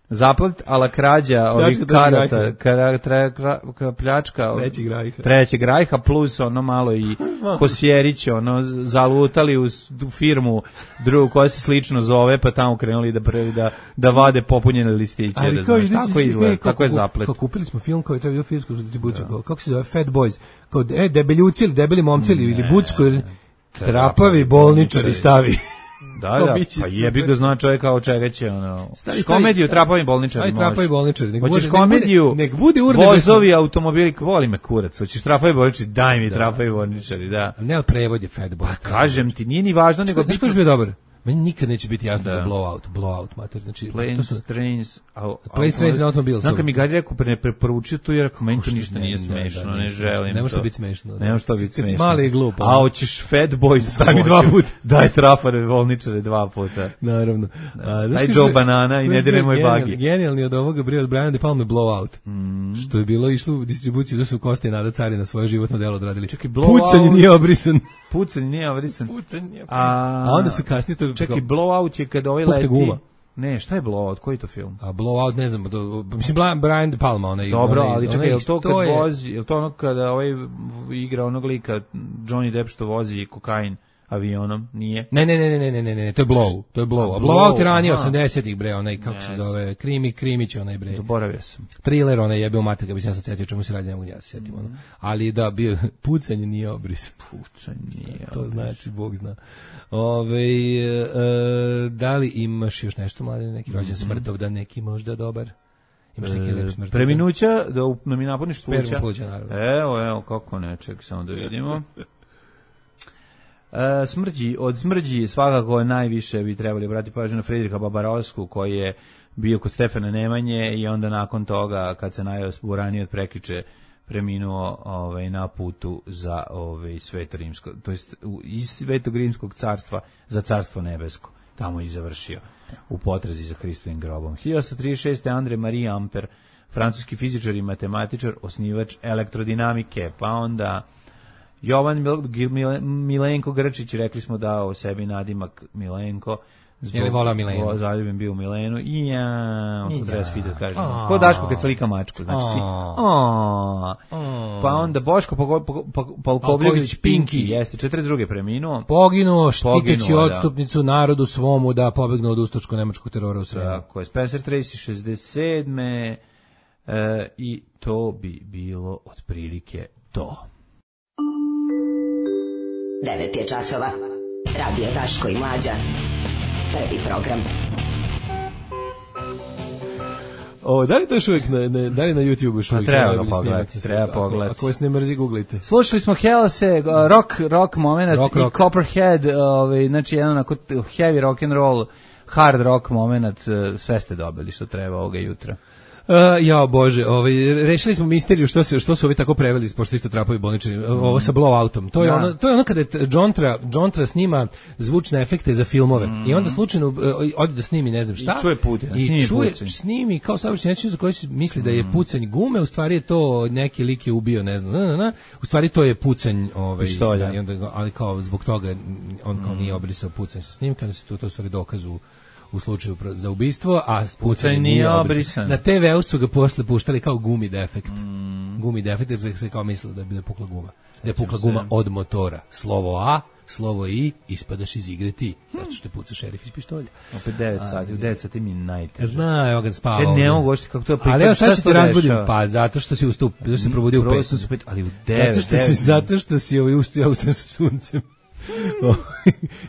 Zaplet, ala krađa ovih karata. Kara, tra, kra, kra, pljačka. Trećeg rajha. Trećeg rajha, plus ono malo i Kosjerić, ono, zalutali u, u firmu drugu koja se slično zove, pa tamo krenuli da prvi da, da vade popunjene listiće. Ali da kao, znaš, tako izgleda, tako je zaplet. Kao kupili smo film koji je trebao filmsku distribuciju, kao, kako se zove, Fat Boys, kao e, debeljuci ili debeli momci ili, ili bucko ili trapavi bolničari stavi. Da, da, pa jebi ga zna čovjek kao čega će, ono, stavi, komediju trapavi bolničari može. Aj, trapavi bolničari. Nek hoćeš bude, komediju, nek bude urde vozovi, automobili, voli me kurac, hoćeš trapavi bolničari, daj mi da. Trapavi bolničari, da. Ne, od prevod je Fat Boy. Pa kažem ti, nije ni važno, nego... Znaš koji je bio dobar? Meni nikad neće biti jasno da. Za blowout, blowout, mater, znači... Planes, su, trains... Planes, trains and automobiles. Znam kad mi Gari rekao, ne preporučio tu, jer rekao, meni to ništa nije smešno, ne želim to. Nemo što biti smešno. Nemo što biti smešno. Mali i glupo. A hoćeš Fat Boys... Daj mi dva puta. Daj trafare, volničare dva puta. Naravno. Daj Joe Banana i ne dire moj bagi. Genijalni od ovoga Brio od Brian De Palma je blowout. Što je bilo išlo u distribuciju, da su Kosta i Nada Carina svoje životno delo odradili. Pucanje nije obrisan. Pucanje nije obrisan. Pucanje nije obrisan. A onda su kasnije to... Čekaj, blowout je kada ovaj leti... Guma. Ne, šta je blowout? Koji je to film? A blowout, ne znam, do, mislim, Brian De Palma, onaj... Dobro, onaj, ali čekaj, onaj, je li to kad je... vozi, je li to ono kada ovaj igra onog lika, Johnny Depp što vozi kokain, avionom, nije. Ne, ne, ne, ne, ne, ne, ne, to je Blow, to je Blow. A Blowout je ranije osamdesetih bre, onaj kako se zove, Krimi, Krimić onaj bre. Zaboravio sam. Thriller, onaj jebeo mater, ga bi se ja sad setio čemu se radi, ne mogu ja se setim ono. Ali da, bio pucanje nije obris. Pucanje nije. To znači, Bog zna. Ove, e, da li imaš još nešto, mlade, neki rođen smrtovdan, neki možda dobar? Imaš neki lep smrtovdan? Preminuća, da mi napuniš pluća. Spermu pluća, naravno. Evo, evo, kako ne, ček, samo da vidimo. E, smrđi, od smrđi svakako najviše bi trebali obratiti pažnju na Fridriha Babarovsku, koji je bio kod Stefana Nemanje i onda nakon toga, kad se najao uranio od prekriče, preminuo ovaj, na putu za ovaj, Sveto Rimsko, to jest iz Svetog Rimskog carstva za Carstvo nebesko. Tamo i završio u potrazi za Hristovim grobom. hiljadu osamsto trideset šeste. André Marie Ampère, francuski fizičar i matematičar, osnivač elektrodinamike, pa onda Jovan Milenko Grčić, rekli smo dao sebi nadimak Milenko. Je li volao Milenu? Zaljubim bio u Milenu. I ja, to treba svi da kažem. Ko Daško kad slika mačku, znači si. Pa onda Boško Palkovljević Pinki, jeste, četrdeset druge preminuo. Poginuo štiteći odstupnicu narodu svomu da pobegnu od ustaško-nemačkog terora u Sremu. Tako je, Spencer Tracy šezdeset sedme. E, i to bi bilo otprilike to. devet je časova. Radio Daško i Mlađa. Prvi program. O, da li to još uvijek na, na, da li na YouTube još uvijek? Pa treba ga pogledati, treba pogledati. Ako, ako vas ne mrzi, googlite. Slušali smo Hellase, uh, rock, rock moment rock, i rock. Copperhead, ovaj, znači jedan onako heavy rock and roll, hard rock moment, uh, sve ste dobili što treba ovoga jutra. Uh, ja bože, ovaj rešili smo misteriju što se što su ovi tako preveli pošto isto trapovi bolničari. Ovo sa blowoutom. To je ono to je ono kada Jontra Jontra snima zvučne efekte za filmove mm. i onda slučajno uh, ode da snimi ne znam šta. I čuje pucanj, i snimi čuje, pucanj. snimi kao savršen način za koji se misli da je pucanj gume, u stvari je to neki lik je ubio, ne znam, na, na, na. U stvari to je pucanj, ovaj da, i onda ali kao zbog toga on kao mm. nije obrisao pucanj sa snimka, da se to to stvari dokazu u slučaju za ubistvo, a pucanj nije obrisan. Na te veu su ga posle puštali kao gumi defekt. Mm. Gumi defekt, jer se kao mislilo da je bila pukla guma. Da je pukla guma od motora. Slovo A, slovo I, ispadaš iz igre ti. Zato što te puca šerif iz pištolja. Opet devet sati, u devet sati mi najteže. Zna, evo ga spava. Ja ne mogu oštiti kako to prikaz. Ali evo sad ću te razbudim, pa zato što si ustup, zato što se probudio u pet. Ali u devet. Zato što si, zato što si ovaj ustu, ja ustajem sa suncem.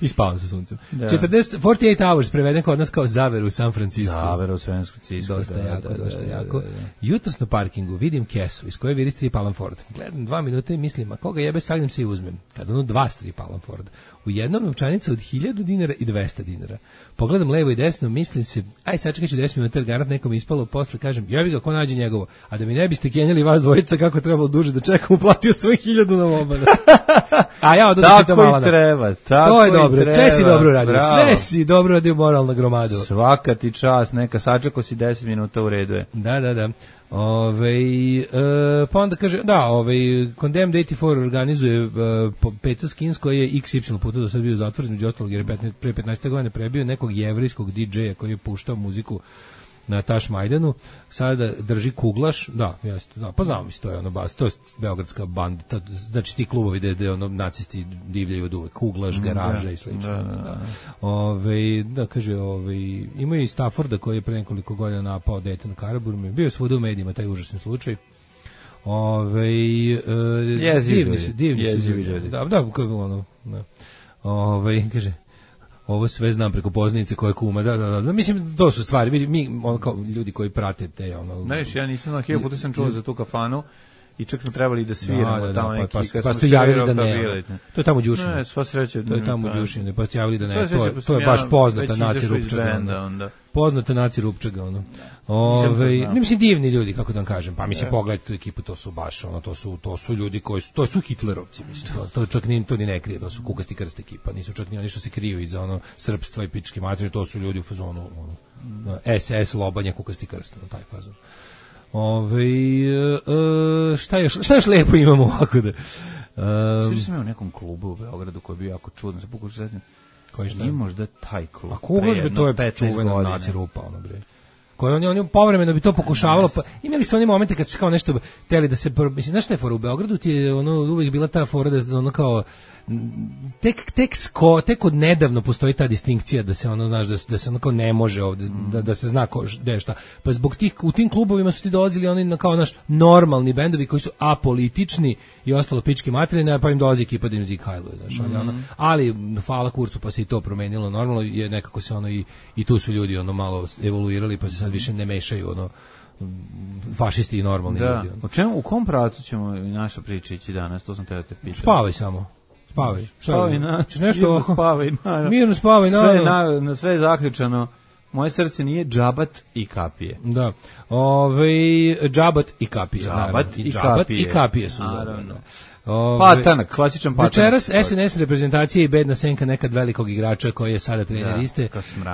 I spavam sa suncem. Da. četrdeset, četrdeset osam hours preveden kod nas kao Zaver u San Francisco. Zaver u San Francisco. Dosta da, jako, da, da, dosta da, jako. Da, da, da. Jutros na parkingu vidim kesu iz koje viri strip Alan Ford. Gledam dva minuta i mislim, a koga jebe sagnem se i uzmem. Kad ono dva strip Alan Ford. U jednom novčanica od hiljadu dinara i dvesta dinara. Pogledam levo i desno, mislim se, aj sačekat ću deset minuta, garant nekom ispalo, posle kažem, jebi ga, ko nađe njegovo. A da mi ne biste kenjali vas dvojica kako trebalo duže da čekam, uplatio svoje hiljadu na lobana. A ja od tako i treba, tako to je dobro, treba, sve si dobro radio, bravo. Sve si dobro radio, moralna gromado. Svaka ti čast, neka sačekao si deset minuta u redu je. Da, da, da. Ove, e, pa onda kaže, da, ovaj Condemned osamdeset četiri organizuje e, Peca Skins koji je iks ipsilon puta do sad bio zatvoren, među ostalog jer je petnaest, pre petnaest godina prebio nekog jevrijskog didžeja koji je puštao muziku na Taš Majdanu, sada drži Kuglaš, da, jeste, da, pa znamo mi se, to je ono bas, to je beogradska banda, ta, znači ti klubovi gde, gde ono nacisti divljaju od uvek, Kuglaš, Garaža da, i slično. Da, da, da. Ove, da, kaže, ove, ima i Stafforda koji je pre nekoliko godina napao dete na Karaburmi, bio je svuda u medijima taj užasni slučaj. Ove, e, divni su, divni su ljudi. Da, da, ono, da. Ove, kaže, ovo sve znam preko poznanice koje kuma, da, da, da, mislim, to su stvari, mi, ono, kao ljudi koji prate te, ono... Znaš, ja nisam, na hiljadu puta sam čuo za tu kafanu i čak smo trebali da sviramo da, da, tamo da, neki, pa, kad pa smo ste javili da ne, ne, to je tamo u Đušinu. Ne, sva sreća. To je tamo u Đušinu, pa ste javili da ne, to, to, je, to je baš poznata naci Rupčaga. Onda. Poznata naci Rupčaga, ono. Ove, ne mislim divni ljudi, kako da vam kažem, pa mislim, pogledajte tu ekipu, to su baš, ono, to su, to su ljudi koji su, to su Hitlerovci, mislim, to, to čak ni, to ni ne krije, to su kukasti krst ekipa, nisu čak ni oni što se kriju iza, ono, srpstva i pičke materije, to su ljudi u fazonu, ono, es es, lobanje, kukasti krst, ono, taj fazon. Ove, e, šta još, šta još lepo imamo ovako da... Um, Svi sam imao u nekom klubu u Beogradu koji je bio jako čudan, se pokušao sretnim. Koji šta? Nije možda taj klub. A Kuglaš bi to je čuvena naci rupa, ono bre. koje oni oni povremeno bi to pokušavalo, pa imali su oni momente kad su kao nešto teli da se, mislim, znaš šta je fora u Beogradu, ti je ono uvijek bila ta fora da ono kao tek tek sko, tek od nedavno postoji ta distinkcija da se ono, znaš, da, da se ono kao ne može ovde, da, da se zna ko gde je šta. Pa zbog tih, u tim klubovima su ti dolazili oni na kao naš normalni bendovi koji su apolitični i ostalo pički materine, pa im dolazi ekipa da im zik hajluje, znaš, ali, ono, ali hvala kurcu pa se i to promenilo, normalno je nekako se ono i, i tu su ljudi ono malo evoluirali pa se sad više ne mešaju ono fašisti i normalni da. ljudi. Ono. O čemu, u kom pravcu ćemo naša priča ići danas, to sam te da te pitam. Spavaj samo. Spavaj. Spavaj na, nešto spavaj na. Mirno spavaj na. Sve na, na sve je zaključano. Moje srce nije džabat i kapije. Da. Ovaj džabat i kapije. Džabat i džabat kapije. i kapije su zajedno. Ove, patanak, klasičan patanak. Večeras S N S reprezentacija i bedna senka nekad velikog igrača koji je sada trener iste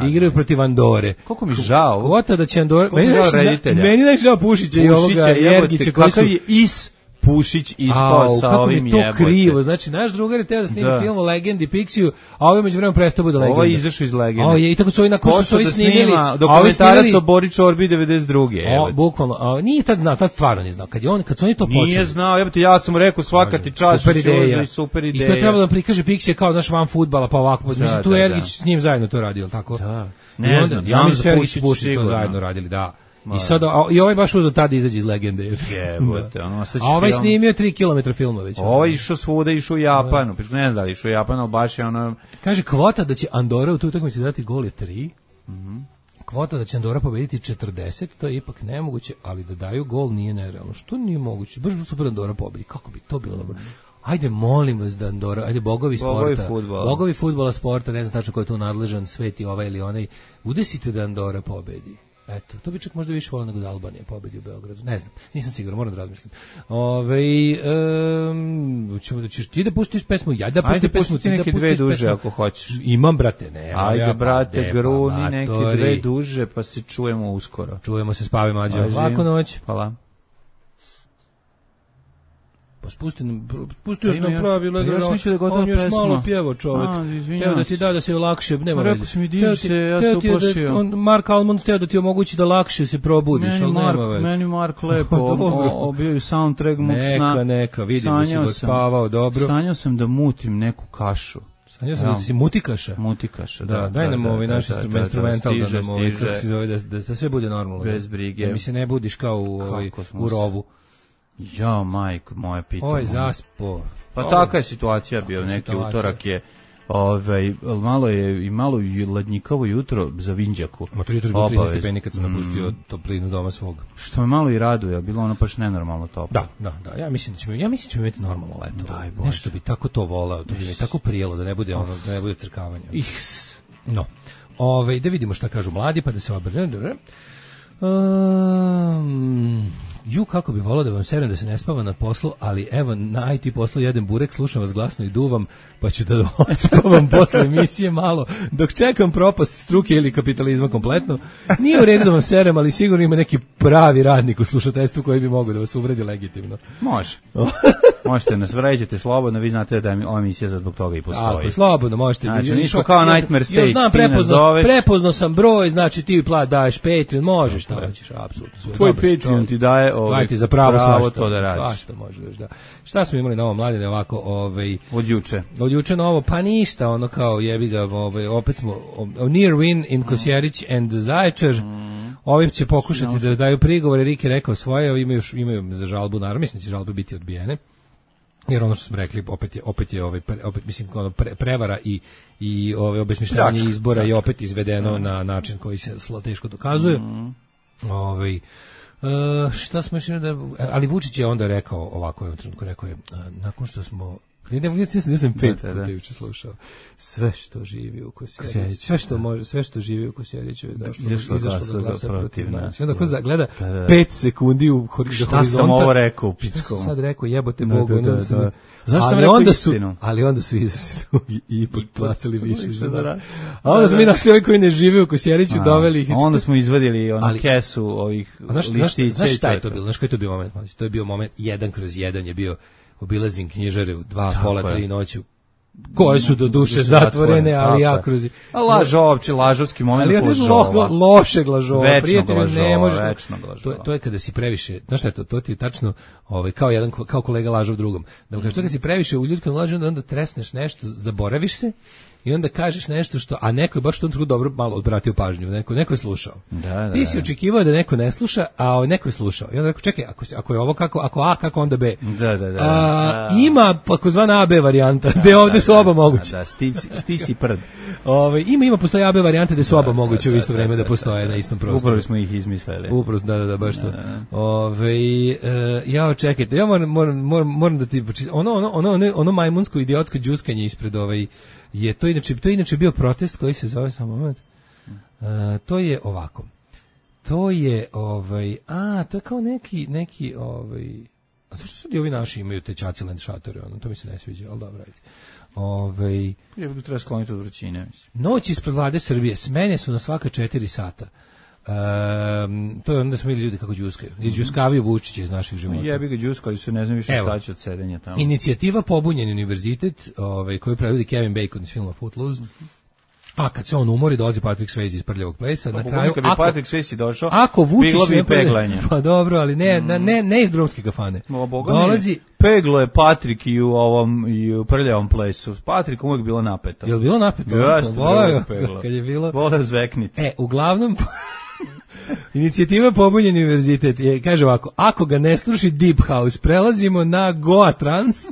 igraju protiv Andore. Koliko mi žao. Kvota da će Andora, meni je meni najžao Pušića i ovoga Jergića koji su je is Pušić ispao sa ovim jebote. Kako mi to krivo, znači naš drugar je teo da snimi da. film o Legendi Pixiju, a ovaj međuvremenu prestao bude Legenda. Ovo je izašao iz Legende. O, je, i tako su ovi nakon što su ovi snimili. Dokumentarac o Bori Čorbi devedeset druge. O, bukvalno, a, nije tad znao, tad stvarno nije znao. Kad, je on, kad su oni to počeli. Nije znao, jebote, ja sam mu rekao svaka ti čast, super ideja. super ideja. I to je trebalo da prikaže Pixije kao, znaš, van fudbala, pa ovako. Mislim, da, tu da, Ergić s njim zajedno to radio, tako? Da. Ne onda, znam, ja mislim da Pušić Pušić to zajedno radili, da. I sad a, i ovaj baš uzeo tada izađe iz Legende. Jebote, ono a ovaj film... snimio tri kilometra filma već. Ovaj išao svuda, išao u Japanu. Ne znam da li išao u Japanu, ali baš je ono... Kaže, kvota da će Andora u tu utakmici dati gol je tri. Mm-hmm. Kvota da će Andora pobediti četrdeset, to je ipak nemoguće, ali da daju gol nije nerealno. Što nije moguće? Baš bi super Andora pobedi. Kako bi to bilo dobro? Ajde, molim vas da Andora, ajde, bogovi sporta, bogovi fudbala, bogovi fudbala sporta, ne znam tačno ko je tu nadležan, sveti ovaj ili onaj, udesite da Andora pobedi. Eto, to bi čak možda više volio nego da Albanija pobedi u Beogradu. Ne znam, nisam siguran, moram da razmislim. Ove, um, ćemo da ćeš ti da puštiš pesmu, ja da pustim pesmu, ti neke da dve duže pesmu. Ako hoćeš. Imam, brate, ne. Ajde, ja, brate, pa, gruni pa, neke dve duže, pa se čujemo uskoro. Čujemo se, spavi mlađe. Lako noć. Hvala. Pa spusti nam, pustio pa nam pravilo, ja sam mislio da gotova on još pesma. malo pjevo čovjek. Teo da ti da da se lakše, nema veze. Rekao si mi diži se, ja se uplašio. On, Mark Almond teo da ti omogući da lakše se probudiš, meni ali Mark, nema veze. Meni Mark lepo obio soundtrack mog sna. Neka, neka, vidim da si go spavao dobro. Sanjao sam da mutim neku kašu. Sanjao sam da si mutikaša. Mutikaša, da. Da, daj nam ovaj naš instrumental da nam ovaj, kako se zove, da sve bude normalno. Bez brige. Da mi se ne budiš kao u rovu. Ja, majko, moje pitanje. Ovo je zaspo. Pa taka je situacija bio, neki situacija. Utorak je, ovaj, malo je i malo ladnjikavo jutro za Vinđaku. Ma to jutro je bilo trinaest stepeni kad sam mm. napustio toplinu doma svog. Što me malo i raduje, bilo ono baš nenormalno toplo. Da, da, da, ja mislim da ćemo, ja mislim da ćemo imati normalno leto. Daj Bože. Nešto bi tako to volao, to bi mi tako prijelo, da ne bude ono, da ne bude crkavanja. Iks. No, ove, da vidimo šta kažu mladi, pa da se obrne. Um, ju, kako bi volao da vam serem da se ne spava na poslu, ali evo, na I T poslu jedem burek, slušam vas glasno i duvam, pa ću da odspavam posle emisije malo, dok čekam propast struke ili kapitalizma kompletno. Nije u redu da vam serem, ali sigurno ima neki pravi radnik u slušateljstvu koji bi mogao da vas uvredi legitimno. Može. Možete nas vređati slobodno, vi znate da je ova emisija za zbog toga i postoji. Tako, slobodno, možete. Znači, niško kao Nightmare Stage, još znam, prepozno, prepozno sam broj, znači ti plat daješ Patreon, možeš šta hoćeš, apsolutno. Tvoj Patreon ti daje ovaj, ti za pravo, pravo svašta, to da radiš. Svašta možeš, da. Šta smo imali na ovom mladine ovako, ovaj od juče. Od juče novo, pa ništa, ono kao jebi ga, ovaj opet smo near win in Kosjerić and Zaječar. Mm. Ovi će pokušati da daju prigovore, Rik je rekao svoje, imaju imaju za žalbu, naravno mislim da će žalbe biti odbijene. Jer ono što smo rekli, opet je opet je ovaj opet mislim ono pre, prevara i i ovaj obesmišljavanje izbora je opet izvedeno mm. na način koji se teško dokazuje. Mm. Ovaj Uh, šta smo još da, ali Vučić je onda rekao ovako, je trenutku rekao je, uh, nakon što smo ne ne ja sam pet puta juče slušao sve što živi u Kosjeriću, sve što može, sve što živi u Kosjeriću je došlo izašlo da glasa protiv nas. Onda ko gleda pet sekundi u horizontu. Šta sam ovo rekao u pičkom? Sad rekao jebote Bogu, da, da, da. Zašto sam ali rekao onda istinu? Su, ali onda su izašli i ipak placali više za. A onda smo mi našli ovi koji ne žive u Kosjeriću, doveli ih. Onda smo izvadili onu kesu ovih listića. Znaš šta je to bilo? Znaš koji je to bio moment? To je bio moment jedan kroz jedan je bio obilazim knjižare u dva, pola, tri noću. koje su do duše zatvorene, ali ja kroz... A lažovči, lažovski moment ali lažova. Lo, lošeg lažova, prijatelju, lažova, ne možeš... lažova. To, to je kada si previše, znaš šta je to, to ti je tačno ovaj, kao, jedan, kao kolega lažov drugom. Da mu kažeš, to kada si previše u ljudskom lažu, onda, onda tresneš nešto, zaboraviš se, i onda kažeš nešto što, a neko je baš u tom trenutku dobro malo odbratio pažnju, neko, neko je slušao. Da, da, Ti si da. očekivao da neko ne sluša, a neko je slušao. I onda rekao, čekaj, ako, ako je ovo kako, ako A, kako onda B? Da, da, da. A, da. Ima takozvana A B varijanta, da, gde ovde da, su oba moguće. Da, da, stici, stici prd. Ove, ima, ima, postoje A B varijante gde su oba moguće u isto vreme da postoje na istom prostoru. Upravo smo ih izmislili. Upravo, da, da, da, baš to. Da, da. Ove, e, ja, čekajte, ja moram, moram, moram, moram da ti, ono, ono, ono, ono, ono majmunsko idiotsko džuskanje ispred ovaj, je to inače, to je inače bio protest koji se zove, samo moment, uh, to je ovako, to je, ovaj, a, to je kao neki, neki, ovaj, a zašto su ovi naši imaju te Čaciland šatore, ono, to mi se ne sviđa, ali dobro, ajde. Ovaj, Je bi treba skloniti od vrućine, mislim. Noć ispred vlade Srbije, smene su na svaka četiri sata. Um, to je onda smo vidjeli ljudi kako džuskaju. Izđuskavaju Vučića iz naših života. Jebi ga džuskali su, ne znam više Evo. šta će od sedenja tamo. Inicijativa Pobunjeni univerzitet, ovaj, koju predvodi Kevin Bacon iz filma Footloose. A kad se on umori, dolazi Patrick Swayze iz Prljavog plesa. Pa, na kraju, kad bi ako, Patrick Swayze došao, ako Vučić bilo bi ne bude- peglanje. Pa dobro, ali ne, mm. ne, ne iz drumske kafane. O, Boga Dolazi, mi, peglo je Patrik i u ovom i u Prljavom plesu. Patrik uvijek bilo napeto. je li bilo napeto? Jeste, Voleo bilo je, peglo. kad je bilo... Voleo zveknit. E, uglavnom, inicijativa Pobunjeni univerzitet je, kaže ovako, ako ga ne sluši Deep House, prelazimo na Goa Trans,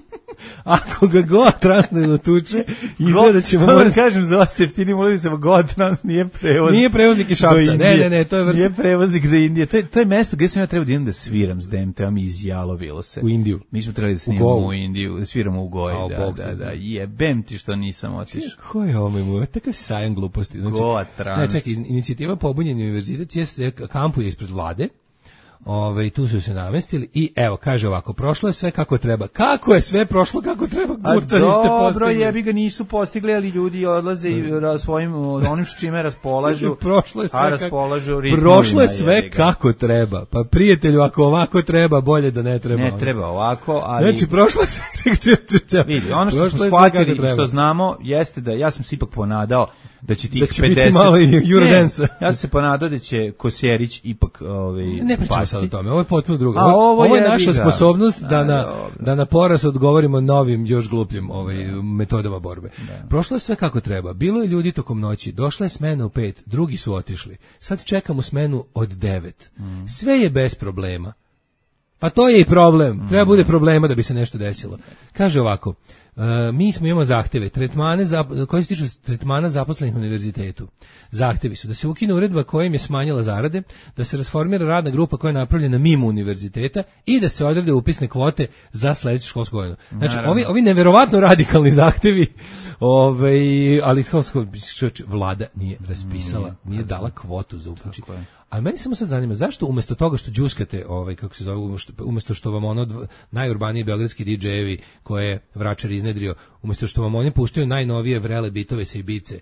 ako ga Goa Trans ne dotuče, izgleda ćemo... Samo da kažem za vas jeftini, molim se, Gotrans nije prevoznik. Nije prevoznik iz Šapca, ne, ne, ne, to je vrsta... Nije prevoznik do Indije, to je, to je mesto gdje sam ja trebao da idem da sviram s D M T-om i izjalovilo se. U Indiju. Mi smo trebali da snimamo Govu. u Indiju, da sviramo u Goji, A, da, Bog da, te da, zna. jebem ti što nisam otišao. Ko je ovo mu? Takav si sajan gluposti. Znači, Goa Trans. Ne, čekaj, inicijativa Pobunjeni univerzitet je se kampuje ispred vlade. Ove, tu su se namestili i evo, kaže ovako, prošlo je sve kako treba. Kako je sve prošlo kako treba? A Kurca niste dobro, postigli. jebi ga nisu postigli, ali ljudi odlaze i ra- svojim onim s čime raspolažu. Prošlo je sve a kako, raspolažu ritmovima, prošlo je sve jebi ga. kako treba. Pa prijatelju, ako ovako treba, bolje da ne treba. Ne treba ovako, ali... Znači, prošlo je sve... Vidi, ono što Prošlo smo je sve shvatili kako i treba. što znamo jeste da ja sam se ipak ponadao da će tih Da će pedeset... biti malo i Eurodance-a. Ne, ja sam se ponadao da će Kosjerić ipak ovaj, Ne pričamo pasti. sad o tome, ovo je potpuno drugo. A, Ovo, ovo ovo je jebi naša ga. sposobnost da A, na, dobro. da na poraz odgovorimo novim, još glupljim ovaj, metodama borbe. Prošlo je sve kako treba. Bilo je ljudi tokom noći, došla je smena u pet, drugi su otišli. Sad čekamo smenu od devet. Mm. Sve je bez problema. Pa to je i problem. Treba bude problema da bi se nešto desilo. Kaže ovako, Uh, mi smo imamo zahteve, tretmane za, koji se tiču tretmana zaposlenih na univerzitetu. Zahtevi su da se ukine uredba kojim je smanjila zarade, da se rasformira radna grupa koja je napravljena mimo univerziteta i da se odrede upisne kvote za sledeću školsku godinu. Znači, Naravno. ovi, ovi neverovatno radikalni zahtevi, ovaj, ali kao vlada nije raspisala, nije dala kvotu za upući. A meni samo sad zanima, zašto umjesto toga što džuskate, ovaj, kako se zove, umjesto, umjesto što vam ono dv- najurbaniji beogradski didžejevi koje je Vračar iznedrio, umjesto što vam oni puštaju najnovije vrele bitove sa Ibice,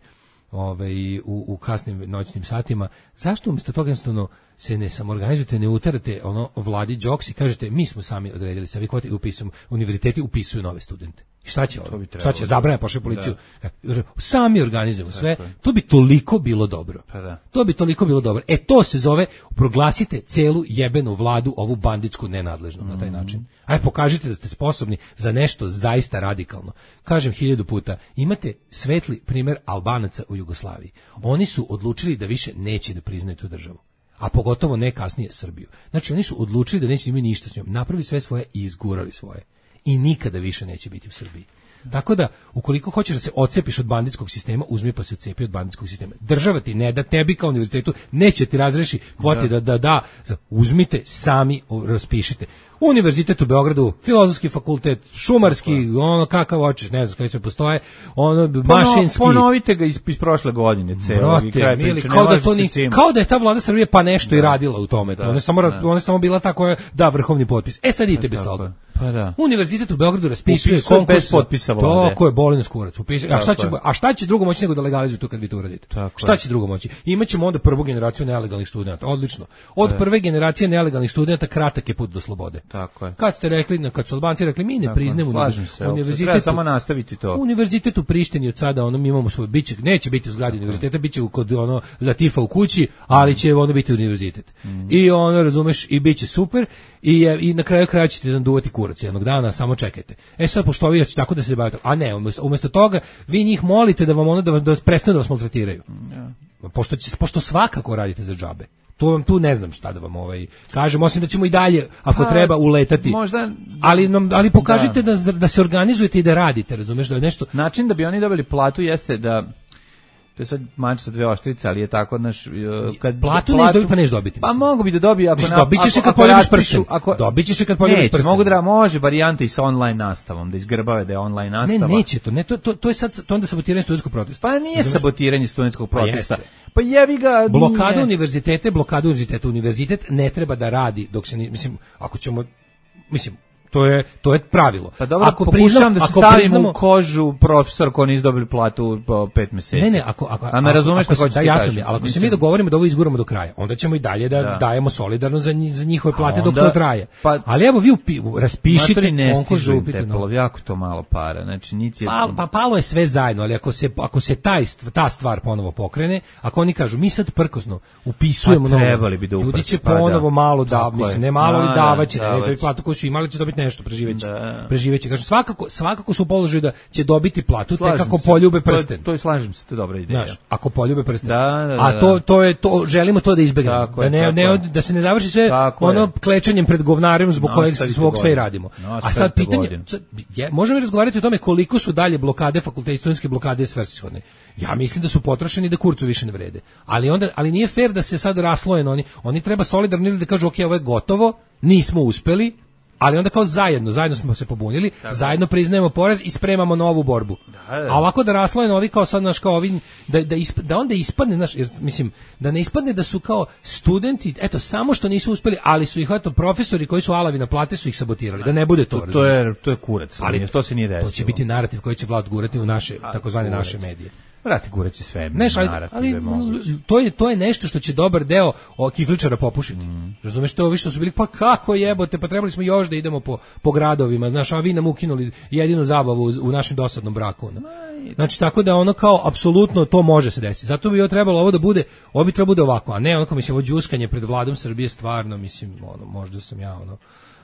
ovaj, u, u kasnim noćnim satima, zašto umjesto toga jednostavno se ne samorganizujete, ne utarate ono vladi džoks i kažete mi smo sami odredili sa vi kvote i upisujemo, univerziteti upisuju nove studente. I šta će ovo? Šta će? Zabranja pošle policiju. Da. Sami organizujemo sve. To bi toliko bilo dobro. Pa da. To bi toliko bilo dobro. E to se zove, proglasite celu jebenu vladu, ovu banditsku nenadležnu na taj način. Ajde pokažite da ste sposobni za nešto zaista radikalno. Kažem hiljadu puta, imate svetli primer Albanaca u Jugoslaviji. Oni su odlučili da više neće da priznaju tu državu. A pogotovo ne kasnije Srbiju. Znači oni su odlučili da neće imati ništa s njom. Napravili sve svoje i izgurali svoje. I nikada više neće biti u Srbiji. Tako da, ukoliko hoćeš da se odcepiš od banditskog sistema, uzmi pa se odcepi od banditskog sistema. Država ti ne da, tebi kao univerzitetu neće ti razreši kvote da da da, da. Uzmite, sami raspišite. Univerzitet u Beogradu, filozofski fakultet, šumarski, ono kakav hoćeš, ne znam koji sve postoje, ono mašinski. Ponovite ga iz, iz prošle godine, celo i kraj mili, priče. kao da to ni, kao da je ta vlada Srbije pa nešto da. i radila u tome. Da, ona je samo da. ona je samo bila ta koja da vrhovni potpis. E sad idite bez toga. Pa da. Univerzitet u Beogradu raspisuje Upisuje konkurs bez potpisa vlade. To je Bolin Skurac. Upisuje. A šta će a šta će drugo moći nego da legalizuju to kad vi to uradite? Tako šta je. će drugo moći? Imaćemo onda prvu generaciju nelegalnih studenata. Odlično. Od da. prve generacije nelegalnih studenata kratak je put do slobode. Tako je. Kad ste rekli, kad su Albanci rekli mi ne Tako, priznajemo slažem se, univerzitet, treba samo nastaviti to. Univerzitet u Prištini od sada ono mi imamo svoj biće, neće biti u zgradi univerziteta, biće kod ono Latifa u kući, ali će ono biti univerzitet. Mm. I ono razumeš i biće super i i na kraju kraja ćete nam duvati kurac jednog dana, samo čekajte. E sad pošto vi hoćete tako da se bavite, a ne, umjesto, umjesto toga vi njih molite da vam ono da, da prestanu da vas maltretiraju. Ja. Pošto će, pošto svakako radite za džabe. Tu vam tu ne znam šta da vam ovaj kažem, osim da ćemo i dalje ako pa, treba uletati. Možda, ali nam ali pokažite da. da da se organizujete i da radite, razumeš, da je nešto. Način da bi oni dobili platu jeste da to je sad mač sa dve oštrice, ali je tako naš kad platu, platu ne dobiti, pa neš dobiti. Pa mogu bi da dobije ako na dobićeš je kad poljubiš prsten. Ako dobićeš je kad poljubiš prsten. Mogu da može varijanta i sa online nastavom, da izgrbave da je online nastava. Ne, neće to. Ne, to to to je sad to onda sabotiranje studentskog protesta. Pa nije sabotiranje studentskog protesta. Pa jevi ga. Blokada univerzitete, blokada univerziteta, univerzitet ne treba da radi dok se ne, mislim ako ćemo mislim to je to je pravilo. Pa dobro, ako pokušam da se stavim priznamo, u kožu profesor ko nisu dobili platu po pet meseci. Ne, ne, ako ako a me razumeš šta hoćeš da jasno mi, ali ako mislim, se mi dogovorimo da ovo izguramo do kraja, onda ćemo i dalje da, da. dajemo solidarno za, za njihove plate onda, dok to traje. Pa, ali evo vi upi, raspišite konkurs za upitno. Jako to malo para, znači niti je... pa, pa palo je sve zajedno, ali ako se ako se taj ta stvar ponovo pokrene, ako oni kažu mi sad prkosno upisujemo pa, trebali bi da uprati, ljudi će ponovo pa, malo da, mislim ne malo ali davaće, ne da platu koju su imali će dobiti nešto, preživeće. Da. Preživeće. Kažem svakako svakako su u položaju da će dobiti platu tek kako poljube prsten. To, to je slažem se, to je dobra ideja. Znaš, ako poljube prsten. Da, da, a to to je to želimo to da izbegnemo. Da ne, ne da se ne završi sve tako ono je. Klečanjem pred govnarem zbog no, kojeg svog sve radimo. No, a sad pitanje je, možemo razgovarati o tome koliko su dalje blokade fakulteta, studentske blokade svrsishodne. Ja mislim da su potrošeni da kurcu više ne vrede. Ali onda ali nije fer da se sad rasloje oni. Oni treba solidarno ili da kažu okej, okay, ovo je gotovo, nismo uspeli. Ali onda kao zajedno, zajedno smo se pobunili, tako. Zajedno priznajemo poraz i spremamo novu borbu. Da, da. A ovako da rasloje novi kao sad naš kao ovi, da, da, isp, da onda ispadne, naš, jer, mislim, da ne ispadne da su kao studenti, eto, samo što nisu uspeli, ali su ih, eto, profesori koji su alavi na plate su ih sabotirali, da ne bude to. To, to, je, to je kurac, ali to se nije desilo. To će biti narativ koji će vlast gurati u naše, takozvane naše medije. Vrati gureći sve. Neš, ali, ali to je to je nešto što će dobar deo o kifličara popušiti. Mm. Razumeš, to ovi što su bili pa kako jebote, pa trebali smo još da idemo po po gradovima, znaš, a vi nam ukinuli jedinu zabavu u, u našem dosadnom braku. No. Znači tako da ono kao apsolutno to može se desiti. Zato bi ovo trebalo ovo da bude, ovo bi trebalo bude ovako, a ne onako mislim ovo đuskanje pred vladom Srbije stvarno, mislim, ono možda sam ja ono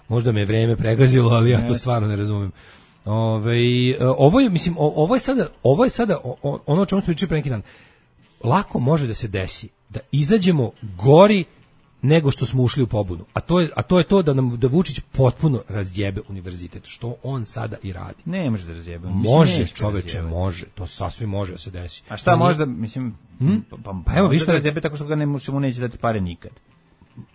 možda me vreme pregazilo, ali ja to stvarno ne razumem. Ove, ovo je mislim ovo je sada ovo je sada ono o čemu smo pričali pre neki dan. Lako može da se desi da izađemo gori nego što smo ušli u pobunu. A to je a to je to da nam da Vučić potpuno razjebe univerzitet, što on sada i radi. Ne može da razjebe. Može, čoveče, može. To sasvim može da se desi. A šta može da mislim hmm? pa, pa, pa evo vi što razjebe tako što ga ne mu neće dati pare nikad.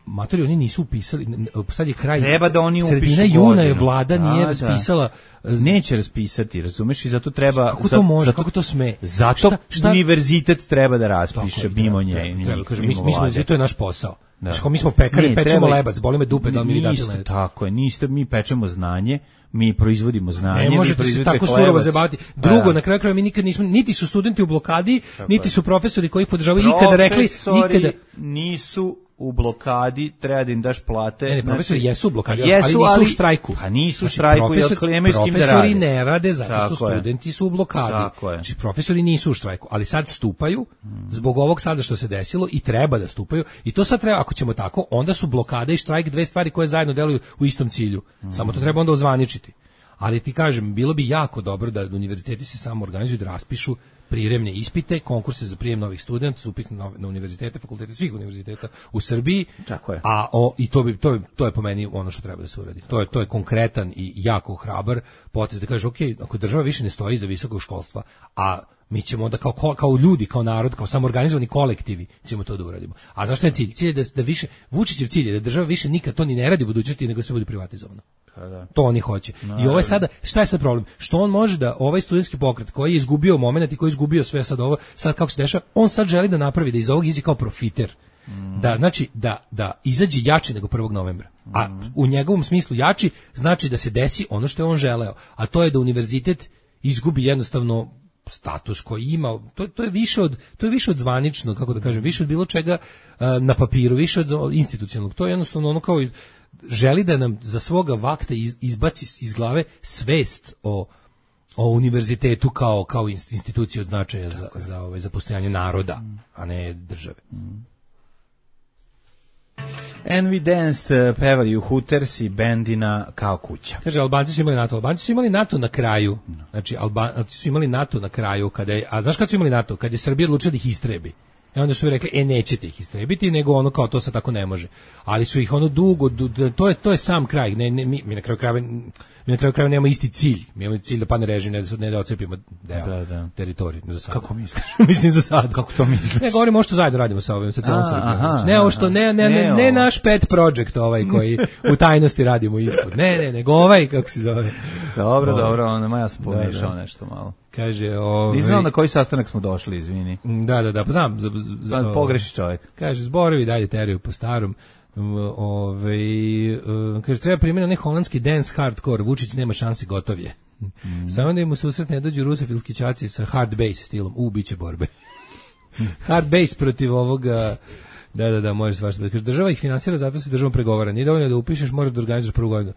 Matori, oni nisu upisali, sad je kraj, treba da oni upišu sredina juna godinu. Je vlada da, nije raspisala, da. Neće raspisati, razumeš, i zato treba, kako to može, zato, kako to sme, zato šta, šta? Univerzitet treba da raspiše mimo nje, treba, kažem, mi, mi smo, to je naš posao, da. Znači, mi smo pekari, ne, pečemo treba, lebac, boli me dupe da mi vi dati lebac. Tako je, niste, mi pečemo znanje, mi proizvodimo znanje, ne možete se tako surovo zabaviti. Drugo, pa, na kraju krajeva mi nikad nismo, niti su studenti u blokadi, niti su profesori koji ih podržavaju ikada rekli, nikada nisu u blokadi, treba da im daš plate. Ne, ne, profesori znači, jesu u blokadi, jesu, ali nisu ali, u štrajku. Pa nisu u znači, štrajku, profesor, jer nemaju s kim da rade. Profesori ne rade zato tako što studenti je. Su u blokadi. Znači, profesori nisu u štrajku, ali sad stupaju, zbog ovog sada što se desilo, i treba da stupaju, i to sad treba, ako ćemo tako, onda su blokada i štrajk dve stvari koje zajedno deluju u istom cilju. Mm. Samo to treba onda ozvaničiti. Ali ti kažem, bilo bi jako dobro da univerziteti se samo organizuju da raspišu prijemne ispite, konkurse za prijem novih studenta, upis na, na univerzitete, fakultete svih univerziteta u Srbiji. Tako je. A o, i to bi to je to je po meni ono što treba da se uradi. To je to je konkretan i jako hrabar potez da kaže okej, okay, ako država više ne stoji iza visokog školstva, a mi ćemo onda kao kao ljudi, kao narod, kao samoorganizovani kolektivi ćemo to da uradimo. A zašto je cilj? Cilj je da, da više Vučićev cilj je da država više nikad to ni ne radi u budućnosti, nego sve bude privatizovano. Da. To oni hoće. Naravno. I ovo je sada, šta je sad problem? Što on može da ovaj studentski pokret koji je izgubio momenat i koji je izgubio sve sad ovo, sad kako se dešava, on sad želi da napravi da iz ovog izađe kao profiter. Mm. Da znači da da izađe jači nego prvog novembra. A u njegovom smislu jači znači da se desi ono što je on želeo, a to je da univerzitet izgubi jednostavno status koji ima, to, to je više od to je više od zvaničnog, kako da kažem, više od bilo čega uh, na papiru, više od institucionalnog. To je jednostavno ono kao želi da nam za svoga vakta iz- izbaci iz glave svest o o univerzitetu kao kao inst- instituciju od značaja za za ovaj za postojanje naroda, a ne države. And we danced, pevali u Hooters i bendina kao kuća. Kaže, Albanci su imali NATO. Albanci su imali NATO na kraju. Znači, Albanci su imali NATO na kraju. Kada je, a znaš kad su imali NATO? Kad je Srbija odlučila da ih istrebi. I onda su rekli, e, nećete ih istrebiti, nego ono kao to sad tako ne može. Ali su ih ono dugo, du, to, je, to je sam kraj. Ne, ne, mi, mi na kraju krajeva mi na kraju krajeva nemamo isti cilj. Mi imamo cilj da padne režim, ne da, ne da ocepimo deo Da, da. teritorije. Za sad. Kako misliš? Mislim za sad. Kako to misliš? Ne, govorimo što zajedno radimo sa ovim, sa celom A, Srbijom. aha, Znači, ne ovo što, ne, ne, ne, ne ne ovo. naš pet project ovaj koji u tajnosti radimo ispod. Ne, ne, nego ovaj, kako se zove. Dobro, Ovaj. dobro, onda ja sam pomešao Da, da. nešto malo. Kaže, ovaj... Nisam znao na koji sastanak smo došli, izvini. Da, da, da, pa znam. Za, za, Sad pogreši čovjek. Kaže, zborovi dalje teraju po starom. Ove, kaže, treba primjena ne holandski dance hardcore, Vučić nema šanse, gotov je. Mm. Samo da im u susret ne dođu rusofilski ćaci sa hard bass stilom, u, biće borbe. Hard bass protiv ovoga, da, da, da, može svašta. Kaže, država ih finansira, zato se državom pregovara. Nije dovoljno da upišeš, možeš da organizuješ prvu godinu.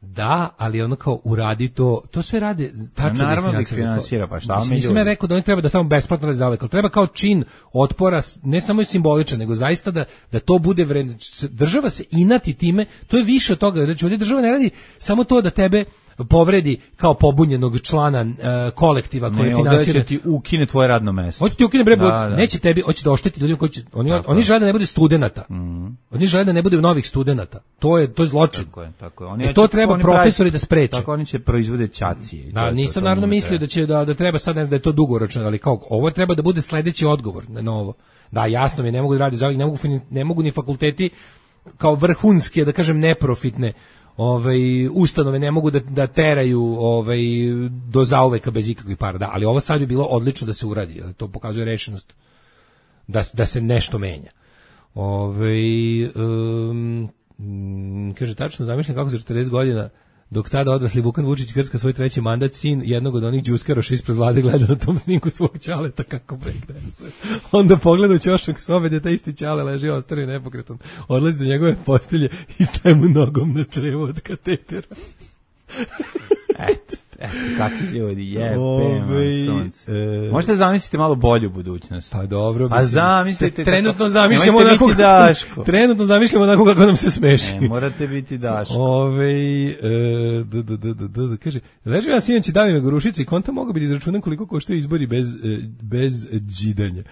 Da, ali ono kao uradi to, to sve rade tačno. Naravno da da ih ih finansira, pa šta Mislim, mi nisam ljudi? ja rekao da oni treba da tamo besplatno radi zauvek, ali treba kao čin otpora, ne samo i simboličan, nego zaista da, da to bude vredno. Država se inati time, to je više od toga. Znači, ovdje država ne radi samo to da tebe povredi kao pobunjenog člana uh, kolektiva koji Ne, finansira. ovdje će ti ukine tvoje radno mesto. Hoće ti ukine bre, Da, da. neće tebi, hoće da ošteti ljudima koji će, oni, Tako oni je. žele da ne bude studenata. Mhm. Oni žele da ne bude novih studenata. To je, to je zločin. Tako je, tako je. Oni E, hoće- to treba oni profesori pravi- da spreče. Tako oni će proizvode ćacije. i to Da, je to, nisam to naravno njima mislio treba. da će da da treba sad ne znam da je to dugoročno, ali kao ovo treba da bude sledeći odgovor na ovo. Da, jasno mi je, ne mogu da radi za ovih, ne mogu fini- ne mogu ni fakulteti kao vrhunske, da kažem neprofitne ovaj ustanove ne mogu da da teraju ovaj do zauveka bez ikakvih para. Da, ali ovo sad bi bilo odlično da se uradi, jer to pokazuje rešenost da s- da se nešto menja. Ovaj um, mm, kaže tačno zamišljam kako za četrdeset godina dok tada odrasli Vukan Vučić krska svoj treći mandat, sin jednog od onih džuskaroša ispred vlade gleda na tom snimku svog ćaleta kako breakdance. Onda pogleda u ćošak sobe gde taj isti ćale leži ostario nepokretan. Odlazi do njegove postelje i staje mu nogom na crevo od katetera. Eto, eto, kakvi ljudi, jebe, Ovaj, sunce. e, Možete zamisliti malo bolju budućnost. Pa dobro, Pa mislim, zamislite trenutno kako- zamišljamo nemojte onako biti kako, Daško. trenutno zamišljamo onako kako nam se smeši. Ne, morate biti Daško. Ove, e, d, d, d, d, d, d, kaže, leži vam sinoć Davime Gorušice i konta mogu biti izračunan koliko koštaju izbori bez, e, bez džidanja.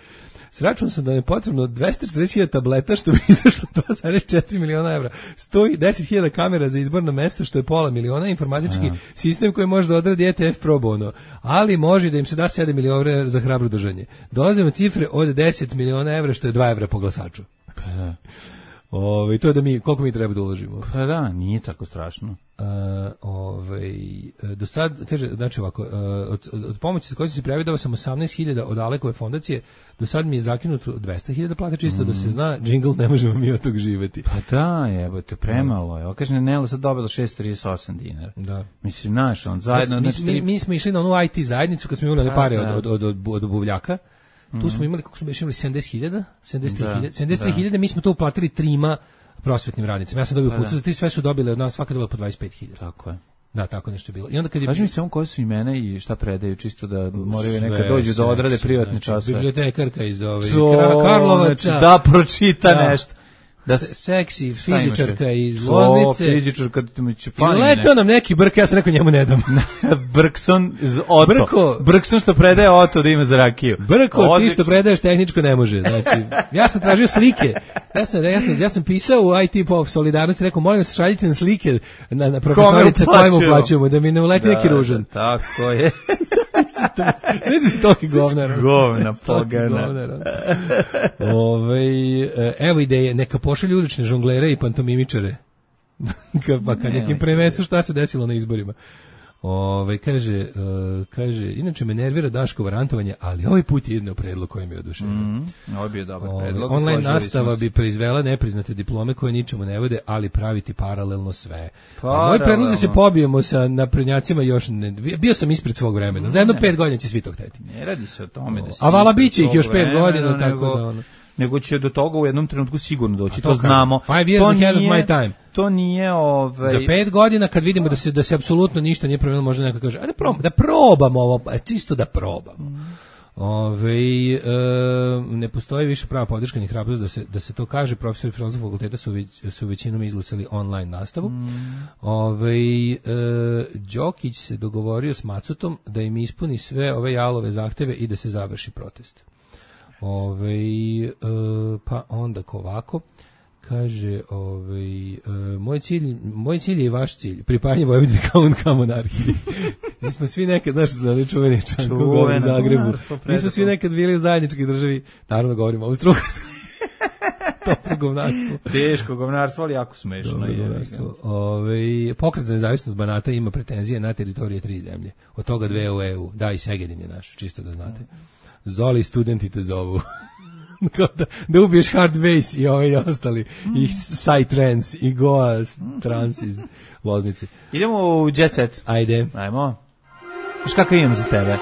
Sračunao sam da je potrebno dvesta četrdeset hiljada tableta, što bi izašlo dva zarez četiri miliona evra, sto deset hiljada kamera za izborno mesto, što je pola miliona, informatički Aha. sistem koji može da odradi E T F pro bono, ali može da im se da sedam miliona evra za hrabro držanje. Dolazimo cifre od deset miliona evra, što je dva evra po glasaču. Pa da. Ove, to je da mi, koliko mi treba da uložimo. Pa da, nije tako strašno. Uh, ovaj, do sad, kaže, znači ovako, uh, od, od, od pomoći sa kojoj sam se prijavio dao sam osamnaest hiljada od Alekove fondacije, do sad mi je zakinuto dvesta hiljada plata, čisto mm. da se zna, džingl, ne možemo mi od tog živeti. Pa da, jebote, premalo je. Ovo kaže, Nela sad dobila šest zarez trideset osam dinara. Da. Mislim, znaš, on zajedno... mi, znači, mi, tri- mi smo išli na onu I T zajednicu kad smo imali one Da, pare da. od, od, od, od, od buvljaka. Tu smo imali, kako smo još imali, sedamdeset hiljada? sedamdeset tri Da, hiljade. sedamdeset tri da. hiljade, mi smo to uplatili trima prosvetnim radnicima. Ja sam dobio Pa pucu, da. za ti sve su dobile od nas, svaka dobila po dvadeset pet hiljada. Tako je. Da, tako nešto je bilo. I onda kad je Kaži mi samo koje su imena i šta predaju, čisto da moraju Sve nekad dođu da odrade seksi, privatne znači, časove. bibliotekarka iz ove To, Kra- Karlovaca. znači, da pročita Da. nešto. Da Se- seksi šta imaš, fizičarka je? iz To, Loznice. fizičarka, ti mu će I fani. letao nam neki brk, ja sam rekao njemu ne dam. Brkson iz Oto. Brko. Brkson što predaje Oto da ima za rakiju. Brko, ti Odlično. što predaješ tehničko ne može. Znači, ja sam tražio slike. Ja sam, ja sam, ja sam pisao u I T po solidarnosti, rekao, molim vas, šaljite nam slike na, na profesorice Kome kojim uplaćujemo? uplaćujemo, da mi ne uleti neki Da, ružan. da, tako je. Ne znam si toki govnar. Govna Toki pogana. govnar. Ovaj, e, evo ideje, neka pošalju ulične žonglere i pantomimičare. Ka- pa kad nekim prenesu šta se desilo na izborima. Ove, kaže, e, kaže, inače me nervira Daškovo rantovanje, ali ovaj put je izneo predlog koji mi je oduševio. Mm, ovo bi je dobar Ove, predlog. online složili nastava smo se. bi proizvela nepriznate diplome koje ničemu ne vode, ali praviti paralelno sve. A moj Paralelno. predlog je da se pobijemo sa naprednjacima još ne, bio sam ispred svog vremena. Za jedno pet godina će svi to hteti. Ne radi se o tome da se... A vala biće ih još pet vremena, godina, tako nego da ono. nego će do toga u jednom trenutku sigurno doći, to to, kažem. znamo. Five years to ahead of nije, my time. To nije ovaj Za pet godina kad vidimo da se da se apsolutno ništa nije promenilo, možda neko kaže, ajde probamo, da probamo ovo, čisto da probamo. Ove, e, ne postoji više prava podrška ni hrabrost da se da se to kaže. Profesori filozofskog fakulteta su već, su većinom izglasali online nastavu. Mm. Ove, e, Đokić se dogovorio s Macutom da im ispuni sve ove jalove zahteve i da se završi protest. Ove, e, pa onda ovako kaže, ovaj, uh, moj cilj, moj cilj je i vaš cilj, pripajanje Vojvodine kao kao monarhiji. Mi smo svi nekad, znaš, za ovaj čuveni Čankov u Zagrebu, mi smo svi nekad bili u zajedničkoj državi, naravno govorimo o Austro-Ugarskoj. Toplo govnarstvo. Teško govnarstvo, ali jako smešno. Ove, pokret za nezavisnost Banata ima pretenzije na teritorije tri zemlje. Od toga dve u E U. Da, i Segedin je naš, čisto da znate. Zoli studenti te zovu. da, da ubiješ hard base i ovaj ostali i Psytrance i Goa trans iz Loznice. Idemo u Jet Set. Ajde. Ajmo. Znaš kakav imam za tebe?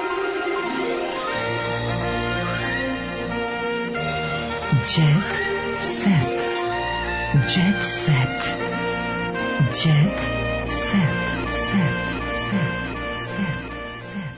Jet Set. Jet Set. Jet Set. Set. Set. Set.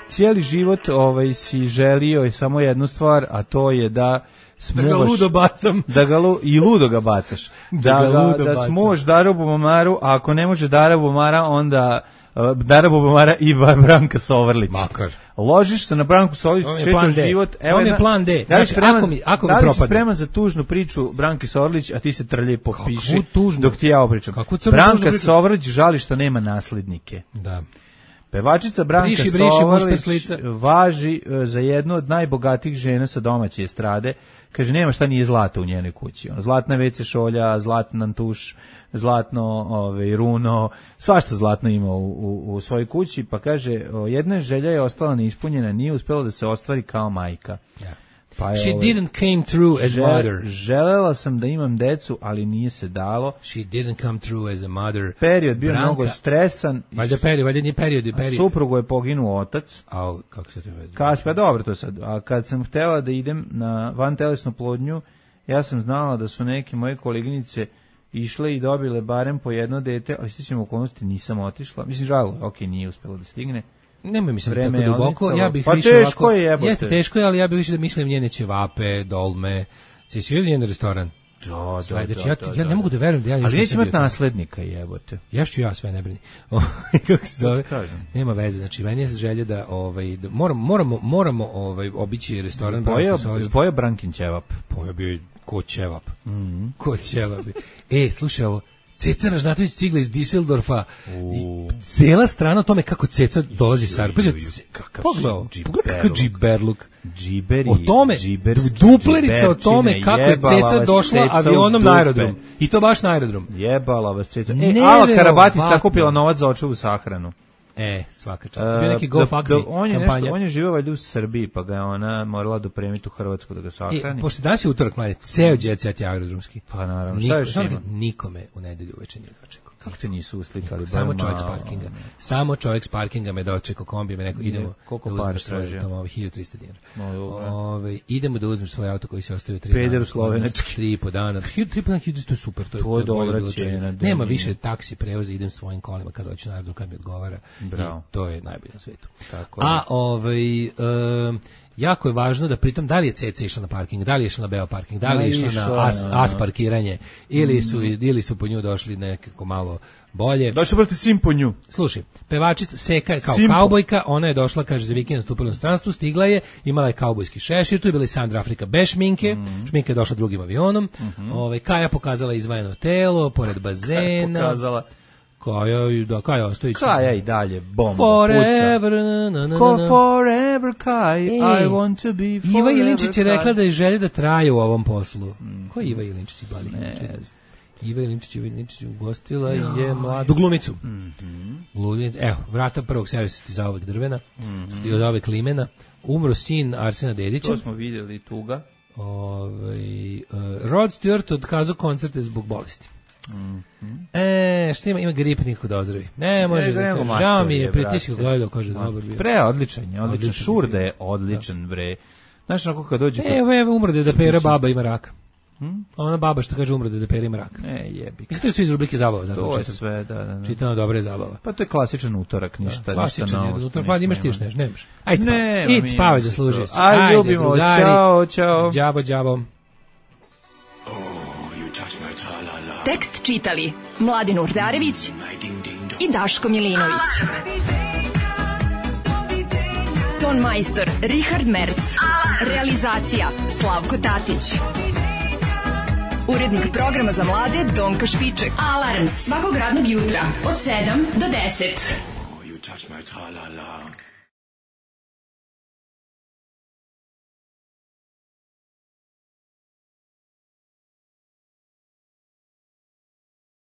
Cijeli život ovaj si želio samo jednu stvar, a to je da smuvaš, da ga ludo bacam. Da ga lu, i ludo ga bacaš. Da, da, da, da smuvaš Daru Bubomaru, a ako ne može Dara Bubomara, onda uh, Dara Bubomara i Branka Sovrlić. Makar. Ložiš se na Branku Sovrlić, čitaš život. Evo je plan D. Da li si spreman, ako mi, ako mi da li si propadne. spreman za tužnu priču Branke Sovrlić, a ti se trlje popiši tužnu? Dok ti ja opričam. Branka Sovrlić žali što nema naslednike. Da. Pevačica Branka briši, briši, Sovrlić važi za jednu od najbogatijih žena sa domaće estrade. Kaže, nema šta nije zlata u njenoj kući. Zlatna ve ce šolja, zlatan tuš, zlatno ovaj, runo, svašta zlatno ima u, u, u svojoj kući. Pa kaže, jedna želja je ostala neispunjena, nije uspjela da se ostvari kao majka. Ja. Pa je, She ovaj, didn't came through as žel, mother. Želela sam da imam decu, ali nije se dalo. She didn't come through as a mother. Period bio Branka, mnogo stresan. Valjda period, valjda nije period, je period. Suprugu je poginuo otac. A kako se to vezi? Kaspe, dobro to sad. A kad sam htjela da idem na vantelesnu plodnju, ja sam znala da su neke moje koleginice išle i dobile barem po jedno dete, ali stičem okolnosti nisam otišla. Mislim, žalo, ok, nije uspjela da stigne. Nemoj mislim tako duboko, ja bih pa više teško ovako, je, jebote. Jeste teško je, ali ja bih više da mislim njene ćevape, dolme. Si svi njen restoran? Da, da, znači, da, ja, da, ja ne da. mogu da verujem da ja... Ali neće imati naslednika, jebote. Ja ću ja, sve ne brini. Kako se zove? Nema veze, znači, meni je želja da, ovaj, da moramo, moramo, moramo ovaj, obići restoran. Pojeo, pojeo Brankin ćevap. Pojeo bio ko ćevap. Mm -hmm. Ko ćevap. E, slušaj ovo. Ceca Ražnatović stigla iz Düsseldorfa i cijela strana o tome kako Ceca dolazi sa Arpa. Pogledaj, pogledaj kako džiberluk. Džiberi, o tome, duplerica o tome kako je Ceca došla avionom na aerodrom. I to baš na aerodrom. Jebala vas Ceca. E, Ala Karabatic sakupila novac za očevu sahranu. E, svaka čast. Bio neki Go Fuck Me on je kampanja. Nešto, on je živio valjda u Srbiji, pa ga je ona morala dopremiti u Hrvatsku da ga sahrani. E, pošto danas je utorak, mlade, ceo jet set je aerodromski. Pa naravno, Niko, šta još ima? Nikome u nedelju uveče nije dočekao. Kako te nisu uslikali? Samo čovjek s parkinga. Samo čovjek s parkinga me dočekao kombi, me neko, idemo koliko da para tražio? Tamo hiljadu trista dinara. No, Ove, idemo da uzmeš svoj auto koji se ostavio tri Peder dana. u slovenački. Tri i po dana. Hiljadu, tri po dana, hiljadu, to je super. To je, to je dobra cijena. Nema više taksi prevoza, idem svojim kolima kad hoću na aerodrom, kad mi odgovara. Bravo. I to je najbolje na svetu. Tako A ovaj... Um, jako je važno da pritom da li je Ceca išla na parking, da li je išla na beo parking, da li je išla, išla na as, as parkiranje ili su, ili su po nju došli nekako malo bolje. Došli brate svim po nju. Slušaj, pevačica Seka je kao Simpo. Kaubojka, ona je došla, kaže, za vikend nastupila u inostranstvu, stigla je, imala je kaubojski šešir, tu je bila i Sandra Afrika bez šminke, mm. šminka je došla drugim avionom, mm -hmm. Ove, Kaja pokazala izvajeno telo, pored bazena. Kaja pokazala. Kaja, da, Kaja Ostojić. Kaja i dalje bomba forever, puca. Na, na, na, Ko forever, Kaj, I want to be forever. Iva Jelinčić je rekla da je želje da traje u ovom poslu. Mm. Ko je Iva Jelinčić? Ne Iva Jelinčić, Iva Jelinčić ugostila no. je mladu glumicu. Mm -hmm. Evo, vrata prvog servisa ti za ovog drvena, mm -hmm. ti od ovog limena. Umro sin Arsena Dedića. To smo vidjeli, tuga. Ove, uh, Rod Stewart otkazao koncerte zbog bolesti. Mm -hmm. E, šta ima, ima grip nikako da ozdravi. Ne, može, ne, da žao mi je, pritiško gledao, kaže, dobar bio. Pre, odličan je, odličan, odličan Šurde je odličan, da. Bre. Znaš, onako kad dođe... Evo, evo, umrde da Pera baba ima rak. Hmm? Ona baba što kaže umrde da Pera ima rak. Ne, jebi. Mislim, to je svi iz rubrike zabava. Zato to je čitam, sve, da, da, da. Čitano dobre zabava. Pa to je klasičan utorak, ništa, da, ništa novo. Klasičan utorak, pa imaš ti još nešto, nemaš. Ajde, ne, spavaj, idi spavaj, zaslužio si. Ajde, Ajde, ljubimo, drugari, čao, čao. Đavo, đavo. Tekst čitali Mladin Urdarević i Daško Milinović. Ton majstor Richard Merc. Realizacija Slavko Tatić. Urednik programa za mlade Donka Špiček. Alarms svakog radnog jutra od sedam do deset. Oh, you touch my tra-la-la.